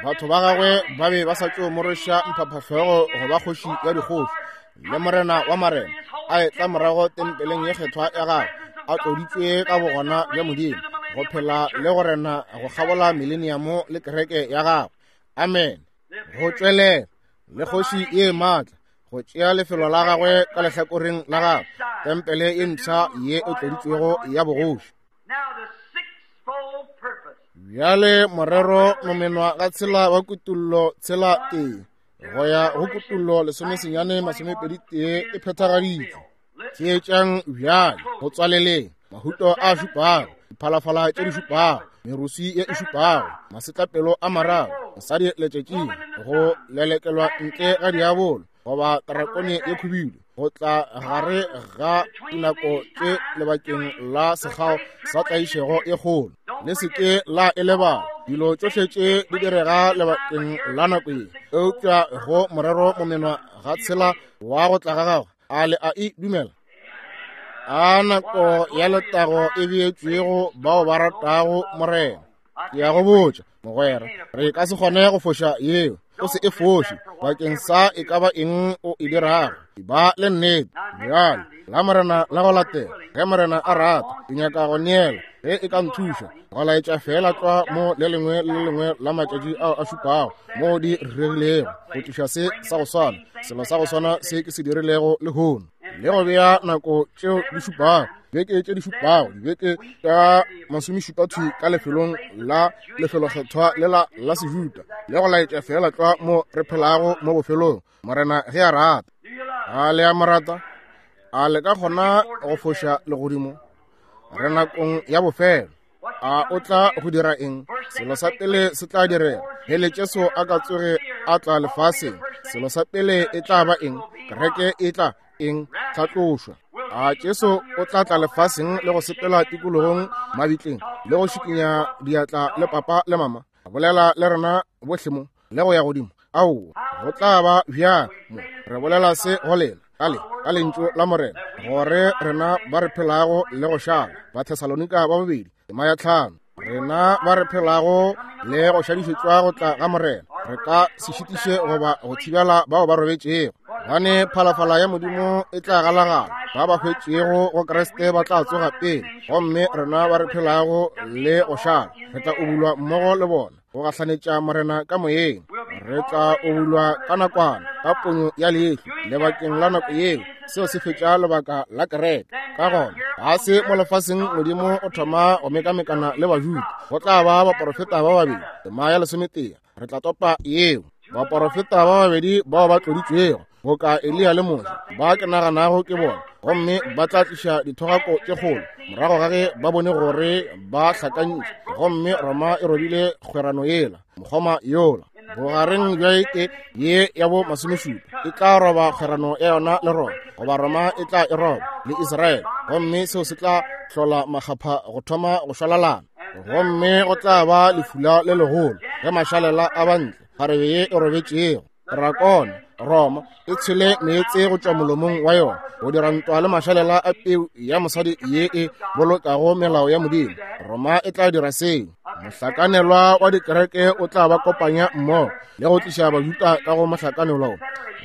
Batho ba gagwe ba be ba sa tšo mo rweša mphaphahlogo go ba kgoši ya dikgoši le Morena wa marena, a etla morago tempeleng ye kgethwa ya gagwe, a tloditšwe ka bogona bja Modimo, go phela le go rena go kgabola mileniamo le kereke ya gagwe. Amen. Go tšwelela le kgoši ye maatla go tšea lefelo la gagwe ka lehlakoreng la gagwe, tempele ye mpsha ye e tloditšwego ya bogoši. Bjale morero momenwa ga tshela wa Kutullo tshela tee go ya go Kutullo 19 21 e phethagaditšwe. Theetšang bjale go tswaleleng mahuto a šupago, diphalafala tše di šupago, merusi ye e šupago, masetlapelo a mararo, mosadi letšatšing, go lelekelwa ntle ga diabolo goba tarakone ye khubidu, go tla gare ga dinako tše lebakeng la sekgao sa tlaišego e kgolo. Le se ke la e lebala. Dilo tšohle tše di direga lebakeng la nako ye, eupša go morero momenwa ga tshela wa go tla ga gagwe. A le a e dumela? A nako ya letago e beetšwego bao ba ratago Morena. Ke a go botša, mogwera, re ka se kgone go foša yeo. O se e foše bakeng sa e ka ba eng o e dirago. Ba le nnete. Bjale, la Morena la go latela, ge Morena a rata, ke nyaka go neela, ge e ka nthuša, go laetša feela tlwa mo le lengwe le le lengwe la matšatši ao a šupago mo di rerilego, go tliša se sa go swana, selo sa go swana se ke se dirilego lehono, le go bea nako tšeo di šupago, dibeke tše di šupago, dibeke tša masomešupa thwi ka lefelong la lefelokgethwa lela la Sejuda, le go laetša feela tlwa mo re phelago mo bofelong, Morena ge a rata. A le a mo rata? A le ka kgona go foša legodimo? Re nakong ya bofelo. A o tla go dira eng? Selo sa pele se tla direga pele Jesu a ka tsoge a tla lefaseng, selo sa pele e tla ba eng? Kereke e tla eng? Tlhatlošwa. A Jesu o tla tla lefaseng le go sepela tikologong mabitleng le go šikinya diatla le papa le mama, a bolela le rena bohle mo le go ya godimo? Aowa, go tla ba bjang mo? Re bolela se go lena ka le ka lentšu la Morena, gore rena ba re phelago le go šala, Bathesalonika ba bobedi tema ya 5, rena ba re phelago le go šadišetšwa go tla ga Morena, re ka se šitiše goba go thibela bao ba robetšego. Gobane phalafala ya Modimo e tla galagala, ba ba hwetšego go Kriste ba tla tsoga pele, gomme rena ba re phelago le go šala re tla ubulwa mmogo le bona go gahlanetša Morena ka moyeng. Re tla ubulwa ka nakwana, ka ponyo ya leihlo, lebakeng la nako yeo. Seo se fetša lebaka la kereke. Ka gona ga se mo lefaseng Modimo o thoma go mekamekana le Bajuda. Go tla ba baporofeta ba babedi, tema ya 11. Re tla topa yeo. Baporofeta ba babedi bao ba tloditšwego, boka Eliya le Moshe, ba ke naganago ke bona, gomme ba tla tliša dithogako tše kgolo morago ga ge ba bone gore ba hlakantše, gomme Roma e robile kgwerano yela, mokgoma yola. Bogareng bja eke ye ya bo 17 e tla roba kgwerano ya yona le Roma, goba Roma e tla e roba le Israele, gomme seo se tla hlola makgapha go thoma go šwalalana. Gomme go tla ba lefula le legolo ge mašalela a bantle kgarebe ye e robetšego drakone Roma e tshele meetse go tšwa molomong wa yona go dira ntwa le mašalela a peu ya mosadi ye e bolokago melao ya Modimo. Roma e tla dira seo. Mohlakanelwa wa dikereke o tla ba kopanya mmogo le go tliša Bajuda ka go mohlakanelwa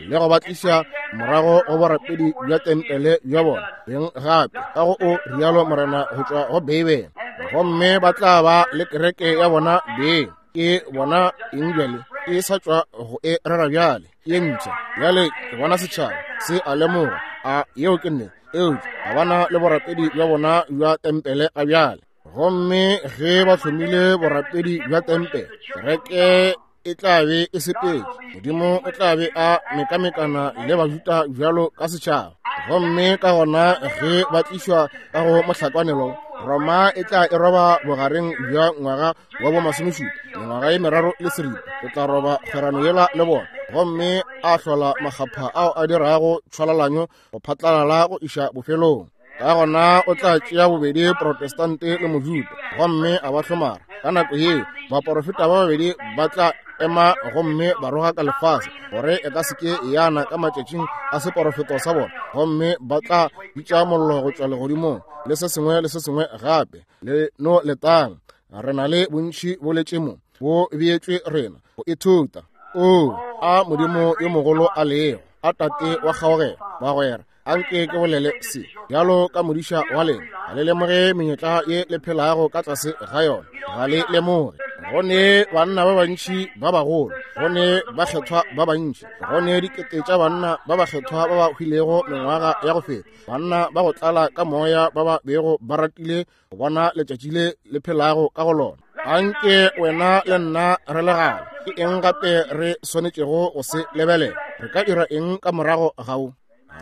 le go ba tliša morago go borapedi bja tempele bja bona beng gape, ka go o rialo Morena go tšwa go Beibele. Gomme ba tla ba le kereke ya bona beng. Ke bona eng bjale? E sa tšwa go e rera bjale, ye mpsha bjale. Ke bona setšhaba se a lemoga, a yeo ke nnete, eupša ga bana le borapedi bja bona bja tempele ga bjale. Gomme ge ba hlomile borapedi bja tempele, kereke e tla be e sepetše. Modimo o tla be a mekamekana le Bajuda bjalo ka setšhaba. Gomme ka gona ge ba tlišwa ka go mohlakwanelo, Roma e tla e roba bogareng bja ngwaga wa bo 17, mengwaga ye 3 le seripa, o tla roba kgwerano yela le bona, gomme a hlola makgapha ao a dirago tšhwalalanyo go phatlalala go iša bofelong. Ka gona o tla tšea bobedi Protestante le Mojuda gomme a ba hlomara. Ka nako yeo baporofeta ba babedi ba tla ema gomme ba rogaka lefase gore e ka se ke yana ka matšatšing a seporofeto sa bona, gomme ba tla bitša mollo go tšwa legodimong le se sengwe le se sengwe gape. Le no letang, re na le bontši bo letše mo, bo beetšwe rena go ithuta. O a Modimo yo mogolo a lego, a Tate wa kgaogelo, bagwera, anke ke bolele se bjalo ka modiša wa lena. Ga le lemoge menyetla ye le phelago ka tlase ga yona, ga le lemoge. Go ne banna ba bantši ba bagolo, go ne bakgethwa ba bantši, go ne dikete tša banna ba bakgethwa ba ba hwilego mengwaga ya go feta, banna ba go tlala ka moya ba ba bego ba ratile go bona letšatši le le phelago ka go lona. Anke wena le nna re legale, ke eng gape re swanetšego go se lebelela? Re ka dira eng ka morago gao?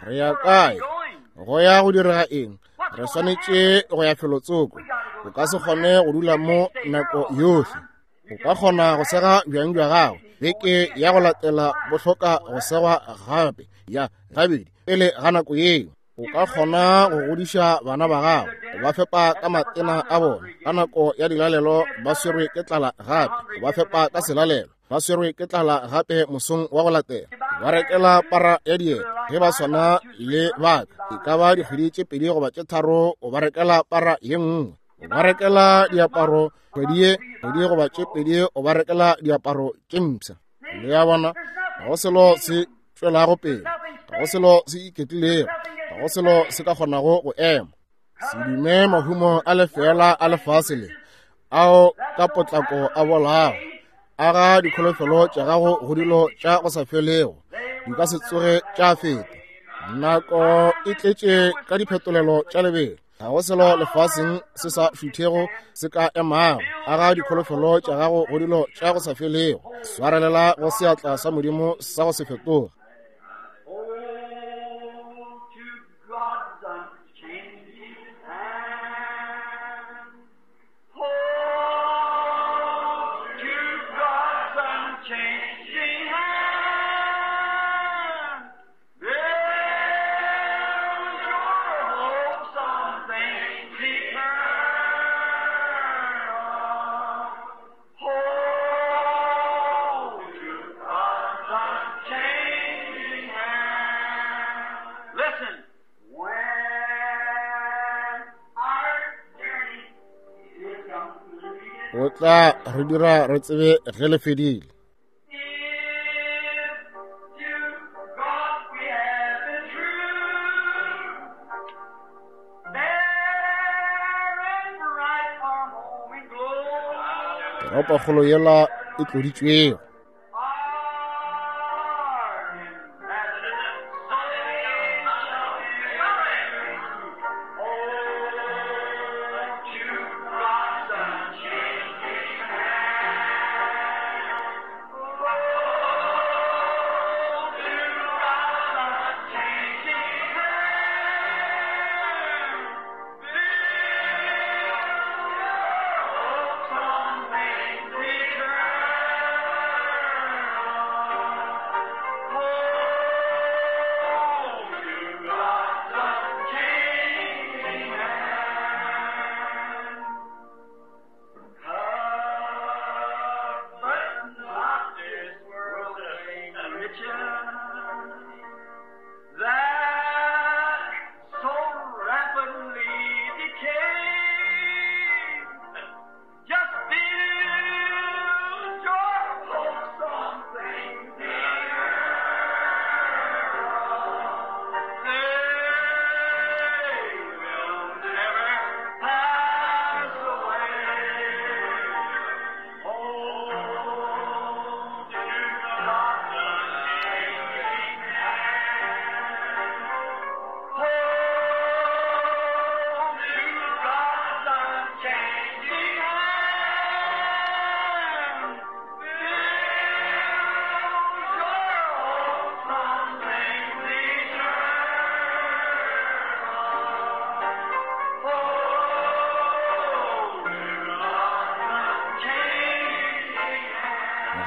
Re ya kae? Go ya go direga eng? Re swanetše go ya felotsoko. O ka se kgone go dula mo nako yohle. O ka kgona go sega bjang bja gago beke ya go latela bo hloka go segwa gape ya gabedi pele ga nako yeo. O ka kgona go godiša bana ba gago, o ba fepa ka matena a bona ka nako ya dilalelo, ba swerwe ke tlala gape, o ba fepa ka selalelo, ba swerwe ke tlala gape mosong wa go latela, ba rekela para ya dieta ge ba swana le baka, e ka ba dikgwedi tše 2 goba tše 3, o ba rekela para ye nngwe, o ba rekela diaparo kgwedi ye, kgwedi goba tše 2, o ba rekela diaparo tše mpsha. Le a bona, ga go selo se tšwelago pele, ga go selo se iketlilego, ga go selo se ka kgonago go ema. Se dume mahumo a lefeela a lefase le ao ka potlako a bolago, aga dikholofelo tša gago go dilo tša go sa felego, di ka se tsoge tša feta. Nako e tletše ka diphetolelo tša lebelo, ga go selo lefaseng se sa šuthego se ka emago. Aga dikholofelo tša gago go dilo tša go sa felego, swarelela go seatla sa Modimo sa go se fetoge. O tla re dira re tsebe ge le fedile. Toropokgolo yela e tloditšwego.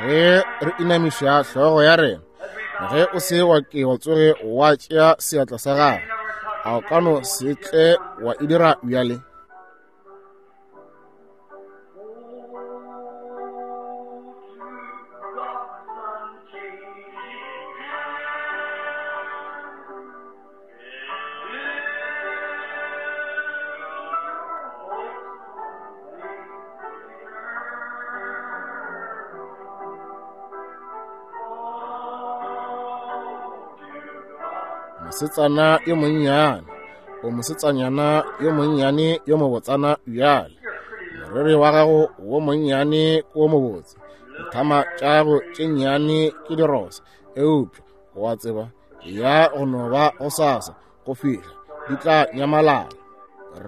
Ge re inamiša hlogo ya rena, ge o se wa ke wa tsoge wa tšea seatla sa gago, a o ka no se tle wa e dira bjale? Mosetsana yo monnyane, o mosetsanyana yo monnyane yo mobotsana bjale. Moriri wa gago wo monnyane ke wo mobotse, dithama tša gago tše nnyane ke dirosa, eupša wa tseba ya go no ba go sasa go fihla di tla nyamalala.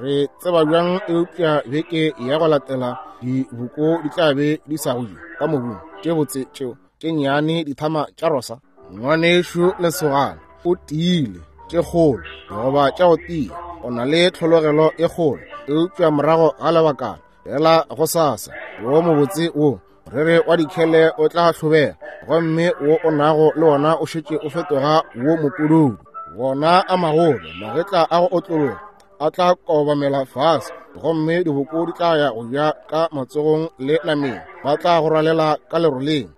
Re tseba bjang eupša beke ya go latela diboko di tla be di sa go ka mobung tše botse tšeo tše nnyane dithama tša rosa. Ngwanešu lesogana o tiile tše kgolo goba tša go tia, o na le tlhologelo e kgolo, eupša morago ga lebakana fela go sasa wo mobotse wo moriri wa dikhele o tla hlobega, gomme wo o nago le wona o šetše o fetoga wo mopududu. Wona a magolo magetla a go otlologa a tla kobamela fase, gomme diboko di tla ya go ja ka matsogong le nameng, ba tla go rwalela ka leroleng.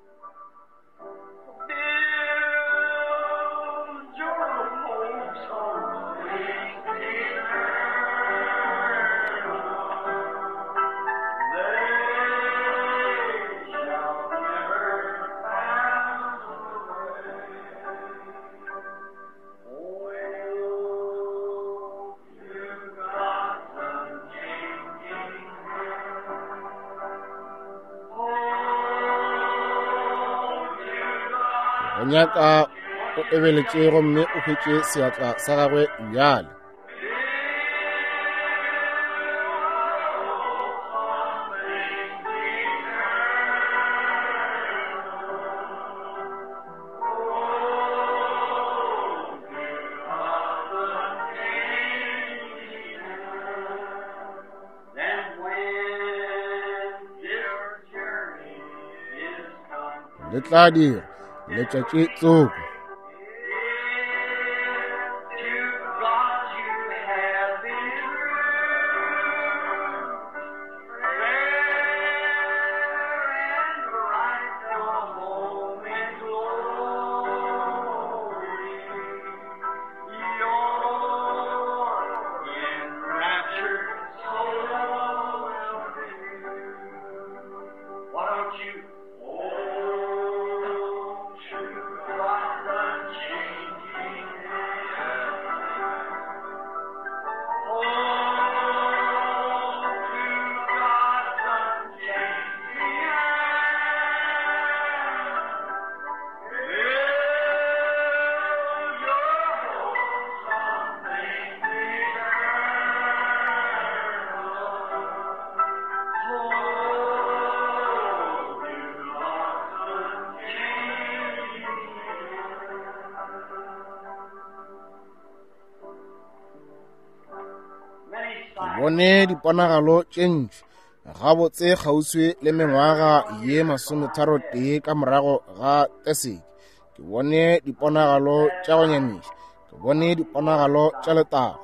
Go nyaka o ebeletše gomme o hwetše seatla sa gagwe bjale. Le tla dira letšatši tsoko. Ke bone diponagalo tše ntši gabotse kgauswi le mengwaga ye 31 ka morago ga teseke. Ke bone diponagalo tša go nyamiša, ke bone diponagalo tša letago.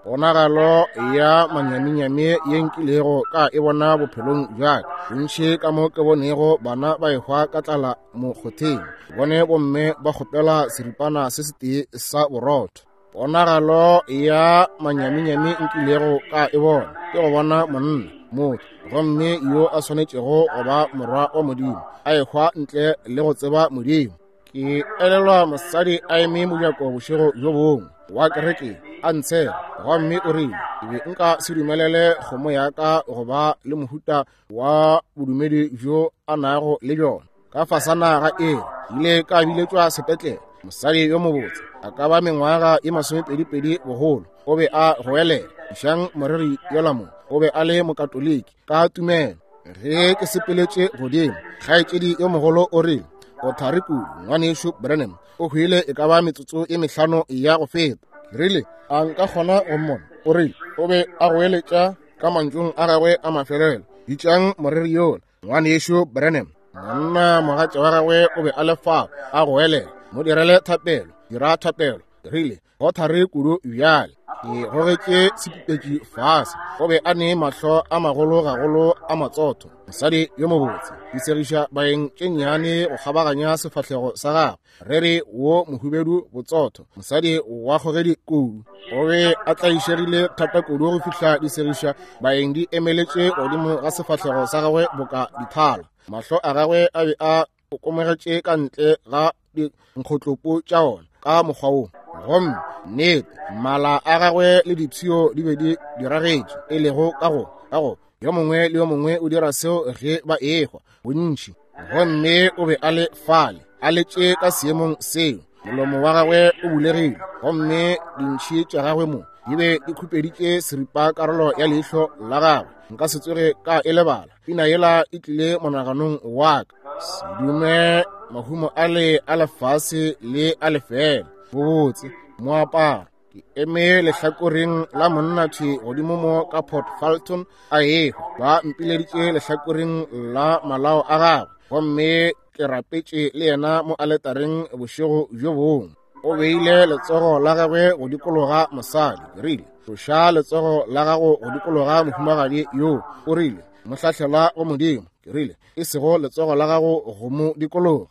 Ponagalo ya manyaminyami ye nkilego ka e bona bophelong bja ka, bontši ka mo ke bonego bana ba ehwa ka tlala mokgotheng, ke bone bomme ba kgopela seripana se setee sa borotho. Ponagalo ya manyaminyami nkilego ka e bona ke go bona monna, motho, gomme yo a swanetšego go ba morwa wa Modimo, a ehwa ntle le go tseba Modimo. Ke elelwa mosadi a eme mojako bošego bjo bongwe wa kereke a ntshela, gomme o rile, ke be nka se dumelele kgomo ya ka go ba le mohuta wa bodumedi bjo a nago le bjona. Ka fasana ga ere, ile ka biletšwa sepetlele. Mosadi yo mobotse, a ka ba mengwaga ye 22 bogolo, o be a goelela, išang moreri yola mo. O be a le mokatoliki ka tumelo. Ge ke sepeletše godimo, kgaetšedi yo mogolo o rile, o thari kudu, ngwanešu Branham, o hwile e ka ba metsotso e 5 ya go feta. Ke rile, a nka kgona go mmona? O rile, o be a goeletša ka mantšung a gagwe a mafelelo, bitšang moreri yola, ngwanešu Branham. Monna mogatša wa gagwe o be a le fao a goelela, mo direle thapelo, dira thapelo. Ke rile, go thari kudu bjale. Ke gogetše sepipetši fase. O be a ne mahlo a magolo gagolo a matsotho, mosadi yo mobotse, di segiša baeng tše nnyane go kgabaganya sefahlego sa gagwe, rere wo mohubedu botsotho, mosadi wa kgogedi kudu. O be a tlaišegile thata kudu go fihla di segiša baeng di emeletše godimo ga sefahlego sa gagwe boka dithala. Mahlo a gagwe a be a kokomogetše ka ntle ga dinkgotlopo tša ona ka mokgwa wo, gomme nnete mala a gagwe le dipshio di be di diragetše, e lego ka go yo mongwe le yo mongwe o dira seo ge ba ehwa bontši. Gomme o be a le fale a letše ka seemong seo, molomo wa gagwe o bulegile, gomme dintšhi tša gagwe mo di be di khupeditše seripa karolo ya leihlo la gagwe. Nka se tsoge ka e lebala pina yela e tlile monaganong wa ka. Se dume mahumo a le a lefase le a lefela, bobotse moaparo. Ke eme lehlakoreng la monna thwi godimo mo ka Port Fulton a ehwa, ba mpileditše lehlakoreng la malao a gagwe, gomme ke rapetše le yena mo aletareng bošego bjo bongwe. O beile letsogo la gagwe go dikologa mosadi. Ke rile, tloša letsogo la gago go dikologa mohumagadi yo. O rile, mo hlahlela go Modimo. Ke rile, e sego letsogo la gago go mo dikologa.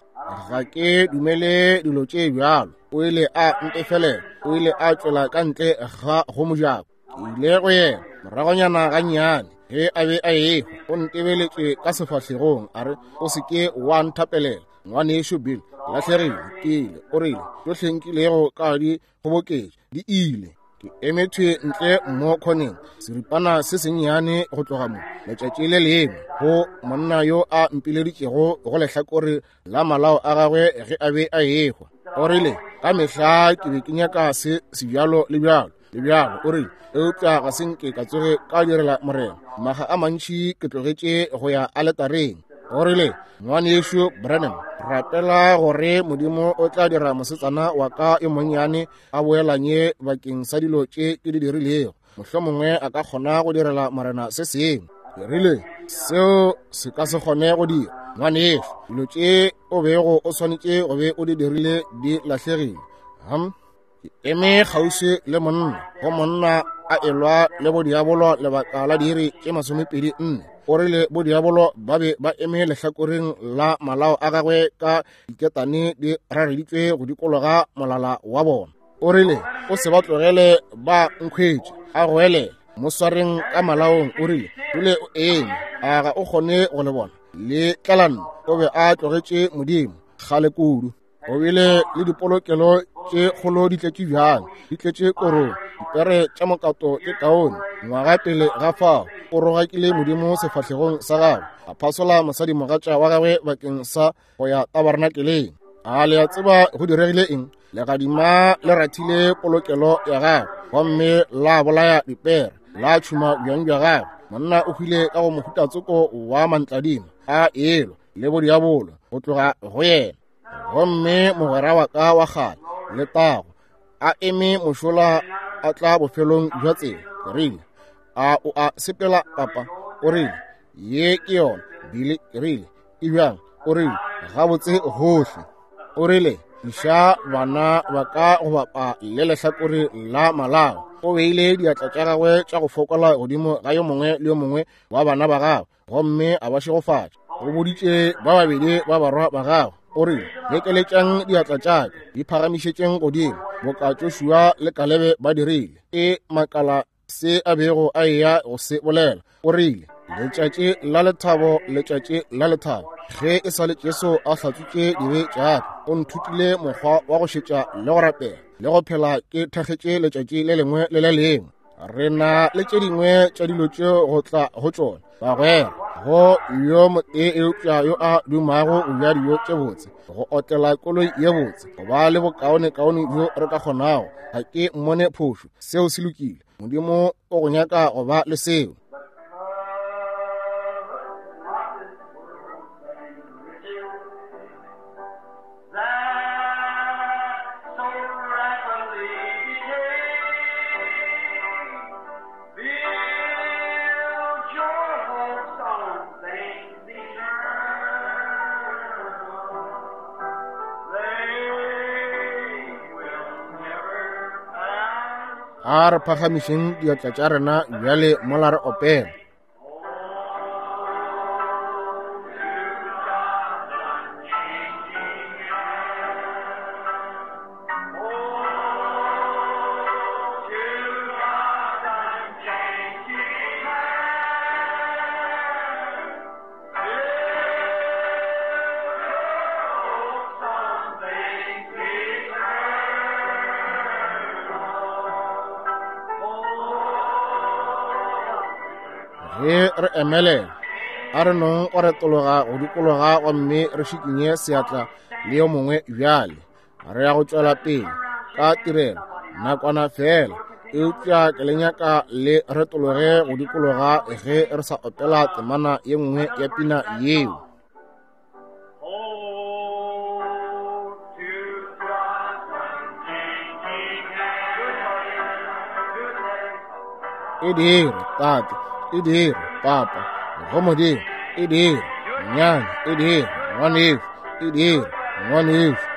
Ga ke dumele dilo tše bjalo. O ile a ntefelela. O ile a tšwela ka ntle ga go mojako. Ke ile go yena moragonyana gannyane ge a be a ehwa. O ntebeletše ka sefahlegong a re, o se ke wa nthapelela, ngwanešu Bill. Lahlegile ke ile. O rile, tšohle nkilego ka di kgoboketša di ile. Ke eme thwe ntle mo khoneng, seripana se sennyane go tloga mo letšatši le lengwe, go monna yo a mpileditšego go lehlakore la malao a gagwe ge a be a ehwa. O rile, ka mehla ke be ke nyaka se sebjalo le bjalo le bjalo. O rile, eupša ga se nke ka tsoge ka direla Morena. Maga a mantši ke tlogetše go ya aletareng. O rile, ngwanešu Branham, rapela gore Modimo o tla dira mosetsana wa ka yo monnyane a boelanye bakeng sa dilo tše ke di dirilego. Mohlomongwe a ka kgona go direla Morena se sengwe. Ke rile, seo se ka se kgone go dira, ngwanešu. Dilo tše o bego o swanetše go be o di dirile di lahlegile. Ke eme kgauswi le monna, go monna a elwa le bodiabolo lebaka la diiri tše 24. O rile bodiabolo ba be ba eme lehlakoreng la malao a gagwe ka diketane di rareditšwe go dikologa molala wa bona. O rile, o se ba tlogele ba nkhwetše, a goelela, mo swareng ka malaong. O rile, dule o eme, a ga o kgone go le bona le tlalano. O be a tlogetše Modimo kgale kudu. O bile le dipolokelo tše kgolo di tletše bjang, di tletše korong, dipere tša mokato tše kaone. Ngwaga pele ga fao, o rogakile Modimo sefahlegong sa gagwe, a phasola mosadimogatša wa gagwe bakeng sa go ya tabernakeleng. A le a tseba go diregile eng? Legadima le rathile polokelo ya gagwe, gomme la bolaya dipere, la tšhuma bjang bja gagwe. Monna o hwile ka go mohutatsoko wa mantladima a elwa le bodiabolo go tloga go yena. Gomme mogwera wa ka wa kgale letago a eme mošola a tla bofelong bja tsela. Ke rile, A o a sepela, papa? O rile, ye ke yona, Billy. Ke rile, e bjang? O rile, gabotse gohle. O rile, iša bana ba ka go bapa le lehlakore la malao. O beile diatla tša gagwe tša go fokola godimo ga yo mongwe le yo mongwe wa bana ba gagwe, gomme a ba šegofatša. O boditše ba babedi ba barwa ba gagwe, o rile, lekeletšang diatla tša ka, di phagamišetšeng godimo, boka Joshua le Kalebe ba dirile. E makala se a bego a eya go se bolela. O rile, letšatši la lethabo, letšatši la lethabo, ge e sa le Jesu a hlatswitše dibe tša ka, o nthutile mokgwa wa go šetša le go rapela le go phela ke thakgetše letšatši le lengwe le le lengwe. Re na le tše dingwe tša dilo tšeo go tla go tšona, bagwera, go yo motee eupša yo a dumago go ja dijo tše botse, go otlela koloi ye botse, go ba le bokaonekaone bjo re ka kgonago. Ga ke mmone phošo, seo se lokile. Modimo o go nyaka go ba le seo. A re phagamišeng diatla tša rena bjale mola re opela. Ge re emelela, a re nong go retologa go dikologa gomme re šikinye seatla le yo mongwe bjale. Re ya go tšwela pele ka tirelo nakwana fela, eupša ke le nyaka le retologe go dikologa ge re sa opela temana ye nngwe ya pina yeo. E dire, tate, e dire, papa, go Modimo, e dire, nyane, e dire, ngwanešu, e dire, ngwanešu.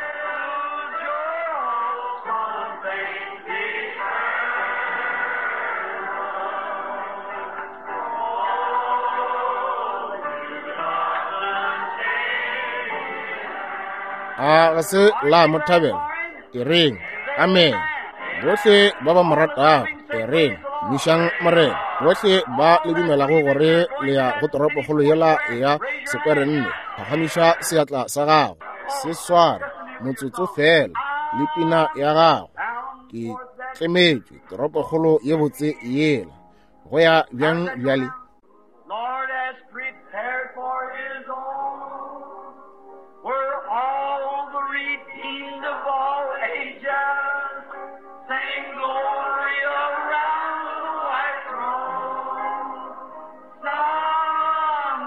A ga se la mo thabela? E reng, amen. Bohle ba ba mo ratago, e reng, mišang Morena. Bohle ba le dumelago gore le ya go toropokgolo yela ya sekwerenne, phagamiša seatla sa gago, se sware motsotso fela le pina ya gago. Ke tlemetšwe toropokgolo ye botse yela. Go ya bjang bjale? Lord has prepared for his own, where all the redeemed of all ages sing glory around the white throne. Sometimes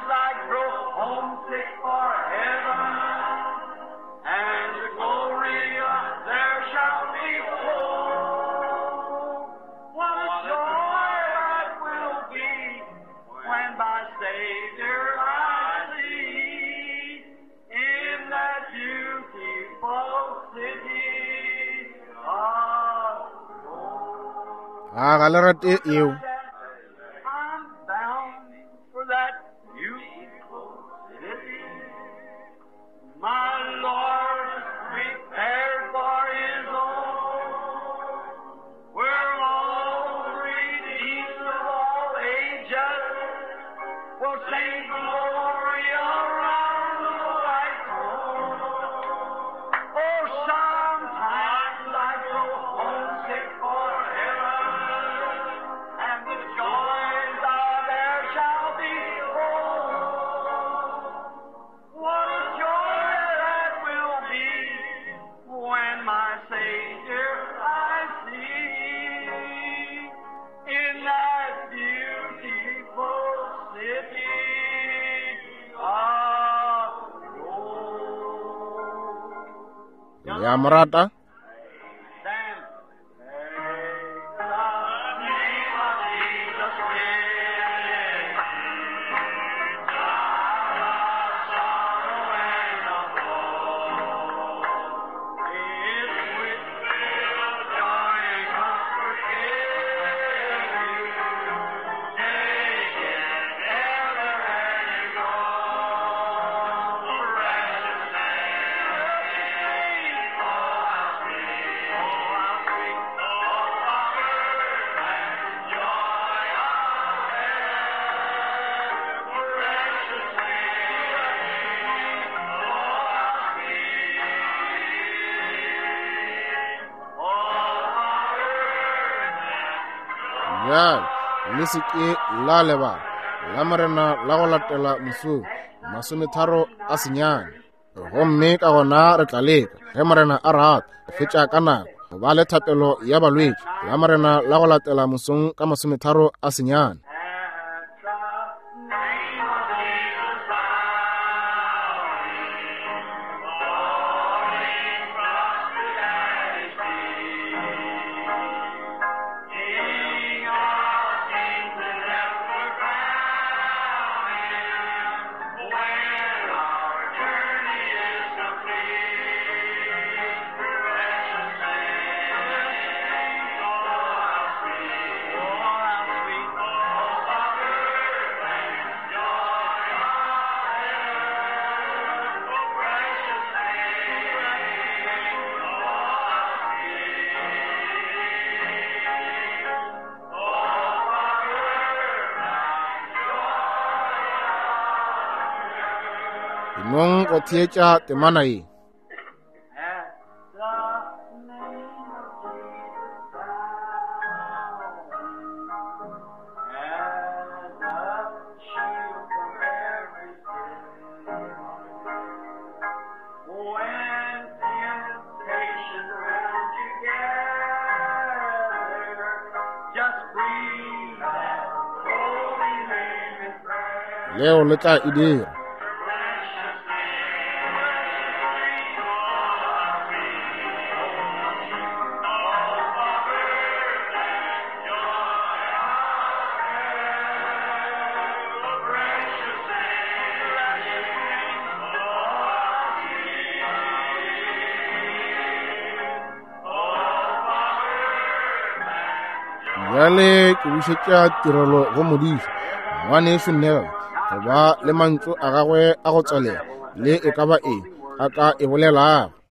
I grow homesick for heaven, and the glory there shall be full. What a joy that will be when my Savior I see in that beautiful city of gold. A ga le rate eo? I'm bound for that beautiful city. My Lord prepared for his own, where all the redeemed of all ages will sing glory around the white throne. Oh, sometimes I grow homesick for heaven, and the joys are there shall be full. What a joy that will be when my Savior I see in that beautiful city of gold. Le a mo rata? Then, take the name of Bjale, le se ke la lebala Lamorena la go latela mosong, 39. Gomme ka gona re tla leka, ge Morena a rata, go fetša ka nako, go ba le thapelo ya balwetši Lamorena la go latela mosong ka 39. Nong go theetša temana ye. Leo le tla e dira. Bjale ke bušetša tirelo go modiši ngwanešu Neville go ba le mantšu a gagwe a go tswalela le e ka ba eng a ka e bolelago.